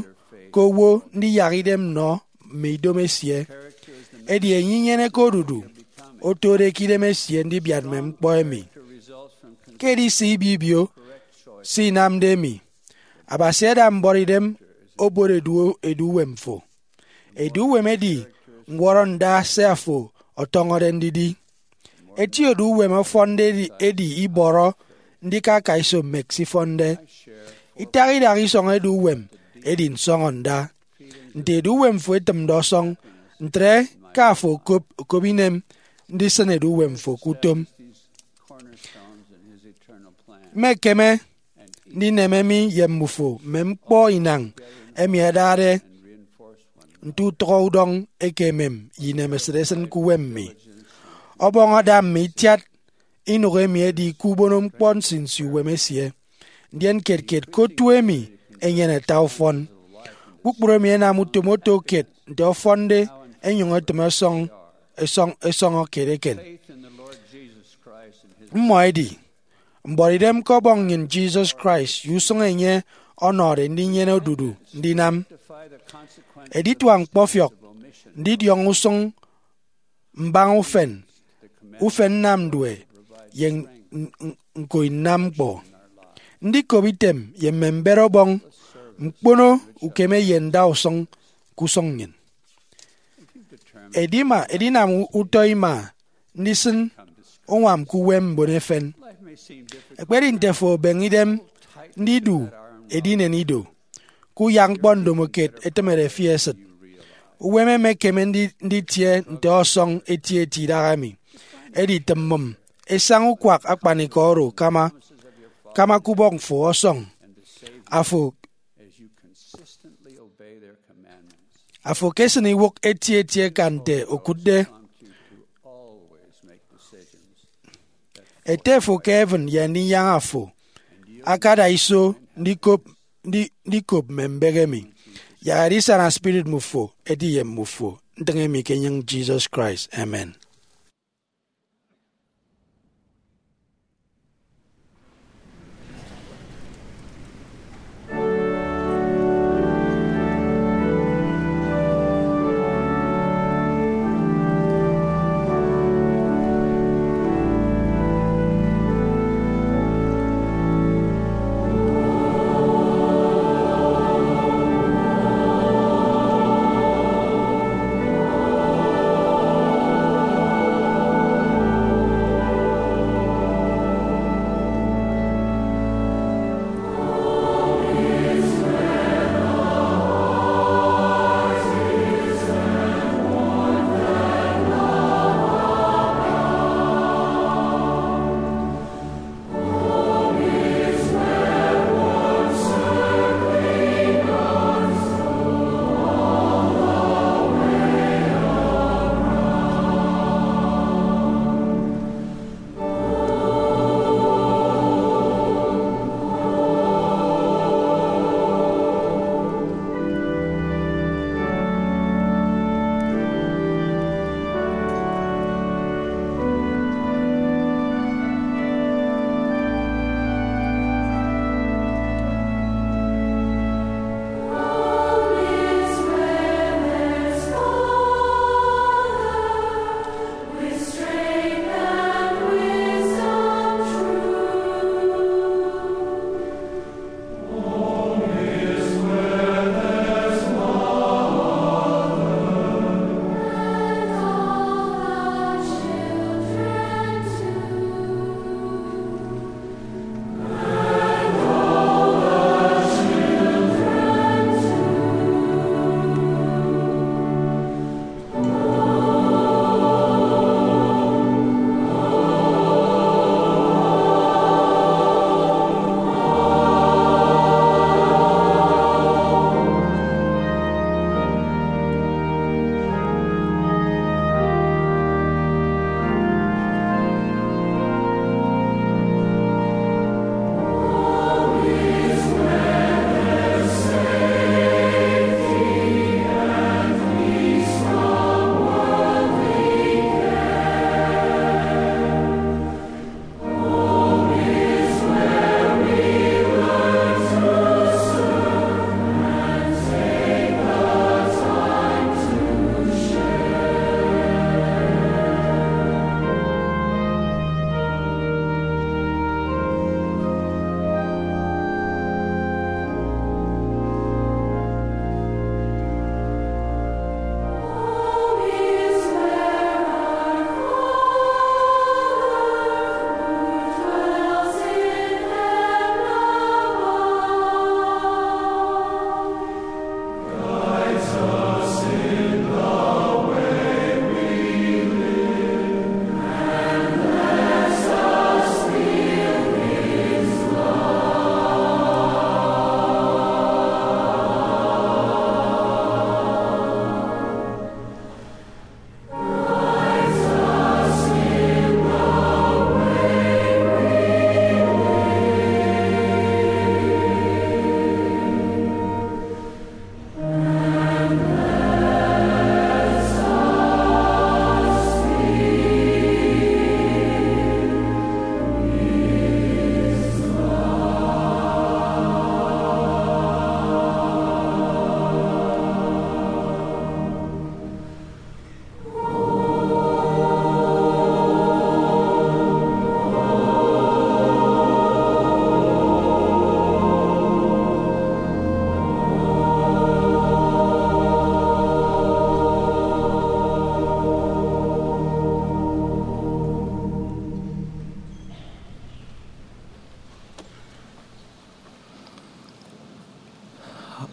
ke owo ndiyak idem nnọ mme idomo esie. Edi enye inyeneke odudu otode ke idem esie ndibiat mme ñkpọ emi. Ke edise ibibio se inamde emi, Abasi ada mbuọtidem obot edu, edu uwem fo. Edu uwem edi ñwọrọ nda se afo ọtọñọde ndidi. Eti edu uwem ọfọnde edi, edi ibọrọ ndikaka iso mme ẹksifọnde. Itaha idaha isọñ edu uwem edi nsọñọ nda. Nte edu uwem fo etịmde ọsọñ, ntre ke afo okop, okop inem ndisịn edu uwem fo ke utom. Mmekeme ndineme mi ye mmufo mme ñkpọ inañ emi ẹdade nte utọk udọñ eke emem ye inemesịt esịn ke uwem mi. Ọbọñ ada mme itiat inụk emi ẹdi ke ubono ñkpọ nsinsi uwem esie. Ndien kiet kiet ke otu emi enyene ata ufọn. Kpukpru emi ẹnam utom oto kiet nte ọfọnde ẹnyụñ ẹtịm ẹsọñ, ẹsọñ, ẹsọñọ kiet eken. Mmọ ẹdi mbuọtidem ke Ọbọñ nnyịn Jesus Christ ye usụñ enye ọnọde ndinyene odudu ndinam. Editua ñkpọfiọk ndidiọñ usụñ mbaña ufen, ufen nnamdue, ye n- n- ñko inam ñkpọ. Ndikop item ye mme mbet Ọbọñ, ñkpono ukeme ye ndausụñ ke usụñ nnyịn. Edima, edinam utọ ima ndisịn uñwam ke uwem mbon efen. Ekpedi nte afo obeñe idem ndidu edinen ido, kuyak ñkpọ ndomokiet etịmede fi esịt. Uwem emekeme ndi- nditie nte ọsọñ etieti idahaemi. Edi tịm mmụm esaña ukwak akpanikọ oro kama, kama ke ubọk fo ọsọñ. Afo, afo ekesịn iwụk etieti eka nte okụtde. Ete fo ke heaven ye Andinyaña fo akada iso ndikop, ndi- ndikop mme mbek emi. Yak edisana spirit mmufo edi ye mmufo. Ntịñ emi ke enyịñ Jesus Christ. Amen.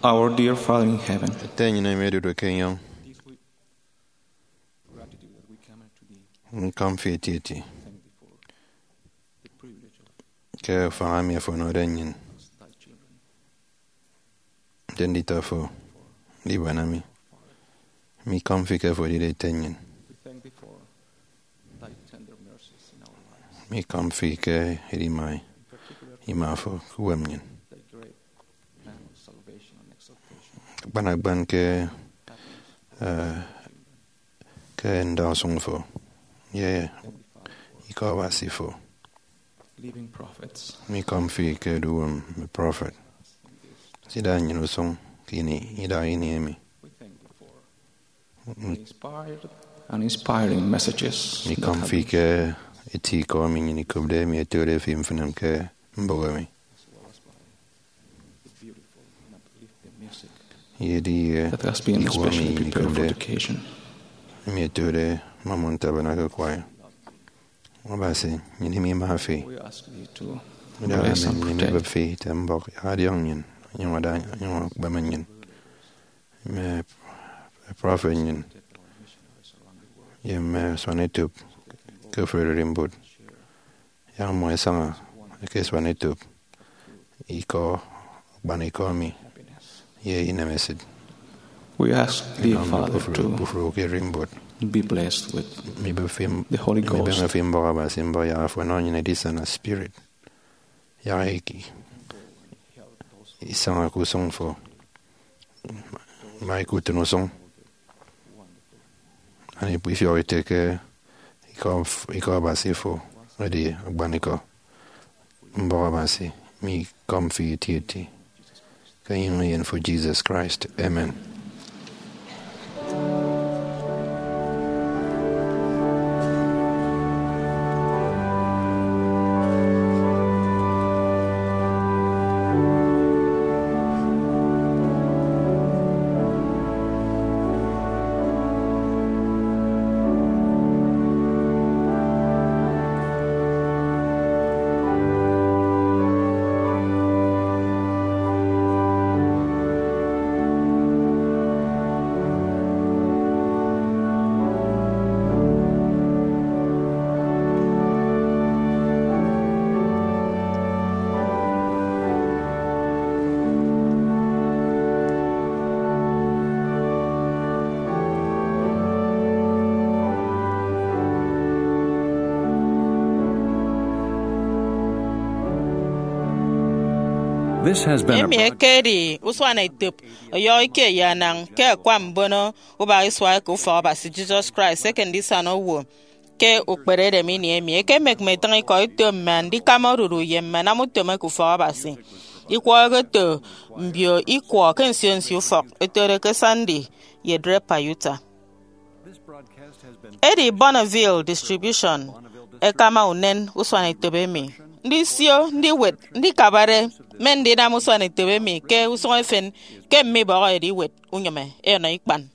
Our dear Father in heaven, Ete nnyịn emi odude ke enyọñ, gratitude that we come to thee, nkọm fi etieti thank thee for the privilege of ke ufañ emi afo ọnọde nnyịn, us, thy children. Nte nditọ fo, ndibuana mi. Mikọm fi ke afo edide ete nnyịn. We thank thee for thy tender mercies in our lives. Mikọm fi ke edima ima fo ke uwem nnyịn. Thy great plan of salvation and exaltation. Akpan akpan ke, eh, ke ndausụñ fo ye ikọ Abasi fo. Living prophets. Mikọm fi ke eduuwem mme prọfet. Sida nnyịn usụñ ke ini idaha ini emi. We thank thee for inspired and inspiring messages. Mikọm fi ke eti ikọ emi nnyịn ikopde emi ẹtode fi mfịn ke mbụk emi. As well as by the beautiful and uplifting music Ye edi ye that has been ikọ emi especially nnyịn prepared for ikopde the occasion. Emi ẹtode Mormon Tabernacle Choir. Abasi, nnyịn imima fi. We ask thee to Ndịghe bless and nnyịn protect. Ibep fi ite mbọk adiọñ nnyịn, onyụñ ada, onyụñ akpeme nnyịn, mme prọfet nnyịn, ye mme asuanetop ke ofụri ererimbot. Yak mmọ ẹsaña ẹkesuan etop ikọ akpanikọ mi ye inemesịt. We ask thee, Father, to kpụfụrụ ke ererimbot. Be blessed with Mibịbịm the Holy Ghost. Mibịbịm fi mbọk Abasi mbọk yak afo ọnọ nnyịn edisana spirit. Yak iki isaña ke usụñ fo, ma ike utịn usụñ. Ana ifiọk ite ke ikọ, ikọ Abasi fo edi akpanikọ. Mbọk Abasi mikọm fi etieti ke enyịñ eyen fo Jesus Christ. Amen. This has been a emi broad- ekedi usuanetop ọyọhọ ikie ye anañ ke akwa mbono ubak isua eke ufọk Abasi Jesus Christ eke ndisana owo ke ukperedem ini emi. Ekemek mme itịñ ikọ eto mme andikama odudu ye mme anam utom eke ufọk Abasi. Ikwọ eketo mbio ikwọ ke nsio nsio ufọk, etode ke Sandy ye Draper, Utah. Edi Bonneville Distribution ẹkama unen usuanetop emi. Ndisio, ndiwet, ndikabade, mme ndinam usuanetop emi ke usụñ efen ke mme ibọhọede iwet unyịme ẹnọ ikpan.